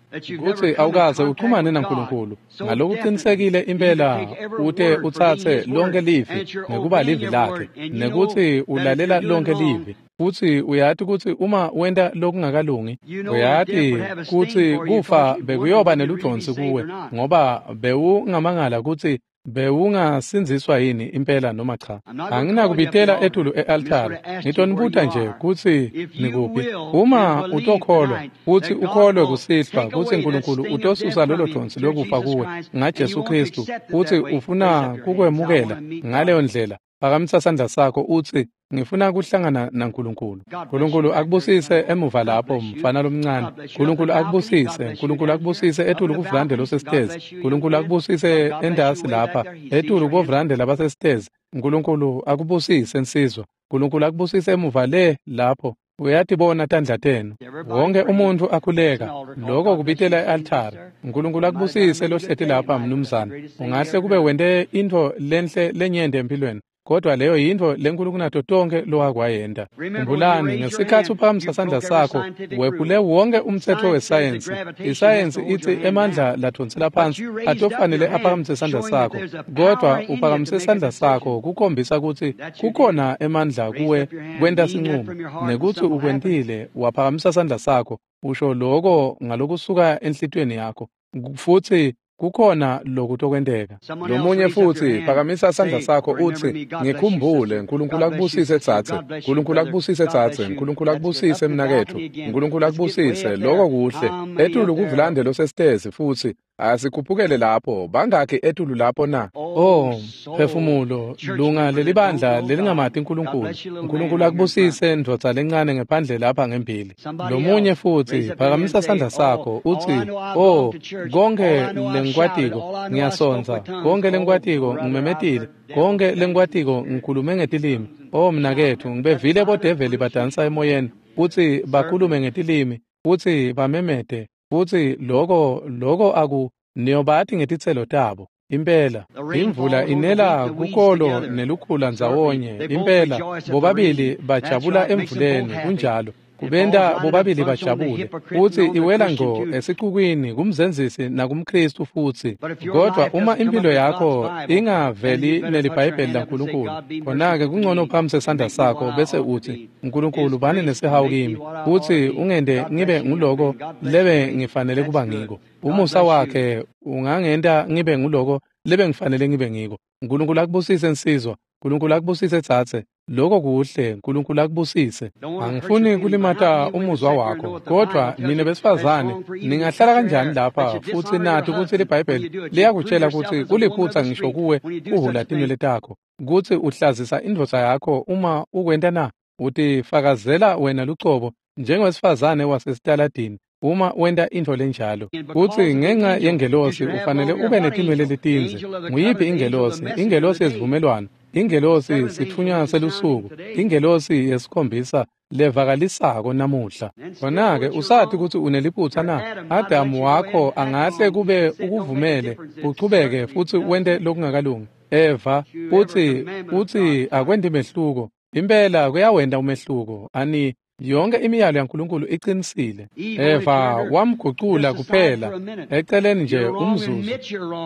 kutsi awukaze uxhumane naNkulunkulu ngalokuqinisekile impela, ute utsatse lonke livi ngekuba livi lakhe, nekutsi ulalela lonke livi, futsi uyati kutsi uma wenta lokungakalungi, uyati kutsi kufa bekuyoba neludvonsi kuwe, ngoba bewungamangala kutsi bewungasindziswa yini impela noma cha. Anginakubitela etulu e-altari, ngitonibuta nje kutsi nikuphi. Uma utokholwa futsi ukholwe kusihlwa kutsi Nkulunkulu utosusa lolo dvonsi lokufa kuwe ngaJesu Kristu, futsi ufuna kukwemukela ngaleyo ndlela, phakamisa sandla sakho utsi, ngifuna kuhlangana naNkulunkulu. Nkulunkulu akubusise emuva lapho, mfana lomncane. Nkulunkulu akubusise. Nkulunkulu akubusise etulu kuvrande losesitezi. Nkulunkulu akubusise endasi lapha, etulu kuvrande labasesitezi. Nkulunkulu akubusise nsizwa. Nkulunkulu akubusise emuva le lapho. Uyatibona tandla tenu. Wonke umuntfu akhuleka, lokho kubitela e-altari. Nkulunkulu akubusise lohleti lapha, mnumzane. Ungahle kube wente intfo lenhle lenyenti empilweni, kodwa leyo yintfo lenkulu kunato tonkhe lowakwayenta. Khumbulani, ngesikhatsi uphakamisa sandla sakho, wephule wonke umtsetfo wesayensi. Isayensi itsi emandla ladvonsela phansi atofanele aphakamise sandla sakho, kodwa uphakamise sandla sakho kukhombisa kutsi kukhona emandla kuwe kwenta sinqumo, nekutsi ukwentile. Waphakamisa sandla sakho, usho loko ngalokusuka enhlitiyweni yakho, futsi kukhona lokutokwenteka. Lomunye futsi phakamisa sandla sakho utsi, ngikhumbule. Nkulunkulu akubusise tsatse, Nkulunkulu akubusise tsatse, Nkulunkulu akubusise mnaketfu, Nkulunkulu akubusise. Loko kuhle. Etulu kuvulande losesitezi futsi asikhuphukele lapho. Bangakhi etulu lapho na? Oh, phefumulo, lunga lelibandla lelingamati Nkulunkulu. Nkulunkulu akubusise ndvodza lencane ngephandle lapha ngembili. Lomunye futsi phakamisa sandla sakho utsi, oh, konke lengikwatiko ngiyasonza, konke lengikwatiko ngimemetile, konke lengikwatiko ngikhulume ngetilimi. Oh mnaketfu, ngibevile bodeveli badansa emoyeni futsi bakhulume ngetilimi futsi bamemete, futsi loko loko aku niyobati ngetitselo tabo. Impela imvula inela kukolo nelukhula ndzawonye. Impela bobabili bajabula emvuleni, kunjalo, kubenta bobabili bajabule. Futsi iwela ngco esicukwini kumzenzisi nakumKristu futsi. Kodwa uma impilo yakho ingaveli neliBhayibheli laNkulunkulu, khona-ke kungcono uphamise sandla sakho bese utsi, Nkulunkulu bani nesihawu kimi, futsi ungente ngibe nguloko lebe ngifanele kuba ngiko. Umusa wakhe ungangenta ngibe nguloko lebe ngifanele ngibe ngiko. Nkulunkulu akubusise nsizwa, Nkulunkulu akubusise tsatse. Loko kuhle, Nkulunkulu akubusise. Angifuni kulimata umuzwa wakho, kodwa nine besifazane ningahlala kanjani lapha futsi nati kutsi liBhayibheli liyakutshela kutsi kuliphutsa ngisho kuwe kuhhula tinwele takho, kutsi uhlazisa indvodza yakho uma ukwenta na? Utifakazela wena lucobo njengowesifazane wasesitaladini uma wenta intfo lenjalo. Kutsi ngenxa yengelosi ufanele ube netinwele letindze. Nguyiphi ingelosi? Ingelosi yesivumelwano, ingelosi sitfunywa selusuku, ingelosi yesikhombisa levakalisako namuhla. Khona-ke usati kutsi uneliphutsa na? Adamu wakho angahle kube ukuvumele uchubeke futsi wente lokungakalungi. Eva utsi utsi akwenti mehluko. Impela kuyawenta umehluko. Ani yonke imiyalo yaNkulunkulu iqinisile. Eva wamgucula kuphela eceleni nje umzuzu.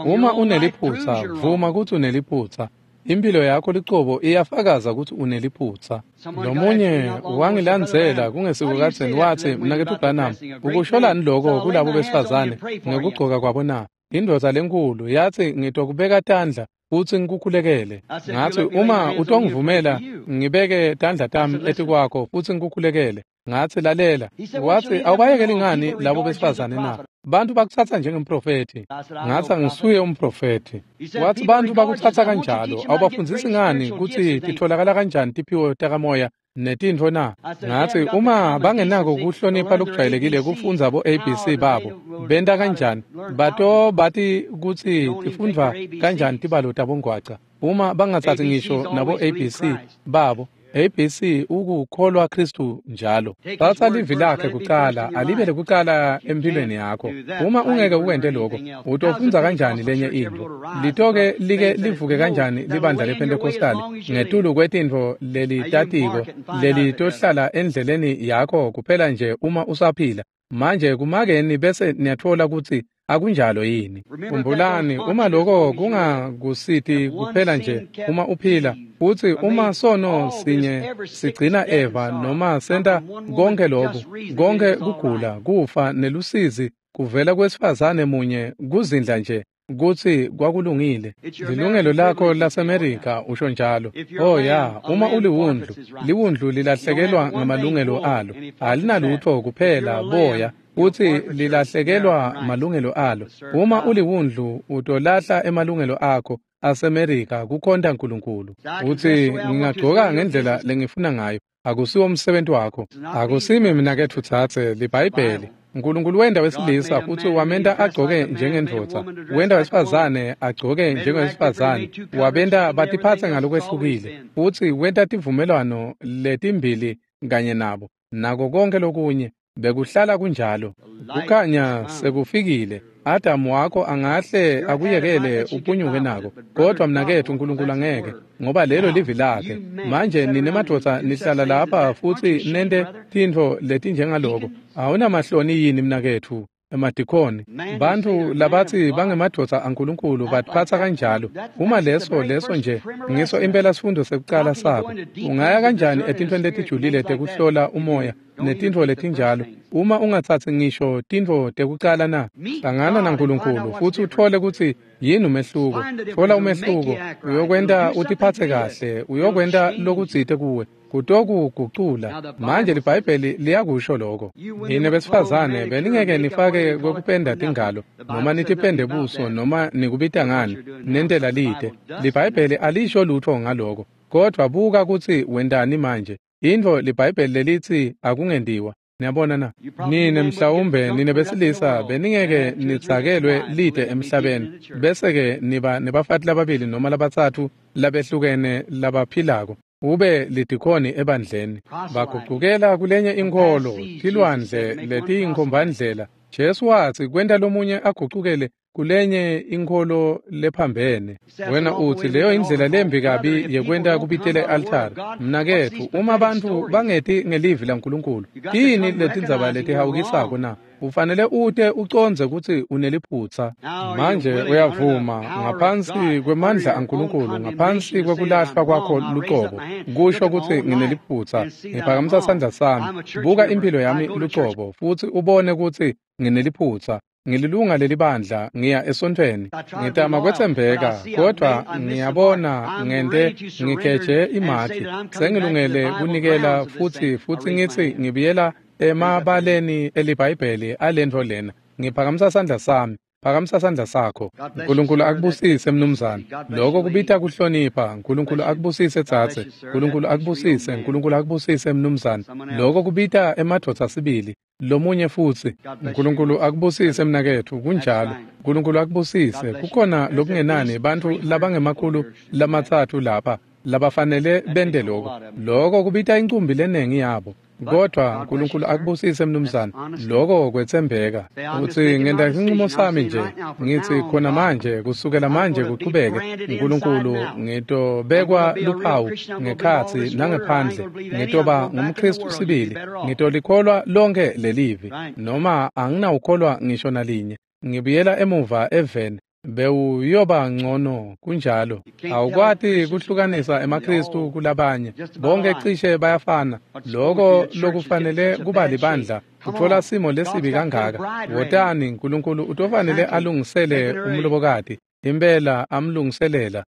Uma uneliphutsa, vuma kutsi uneliphutsa. Impilo yakho licobo iyafakaza ukuthi uneliphutha. Lomunye wangilandzela kungesikukadzeni wathi, "Mnaketfu Branham, ukusholani lokho kulabo besifazane ngekugcoka kwabo na?" Indvodza lenkulu yathi, "Ngitokubeka tandla futsi ngikukhulekele." Ngathi, "Uma utongivumela ngibeke tandla tami etikwakho futsi ngikukhulekele." Ngathi, "Lalela." Wathi, "Awubayekeli ngani labo besifazane na? Bantu bakutsatsa njengemprofethi." Ngathi, "Angisuye umprofethi." Wathi, "Bantu bakutsatsa kanjalo, awubafundzisi ngani kutsi titfolakala kanjani tiphiwo takamoya netintfo na?" Ngathi, "Uma bangenako kuhlonipha lokujwayelekile kufundza bo A B C babo, benta kanjani? Bato bati kutsi tifundvwa kanjani tibalo tabongwaca. Uma bangatsatsi ngisho nabo A B C babo, A B C ukukholwa Kristu njalo. Tsatsa livi lakhe kucala, alibe lekucala empilweni yakho. Uma ungeke ukwente lokho, utofundza kanjani lenye intfo? Litoke like livuke kanjani libandla lePentecostal ngetulu kwetintfo lelitatiko lelitohlala endleleni yakho kuphela nje uma usaphila? Manje kumakeni bese niyatfola kutsi akunjalo yini. Khumbulani, uma lokho kungakusiti kuphela nje uma uphila, futsi uma sono sinye sigcina Eva noma senta konke lokhu, konke kugula, kufa nelusizi kuvela kwesifazane munye kuzindla nje kutsi kwakulungile. Lilungelo lakho laseMerika usho njalo. Oh ya, uma uliwundlu, liwundlu lilahlekelwa ngamalungelo alo. Alinalutho kuphela boya, utsi lilahlekelwa malungelo alo. Uma uliwundlu utolahla emalungelo akho aseMerika kukhonta uNkulunkulu. Utsi ngingagcoka ngendlela lengifuna ngayo. Akusiwo umsebenzi wakho. Akusimi mina ketfu tsatse liBhayibheli. uNkulunkulu wenda wesilisa futsi wamenta agcoke njengendvodza, wenda wesifazane agcoke njengowesifazane, wabenta batiphatse ngalokwehlukile, futsi wenta tivumelwano letimbili kanye nabo, nako konke lokunye bekuhlala kunjalo. Kukhanya sekufikile. Adamu wakho angahle akuyekele uphunyuke nako, kodwa mnaketfu uNkulunkulu angeke, ngoba lelo livi lakhe. Manje nine madvodza nihlala lapha futsi nente tintfo letinjengaloko. Awunamahloni yini mnaketfu? Emadikhoni, bantfu labatsi bangemadvodza aNkulunkulu batiphatsa kanjalo. Uma leso leso nje ngiso impela sifundo sekucala sabo. Ungaya kanjani etintfweni letijulile tekuhlola umoya netintfo letinjalo uma ungatsatsi ngisho tintfo tekucala na? Hlangana naNkulunkulu futsi utfole kutsi yini umehluko. Tfola umehluko, uyokwenta utiphatse kahle, uyokwenta lokutsite kuwe, kutokugucula. Manje liBhayibheli liyakusho lokho. Nine besifazane beningeke nifake kwekupenda tingalo noma nitipende buso noma nikubita ngani nentela lite. LiBhayibheli alisho lutho ngaloko. Kodwa buka kutsi wentani manje. Intfo liBhayibheli lelitsi akungentiwa. Niyabona na? Nine mhlawumbe nine besilisa beningeke nitsakelwe lite emhlabeni, bese-ke niba nebafati lababili noma labatsatfu labehlukene labaphilako, ube lidikhoni ebandleni. Bagucukela kulenye inkholo, tilwandle letiyinkhombandlela. Jesu watsi kwenta lomunye agucukele kulenye inkholo lephambene. Wena utsi leyo indlela lembi kabi yekwenta kubitele altari. Mnaketfu, uma bantfu bangeti ngelivi laNkulunkulu, tiyini letindzaba letihawukisako na? Ufanele ute ucondze kutsi uneliphutsa. Manje uyavuma ngaphansi kwemandla aNkulunkulu, ngaphansi kwekulahlwa kwakho lucobo, kusho kutsi ngineliphutsa. Ngiphakamisa sandla sami, buka impilo yami lucobo, futsi ubone kutsi ngineliphutsa. Ngililunga lelibandla, ngiya esontfweni, ngitama kwetsembeka, kodwa ngiyabona ngente ngigeje imakhi. Sengilungele kunikela futsi futsi ngitsi ngibuyela emabaleni eliBhayibheli alentfo lena. Ngiphakamisa sandla sami. Phakamisa sandla sakho. uNkulunkulu akubusise mnumzane. Lokho kubita kuhlonipha. uNkulunkulu akubusise tsatse. uNkulunkulu akubusise. uNkulunkulu akubusise mnumzane. Lokho kubita emadvodza sibili. Lomunye futsi. uNkulunkulu akubusise mnaketfu. Kunjalo. uNkulunkulu akubusise. Kukhona lokungenani bantfu labangemakhulu lamatsatfu lapha labafanele bente lokho. Lokho kubita incumbi lenengi yabo. Kodwa uNkulunkulu akubusise mnumzane. Lokho kwetsembeka. Utsi ngenta isinqumo sami nje, ngithi khona manje, kusukela manje kuchubeke, uNkulunkulu ngitobekwa luphawu ngekhatsi nangephandle, ngitoba ngumKristu sibili, ngitolikholwa lonke lelivi, noma anginawukholwa ngisho nalinye. Ngibuyela emuva eveni, Bewuyoba ngcono kunjalo. Awukwati kuhlukanisa emaKristu kulabanye. Bonke cishe bayafana. Lokho lokufanele kuba libandla uthola simo lesibi kangaka. Wotani uNkulunkulu utofanele alungisele umlobokati. Impela amlungiselela.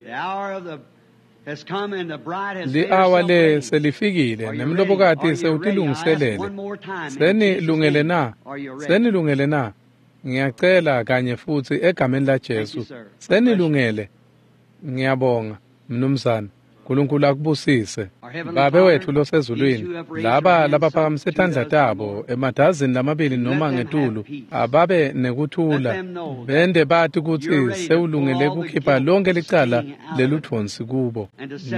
Li-awa le selifikile nemlobokati sewutilungiselele. Senilungele na? Senilungele na? Ngiyacela kanye futsi egameni la Jesu. Senilungele. Ngiyabonga mnumzane. uNkulunkulu akubusise. Babe wethu losezulwini, laba labaphakamise tandla tabo emadazini lamabili noma ngetulu, ababe nekuthula, bende bati kutsi sewulungele kukhipha lonke licala leludvonsi kubo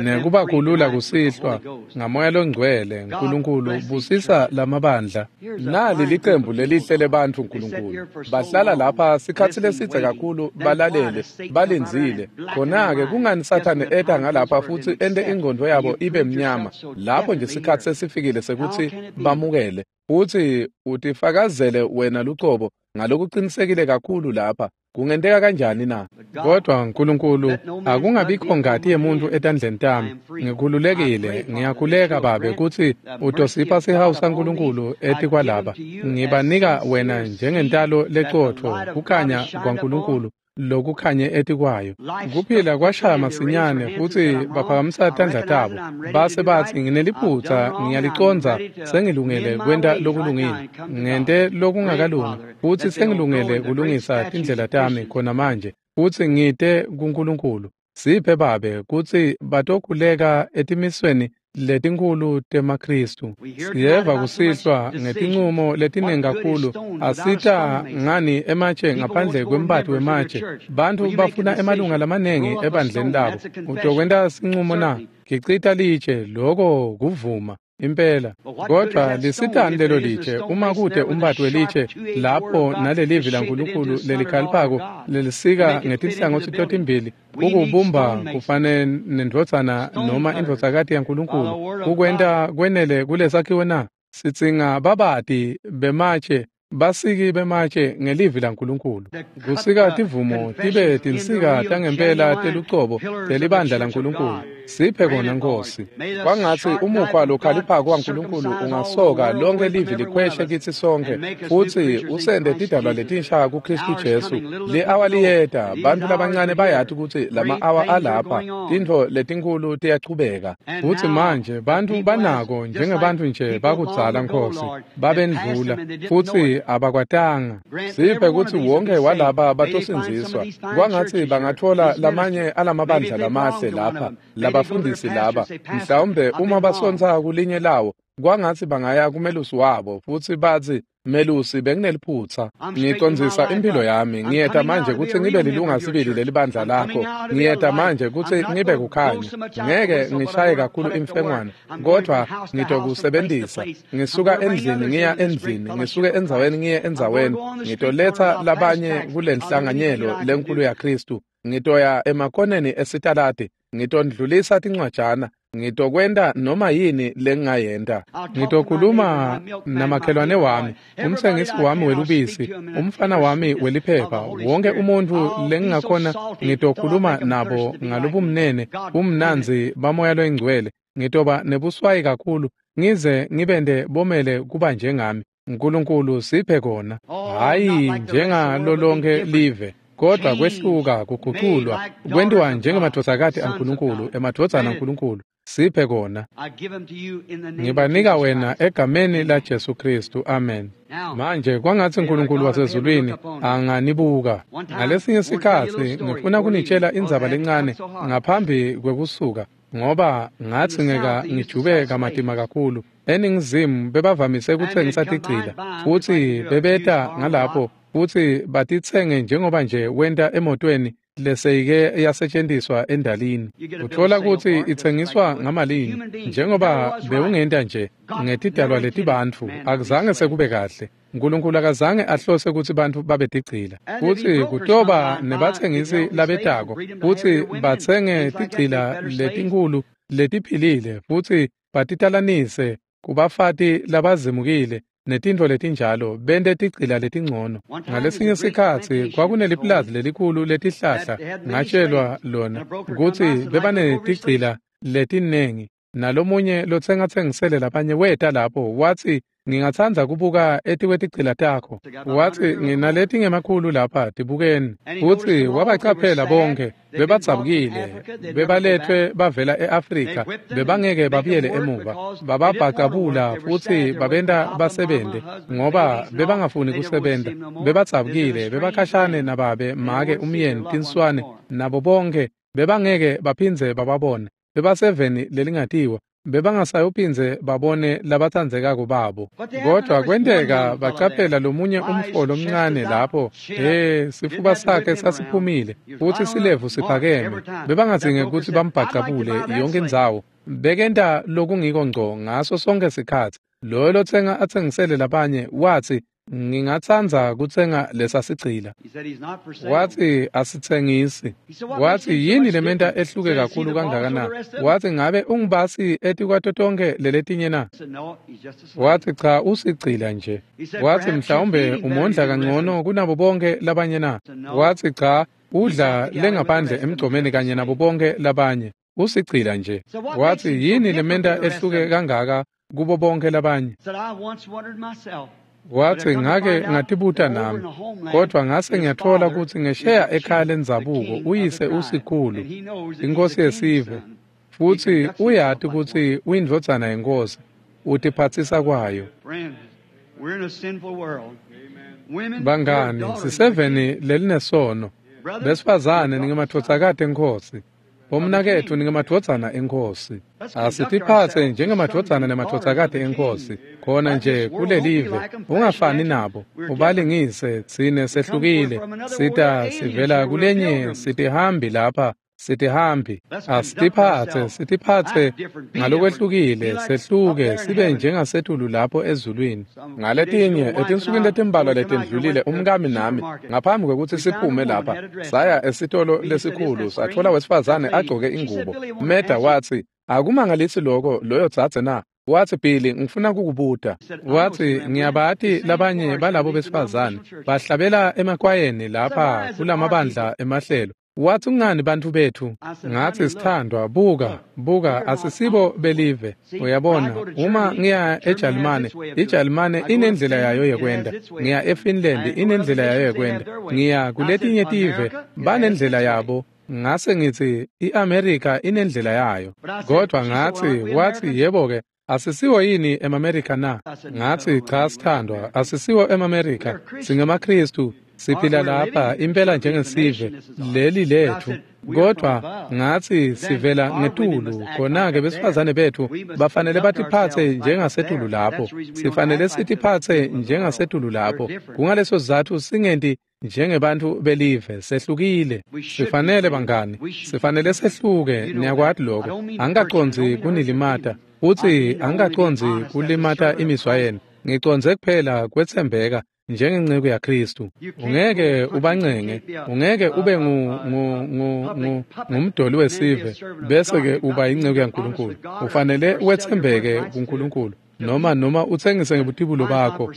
nekubakhulula kusihlwa ngamoya longcwele. uNkulunkulu busisa lamabandla. Nali licembu lelihle lebantfu uNkulunkulu. Bahlala lapha sikhatsi lesidze kakhulu, balalele, balindzile. Khona-ke kungani Sathane eta ngalapha futsi ente ingqondo yabo ibe mnyama lapho nje sikhatsi sesifikile sekutsi bamukele futsi utifakazele wena lucobo ngalokuqinisekile kakhulu lapha? Kungenteka kanjani na? Kodwa uNkulunkulu, akungabikho ngati yemuntu etandleni tami. Ngikhululekile, ngiyakhuleka Babe kutsi utosipha sihawu saNkulunkulu etikwalaba. Ngibanika wena njengentalo lecotfo kukhanya kwaNkulunkulu lokukhanye etikwayo. Kuphila kwashaya masinyane futsi baphakamisa tandla tabo base batsi, ngineliphutsa, ngiyalicondza, sengilungele kwenta lokulungile, ngente lokungakalungi, futsi sengilungele kulungisa tindlela tami khona manje, futsi ngite kuNkulunkulu. Siphe Babe kutsi batokhuleka etimisweni letinkhulu temaKristu. Siyeva kusihlwa ngetincumo letiningi kakhulu. Asita ngani ematshe ngaphandle kwembati wematshe? Bantfu bafuna emalunga lamaningi ebandleni labo. Utokwenta sincumo na? Gicita litshe, loko kuvuma impela. Kodwa lisitani lelo litshe uma kute umbati welitshe lapho nalelivi laNkulunkulu lelikhaliphako lelisika ngetinhlangotsi totimbili ukubumba kufane nendvodzana noma indvodzakati yaNkulunkulu kukwenta kwenele kulesakhiwo na? Sidzinga babati bematshe, basiki bematshe ngelivi laNkulunkulu. Kusika tivumo tibe tinsika tangempela telucobo telibandla laNkulunkulu. Siphe kona Nkosi. Kwangatsi umukhwa lokhaliphako waNkulunkulu ungasoka lonke livi likhweshe kitsi sonkhe futsi usende tidalwa letinsha kuKristu Jesu. Li-awa liyeta, bantfu labancane bayati kutsi lama-awa alapha, tintfo letinkhulu tiyachubeka. Futsi manje bantfu banako njengebantfu nje bakudzala Nkosi, babendlula futsi abakwatanga. Siphe kutsi wonke walaba batosindziswa. Kwangatsi bangatfola lamanye alamabandla lamahle lapha, labafundisi laba, mhlawumbe uma basontsa kulinye lawo, kwangatsi bangaya kumelusi wabo futsi batsi, Melusi, bengineliphutsa. Ngicondzisa impilo yami. Ngiyeta manje kutsi ngibe lilunga sibili lelibandla lakho. Ngiyeta manje kutsi ngibe kukhanya. Ngeke ngishaye kakhulu imfengwane, kodwa ngitokusebentisa. Ngisuka endlini ngiya endlini, ngisuke endzaweni ngiye endzaweni. Ngitoletsa labanye kulenhlanganyelo lenkulu yaKristu. Ngitoya emakoneni esitaladi, ngitondlulisa tincwajana. Ngitokwenta noma yini lengingayenta. Ngitokhuluma namakhelwane wami, umtsengisi wami welubisi, umfana wami weliphepha, wonke umuntfu lengingakhona ngitokhuluma nabo ngalobumnene, bumnandzi bamoya loyingcwele. Ngitoba nebuswayi kakhulu ngize ngibente bomele kuba njengami. uNkulunkulu siphe kona, hhayi njengalo lonke live, kodwa kwehluka, kuguculwa, kwentiwa njengemadvodzakati aNkulunkulu, emadvodzana aNkulunkulu. Siphe kona. Ngibanika wena egameni la Jesu Kristu. Amen. Manje kwangatsi uNkulunkulu wasezulwini anganibuka. Ngalesinye sikhatsi ngifuna kunitshela indzaba lencane ngaphambi kwekusuka, ngoba ngatsi ngeka ngijube kamatima kakhulu. Eningizimu bebavamise kutsengisa tigcila, futsi bebeta ngalapho futsi batitsenge njengoba nje wenta emotweni leseyike yasetjentiswa endalini. Utfola kutsi itsengiswa ngamalini njengoba bewungenta nje ngetidalwa letibantfu. Akuzange sekube kahle. uNkulunkulu akazange ahlose kutsi bantfu babe tigcila. Futsi kutoba nebatsengisi labetako futsi batsenge tigcila letinkhulu letiphilile futsi batitalanise kubafati labazimukile netintfo letinjalo bente tigcila letingcono. Ngalesinye sikhatsi kwakunelipulazi lelikhulu letihlahla, ngatshelwa lona kutsi bebanetigcila letinengi, nalomunye lotsengatsengisele labanye weta lapho watsi, ngingatsandza kubuka etikwetigcila takho. Watsi, nginaleti ngemakhulu lapha, tibukeni. Futsi wabacaphela bonke, bebadzabukile, bebaletfwe bavela e-Afrika, bebangeke babuyele emuva. Bababhacabula futsi babenta basebente ngoba bebangafuni kusebenta. Bebadzabukile, bebakhashane nababe, make, umyeni, tinswane, nabo bonke, bebangeke baphindze bababone. Bebaseveni lelingatiwa, bebangasayophindze babone labatsandzekako babo. Kodwa kwenteka bacaphela lomunye umfo lomncane lapho, eh sifuba sakhe sasiphumile futsi silevu siphakeme. Bebangadzinge kutsi bambhacabule yonke indzawo. Bekenta lokungiko ngco ngaso sonke sikhatsi. Loyo lotsenga atsengisele labanye watsi, ngingatsandza kutsenga lesa sigcila. Watsi, asitsengisi. Watsi, yini lementa ehluke kakhulu kangaka na? Watsi, ngabe ungibasi etikwato tonkhe leletinye na? Watsi, cha, usigcila nje. Watsi, mhlawumbe umondla kangcono kunabo bonke labanye na? Watsi, cha, udla lengaphandle emgcomeni kanye nabo bonke labanye. Usigcila nje. Watsi, yini lementa ehluke kangaka kubo bonke labanye? Watsi, ngake ngatibuta nami, kodwa ngase ngiyatfola kutsi ngesheya ekhaya lendzabuko uyise usikhulu, inkosi yesive, futsi uyati kutsi uyindvodzana yenkosi, utiphatsisa kwayo. Bangani, siseveni lelinesono. Besifazane ningemadvodzakati enkhosi, bomnaketfu ningemadvodzana enkhosi. Asitiphatse njengemadvodzana nemadvodzakati enkhosi, khona nje kulelive. Ungafani nabo, ubalingise. Tsine sehlukile, sita sivela kulenye, sitihambi lapha, sitihambi. Asitiphatse, sitiphatse ngalokwehlukile, sehluke, sibe njengasetulu lapho ezulwini. Ngaletinye etinsukwini letimbalwa letendlulile, umkami nami, ngaphambi kwekutsi siphume lapha, saya esitolo lesikhulu, satfola wesifazane agcoke ingubo. Meda watsi, akumangalisi lokho loyo dzadze na? Watsi, Billy, ngifuna kukubuta. Watsi, ngiyabati labanye balabo besifazane bahlabela emakwayeni lapha kulamabandla emahlelo. Watsi, kungani bantfu bethu? Ngatsi, sithandwa, buka, buka, asisibo belive. Uyabona, uma ngiya eJalimane, iJalimane inendlela yayo yekwenda. Ngiya eFinland, inendlela yayo yekwenda. Ngiya kuletinye tive, banendlela yabo. Ngase ngitsi, iAmerica inendlela yayo. Kodwa ngatsi, watsi, yebo-ke, asisiwo yini emaMerika na? Ngatsi, cha sithandwa, asisiwo emaMerika, singemaKhristu. Siphila lapha impela njengesive, leli lethu. Kodwa ngatsi sivela ngetulu, khona-ke besifazane bethu bafanele batiphatse njengasetulu lapho. Sifanele sitiphatse njengasetulu lapho. Kungaleso sizatfu singenti njengebantfu belive, sehlukile. Sifanele bangani, sifanele sehluke, niyakwati lokho. Angikacondzi kunilimata, futsi angikacondzi kulimata imizwa yenu. Ngicondze kuphela kwetsembeka njengenceku yaKhristu. Ungeke ubancenge, ungeke ube ngu ngu ngu ngumdoli wesive bese ke uba inceku yaNkulunkulu. Ufanele wetsembeke kuNkulunkulu, noma noma utsengise ngebutibulo bakho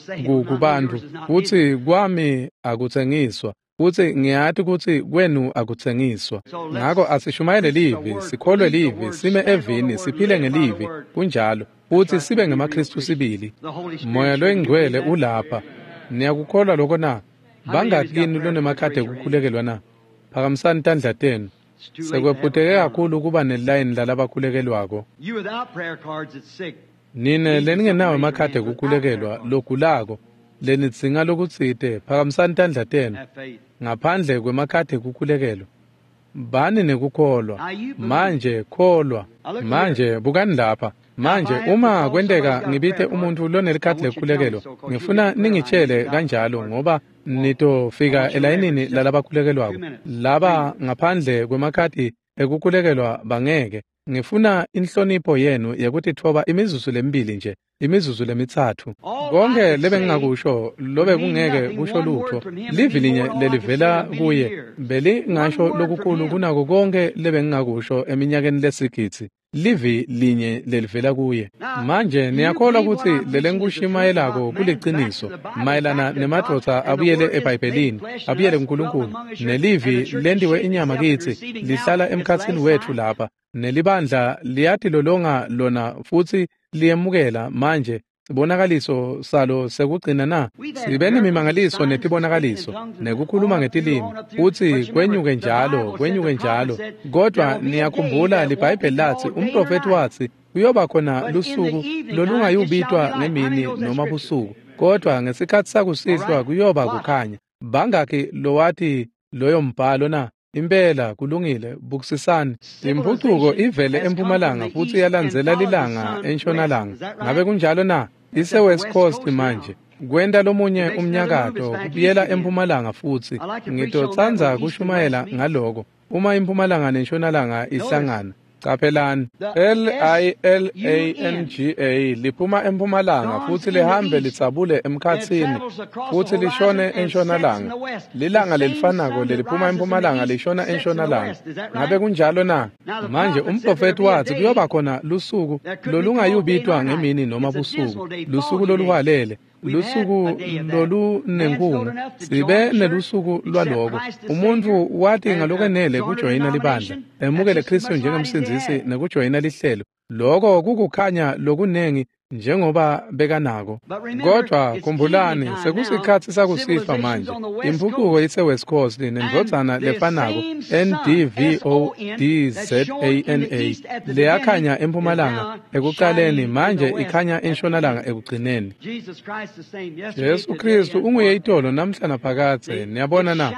kubantu. Futsi kwami akutsengiswa, futsi ngiyati kutsi kwenu akutsengiswa. Ngako asishumayele livi, sikholwe livi, sime evini, siphile ngelivi, kunjalo, futsi sibe ngemaKhristu sibili. Moya loyingcwele ulapha. Niyakukholwa lokho na? Bangaki kini lonemakhadi ekukhulekelwa na? Phakamisani tandla tenu. Sekwephuteke kakhulu kuba nelayini lalabakhulekelwako. Nine leningenawo emakhadi ekukhulekelwa logulako, lenidzinga lokutsite, phakamisani tandla tenu. Ngaphandle kwemakhadi ekukhulekelwa, bani nekukholwa. Manje kholwa. Manje bukani lapha. Manje uma kwenteka ngibite umuntfu lonelikhadi lekukhulekelwa, ngifuna ningitshele kanjalo, ngoba nitofika elayinini lalabakhulekelwako. Laba ngaphandle kwemakhadi ekukhulekelwa bangeke. Ngifuna inhlonipho yenu yekutitfoba imizuzu lemibili nje, imizuzu lemitsatfu. Konke lebengingakusho lobe kungeke kusho lutfo. Livi linye lelivela kuye belingasho lokukhulu kunako konke lebengingakusho eminyakeni lesigidzi. Livi linye lelivela kuye. Manje niyakholwa kutsi lelengikushumayelako kuliciniso mayelana nemadvodza abuyele eBhayibhelini, abuyele kuNkulunkulu, nelivi lentiwe inyama kitsi lihlala emkhatsini wetfu lapha, nelibandla liyatilolonga lona futsi liyemukela manje sibonakaliso salo sekugcina na. Sibe nemimangaliso netibonakaliso nekukhuluma ngetilimi futsi kwenyuke njalo kwenyuke njalo, kodwa niyakhumbula liBhayibheli latsi umprofethi watsi kuyoba khona lusuku lolungayubitwa ngemini noma busuku, kodwa ngesikhatsi sakusihlwa kuyoba kukhanya. Bangakhi lowati loyo mbhalo na? Impela kulungile. Bukisisani, imphucuko ivele empumalanga futsi yalandzela lilanga entshonalanga. Ngabe kunjalo na? Ise West Coast manje kwenta lomunye umnyakato kubuyela empumalanga futsi. Ngitotsandza kushumayela ngaloko uma impumalanga nentshonalanga ihlangana. Caphelani, L I L A N G A liphuma empumalanga futsi lihambe litsabule emkhatsini futsi lishone entshonalanga. Lilanga lelifanako leliphuma empumalanga lishona entshonalanga. Ngabe kunjalo na? Manje umprofethi watsi kuyoba khona lusuku lolungayubitwa ngemini noma busuku, lusuku loluhwalele, lusuku lolunenkungu. Sibe nelusuku lwaloko. Umuntu wathi ngalokwenele kujoyina libandla, emukele Kristu njengemsindzisi nekujoyina lihlelo. Loko kukukhanya lokunengi njengoba bekanako. Kodwa khumbulani, sekusikhatsi sakusihlwa manje. Imphucuko ise West Coast nendvodzana lefanako N D V O D Z A N A leyakhanya empumalanga ekuqaleni, manje ikhanya entshonalanga ekugcineni. Jesu Kristu unguye itolo namhla naphakadze. Niyabona na?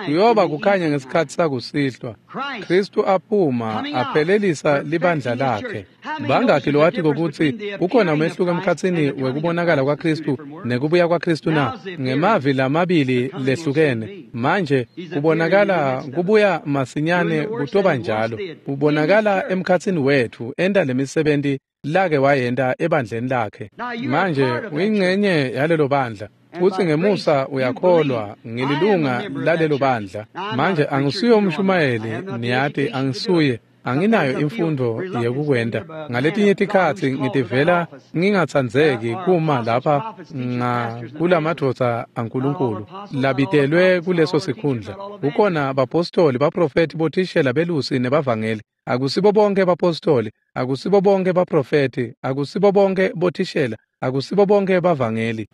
Kuyoba kukhanya ngesikhatsi sakusihlwa. Kristu aphuma aphelelisa libandla lakhe. Bangakhi lowati kokutsi kukhona umehluko emkhatsini wekubonakala kwaKristu nekubuya kwaKristu na? Ngemavi lamabili lehlukene. Manje kubonakala kubuya masinyane kutoba njalo. Kubonakala emkhatsini wetfu enta lemisebenti lake wayenta ebandleni lakhe. Manje uyingcenye yalelo bandla futsi ngemusa uyakholwa, ngililunga lalelo bandla. Manje angisuye umshumayeli, niyati angisuye. Anginayo imfundo yekukwenta. Ngaletinye tikhatsi ngitivela ngingatsandzeki kuma lapha kulamadvodza aNkulunkulu labitelwe kuleso sikhundla. Kukhona bapostoli, baprofethi, bothishela, belusi nebavangeli. Akusibo bonke bapostoli, akusibo bonke baprofethi, akusibo bonke bothishela, akusibo bonke bavangeli.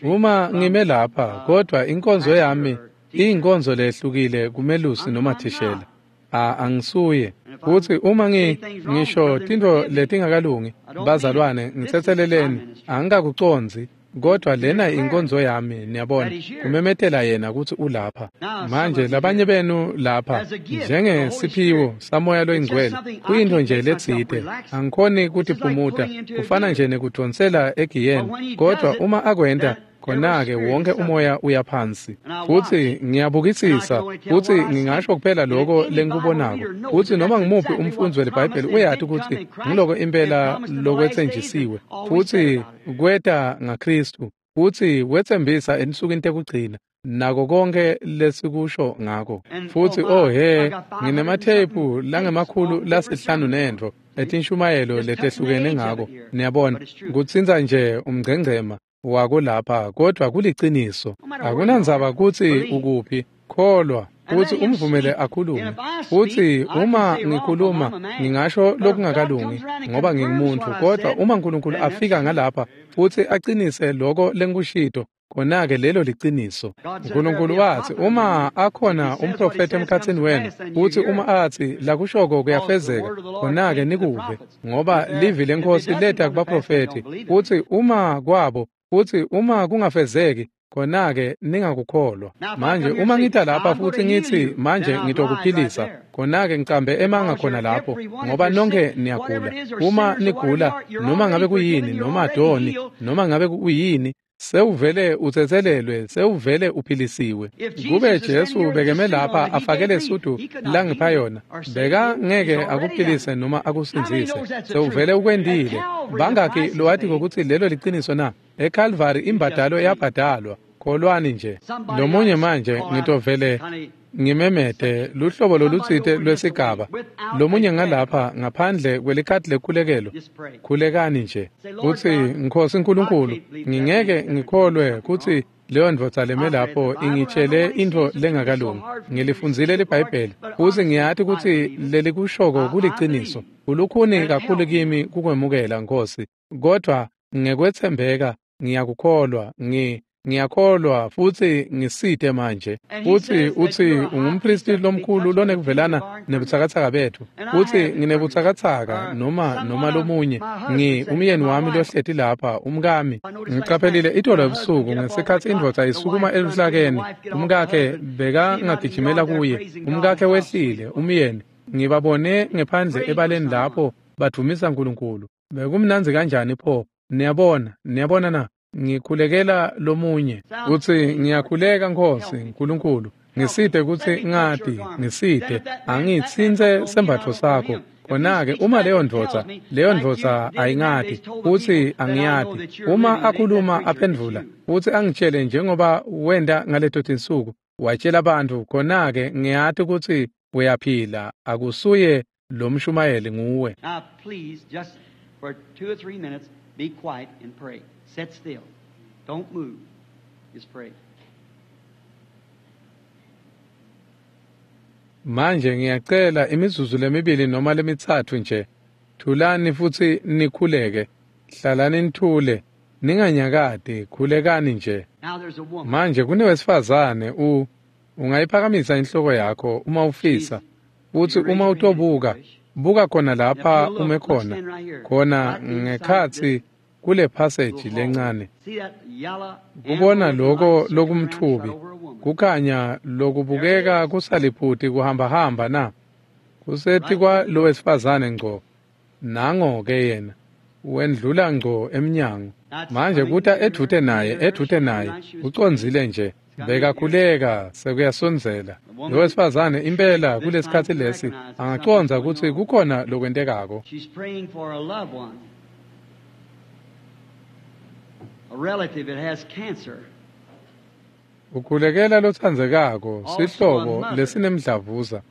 Uma ngime lapha, kodwa inkonzo yami iyinkonzo lehlukile kumelusi noma thishela. A angisuye. Futsi uma ngi ngisho tintfo letingakalungi, bazalwane, ngitsetseleleni, angikakucondzi, kodwa lena inkonzo yami, niyabona, kumemetela yena kutsi ulapha. Manje labanye benu lapha njengesiphiwo samoya loyingcwele kuyintfo nje letsite, angikhoni kutiphumuta, kufana nje nekudvonsela egiyeni, kodwa uma akwenta khona-ke wonke umoya uyaphansi. Futsi ngiyabukisisa futsi ngingasho kuphela lokho lengikubonako. Futsi noma ngimuphi umfundzi weliBhayibheli uyati kutsi ngiloko impela lokwetsenjisiwe futsi kweta ngaKristu futsi wetsembisa ensukwini tekugcina nako konke lesikusho ngako. Futsi oh he, nginematheyiphu langemakhulu lasihlanu nentfo etinshumayelo letehlukene ngako. Niyabona, kutsintsa nje umngcengcema wako lapha, kodwa kuliciniso. Akunandzaba kutsi ukuphi, kholwa futsi umvumele akhulume. Futsi uma ngikhuluma ngingasho lokungakalungi ngoba ngingumuntu, kodwa uma uNkulunkulu afika ngalapha futsi acinise loko lengikushito, khona-ke lelo liciniso. uNkulunkulu watsi uma akhona umprofethi emkhatsini wenu, futsi uma atsi lakushoko kuyafezeka, khona-ke nikuve, ngoba livi leNkhosi leta kubaprofethi. Futsi uma kwabo, futsi uma kungafezeki, khona-ke ningakukholwa. Manje uma ngita lapha futsi ngitsi manje ngitokuphilisa, khona-ke ngicambe emanga khona lapho, ngoba nonke niyagula. Uma nigula, noma ngabe kuyini, noma doni, noma ngabe kuyini, sewuvele utsetselelwe, sewuvele uphilisiwe. Kube Jesu bekeme lapha afake lesudu langipha yona, beka ngeke akuphilise noma akusindzise. Sewuvele ukwendile. Bangakhi lowati kokutsi lelo liciniso na? eCalvary imbadalo yabhadalwa. Kholwani nje. Lomunye manje ngitovele ngimemete luhlobo lolutsite lwesigaba. Lomunye ngalapha ngaphandle kwelikhadi lekhulekelo. Khulekani nje. Utsi, Nkhosi Nkulunkulu, ngingeke ngikholwe kutsi leyo ndvodza leme lapho ingitshele intfo lengakalungi. Ngilifundzile liBhayibheli futsi ngiyati kutsi lelikushoko kuliciniso. Kulukhuni kakhulu kimi kukwemukela, Nkhosi, kodvwa ngekwetsembeka ngiyakukholwa. Ngi ngiyakholwa futsi ngisite manje. Futsi utsi ungumpristi lomkhulu lonekuvelana nebutsakatsaka betfu. Futsi nginebutsakatsaka noma noma lomunye. Ngi umyeni wami lohleti lapha, umkami. Ngiqaphelile itolo ebusuku ngesikhatsi indvodza isukuma eluhlakeni, umkakhe bekangagijimela kuye. Umkakhe wehlile, umyeni. Ngibabone ngephandle ebaleni lapho badvumisa Nkulunkulu. Bekumnandzi kanjani pho? Niyabona, niyabona na? Ngikhulekela lomunye. Utsi, ngiyakhuleka Nkhosi Nkulunkulu, ngisite kutsi ngati, ngisite, angitsintse sembatfo sakho. Khona-ke uma leyo ndvodza, leyo ndvodza ayingati, futsi angiyati. Uma akhuluma aphendvula, futsi angitshele njengoba wenta ngaleto tinsuku, watshela bantfu, khona-ke ngiyati kutsi uyaphila, akusuye lomshumayeli nguwe. Now please, just for two or three minutes, be quiet and pray. Sit still. Don't move. Just pray. Manje ngiyacela imizuzu lemibili noma lemitsatfu nje. Thulani futsi nikhuleke. Hlalani nithule. Ninganyakati, khulekani nje. Now there's a woman. Manje kunewesifazane u ungayiphakamisa inhloko yakho uma ufisa. Futsi uma utobuka, buka khona lapha ume khona. Khona ngekhatsi kule passage lencane. See that yellow Kubona loko lokumthubi, over a woman. kukhanya lokubukeka kusaliphuti kuhambahamba na. Kuseti kwa lowesifazane ngco. Nango ke yena. Wendlula ngco emnyango. Manje kuta edvute naye, edvute naye. Ucondzile nje. Bekakhuleka sekuyasondzela. Lowesifazane impela kulesikhatsi lesi angacondza kutsi kukhona lokwentekako. She's praying for a loved one, a relative that has cancer. Ukhulekela lotsandzekako, sihlobo lesinemdlavuza.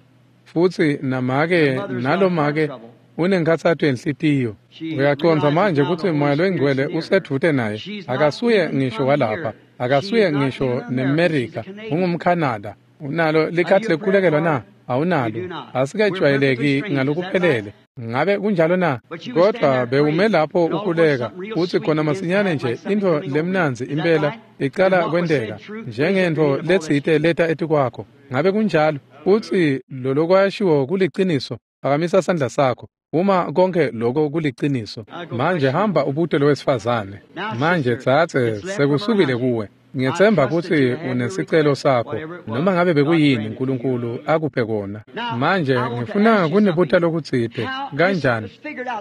Futsi namake nalomake unenkhatsato yenhlitiyo. Uyacondza manje kutsi Moya loyiNgcwele usedvute naye. Akasuye ngisho walapha, akasuye ngisho neMerika, ungumKhanada. Unalo likhadi lekukhulekelwa na? Awunalo. Asikajwayeleki ngalokuphelele. Ngabe kunjalo na? Kodwa bewume lapho ukhuleka, utsi khona masinyane nje intfo lemnandzi impela icala kwenteka, njengentfo letsite leta etikwakho. Ngabe kunjalo? Utsi lolokwashiwo kuliciniso. Phakamisa sandla sakho. Uma konke lokho kuliciniso. Manje hamba ubute lowesifazane. Manje tsatse sekusukile kuwe. Ngiyetsemba kutsi unesicelo sakho, noma ngabe bekuyini Nkulunkulu akuphe kona. Manje ngifuna kunibuta lokutsite. Kanjani?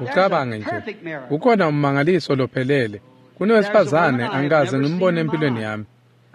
Ucabange nje. Kukhona ummangaliso lophelele. Kunowesifazane angikaze ngimbone empilweni yami.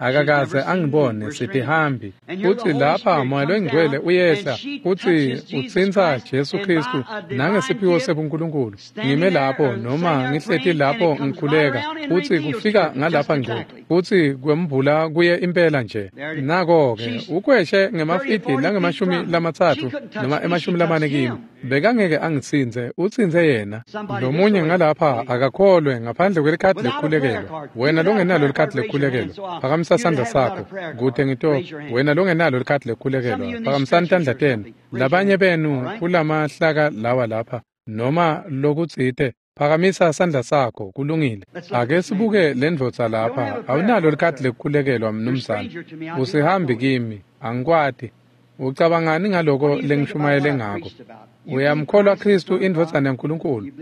Akakaze angibone, sitihambi. Futsi lapha Moya loyiNgcwele uyehla futsi utsintsa Jesu Khristu nangesiphiwo sebuNkulunkulu. Ngime lapho noma ngihleti lapho ngikhuleka, futsi kufika ngalapha ngco, futsi kwembula kuye impela nje. Nako-ke ukhweshe ngemafidi langemashumi lamatsatfu noma emashumi lamane kimi. Bekangeke angitsintse, utsintse yena. Lomunye ngalapha akakholwe ngaphandle kwelikhadi lekukhulekelwa. Wena longenalo likhadi lekukhulekelwa, phakamisa sandla sakho kute ngito. Wena longenalo likhadi lekukhulekelwa, phakamisani tandla tenu. Labanye benu kulamahlaka lawa lapha noma lokutsite, phakamisa sandla sakho. Kulungile. Ake sibuke lendvodza lapha. Awunalo likhadi lekukhulekelwa, mnumzane. Usihambi kimi, angikwati. Ucabangani ngaloko lengishumayele ngako? Uyamkholwa Khristu indvodzana yaNkulunkulu?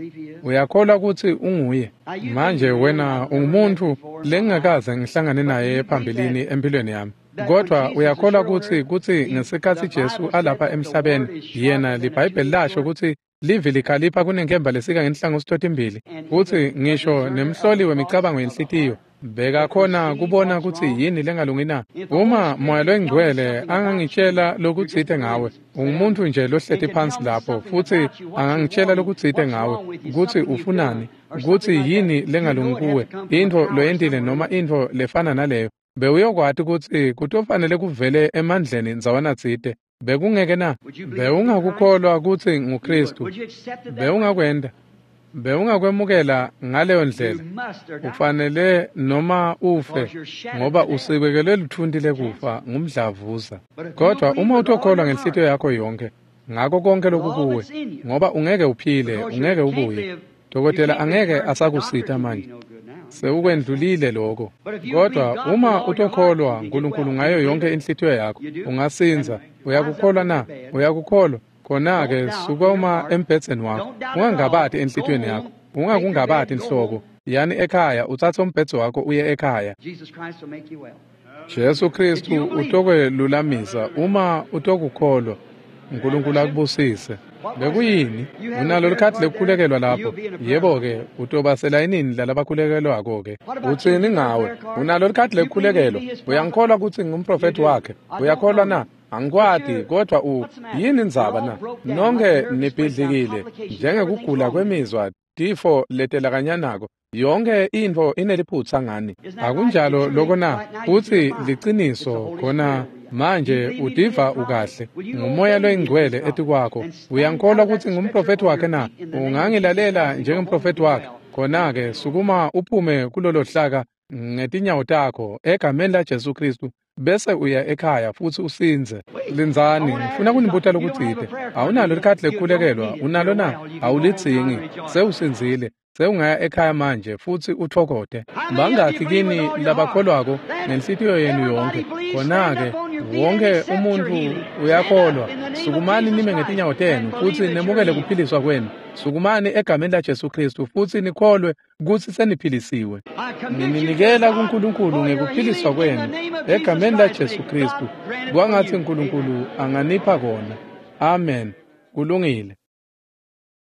Uyakholwa kutsi unguye? Manje wena ungumuntfu lengingakaze ngihlangane naye phambilini empilweni yami. Kodwa uyakholwa kutsi kutsi ngesikhatsi Jesu alapha emhlabeni, yena liBhayibheli lasho kutsi livi likhalipha kunenkemba lesika ngenhlangothi totimbili, futsi ngisho nemhloli wemicabango yenhlitiyo bekakhona kubona kutsi yini lengalungi na. Uma Moya loyiNgcwele angangitshela lokutsite ngawe, ungumuntfu nje lohleti phansi lapho, futsi angangitshela lokutsite ngawe, kutsi ufunani, kutsi yini lengalungi kuwe, intfo loyentile noma intfo lefana naleyo, Bewuyokwati kutsi kutofanele kuvele emandleni ndzawanatsite. Bekungeke na? Bewungakukholwa kutsi nguKristu. Bewungakwenta. Bewungakwemukela ngaleyo ndlela. Ufanele noma ufe, ngoba usibekelwe lutfunti lekufa ngumdlavuza. Kodwa uma utokholwa ngenhlitiyo yakho yonkhe, ngako konke lokukuwe, ngoba ungeke uphile, ungeke ubuye. Dokotela angeke asakusita manje. Sewukwendlulile lokho. Kodwa uma utokholwa uNkulunkulu ngayo yonke inhlitiyo yakho, ungasindza. Uyakukholwa na? Uyakukholwa? Khona-ke sukuma embhedzeni wakho. Ungangabati enhlitiyweni yakho. Ungakungabati inhloko. Yani ekhaya, utsatse umbhedze wakho uye ekhaya. Jesu Kristu utokwelulamisa uma utokukholwa. uNkulunkulu akubusise. Bekuyini? Unalo likhadi lekukhulekelwa lapho? Yebo-ke, utoba selayinini lalabakhulekelwako-ke. Utsini ngawe? Unalo likhadi lekukhulekelwa? Uyangikholwa kutsi ngumprofethi wakhe? Uyakholwa na? Angikwati, kodwa u yini indzaba na? Nonke nibhidlikile njengekugula kwemizwa, tifo letelakanyanako. Yonke intfo ineliphutsa ngani. Akunjalo loko na? Futsi liciniso khona manje utiva ukahle. Ngumoya loyingcwele etikwakho. Uyangikholwa kutsi ngumprofethi wakhe na? Ungangilalela njengemprofethi wakhe? Khona-ke sukuma uphume kulolo hlaka ngetinyawo takho egameni la Jesu Kristu, bese uya ekhaya futsi usindze. Lindzani, ngifuna kunibuta lokutsite. Awunalo likhadi lekukhulekelwa? Unalo na? Awulidzingi. Sewusindzile. Sewungaya ekhaya manje futsi utfokote. Bangakhi kini labakholwako ngenhlitiyo yenu yonke? Khona-ke wonke umuntfu uyakholwa. Sukumani nime ngetinyawo tenu futsi nemukele kuphiliswa kwenu. Sukumani egameni la Jesu Kristu futsi nikholwe kutsi seniphilisiwe. Nininikela kuNkulunkulu ngekuphiliswa kwenu egameni la Jesu Kristu. Kwangatsi uNkulunkulu anganipha kona. Amen. Kulungile.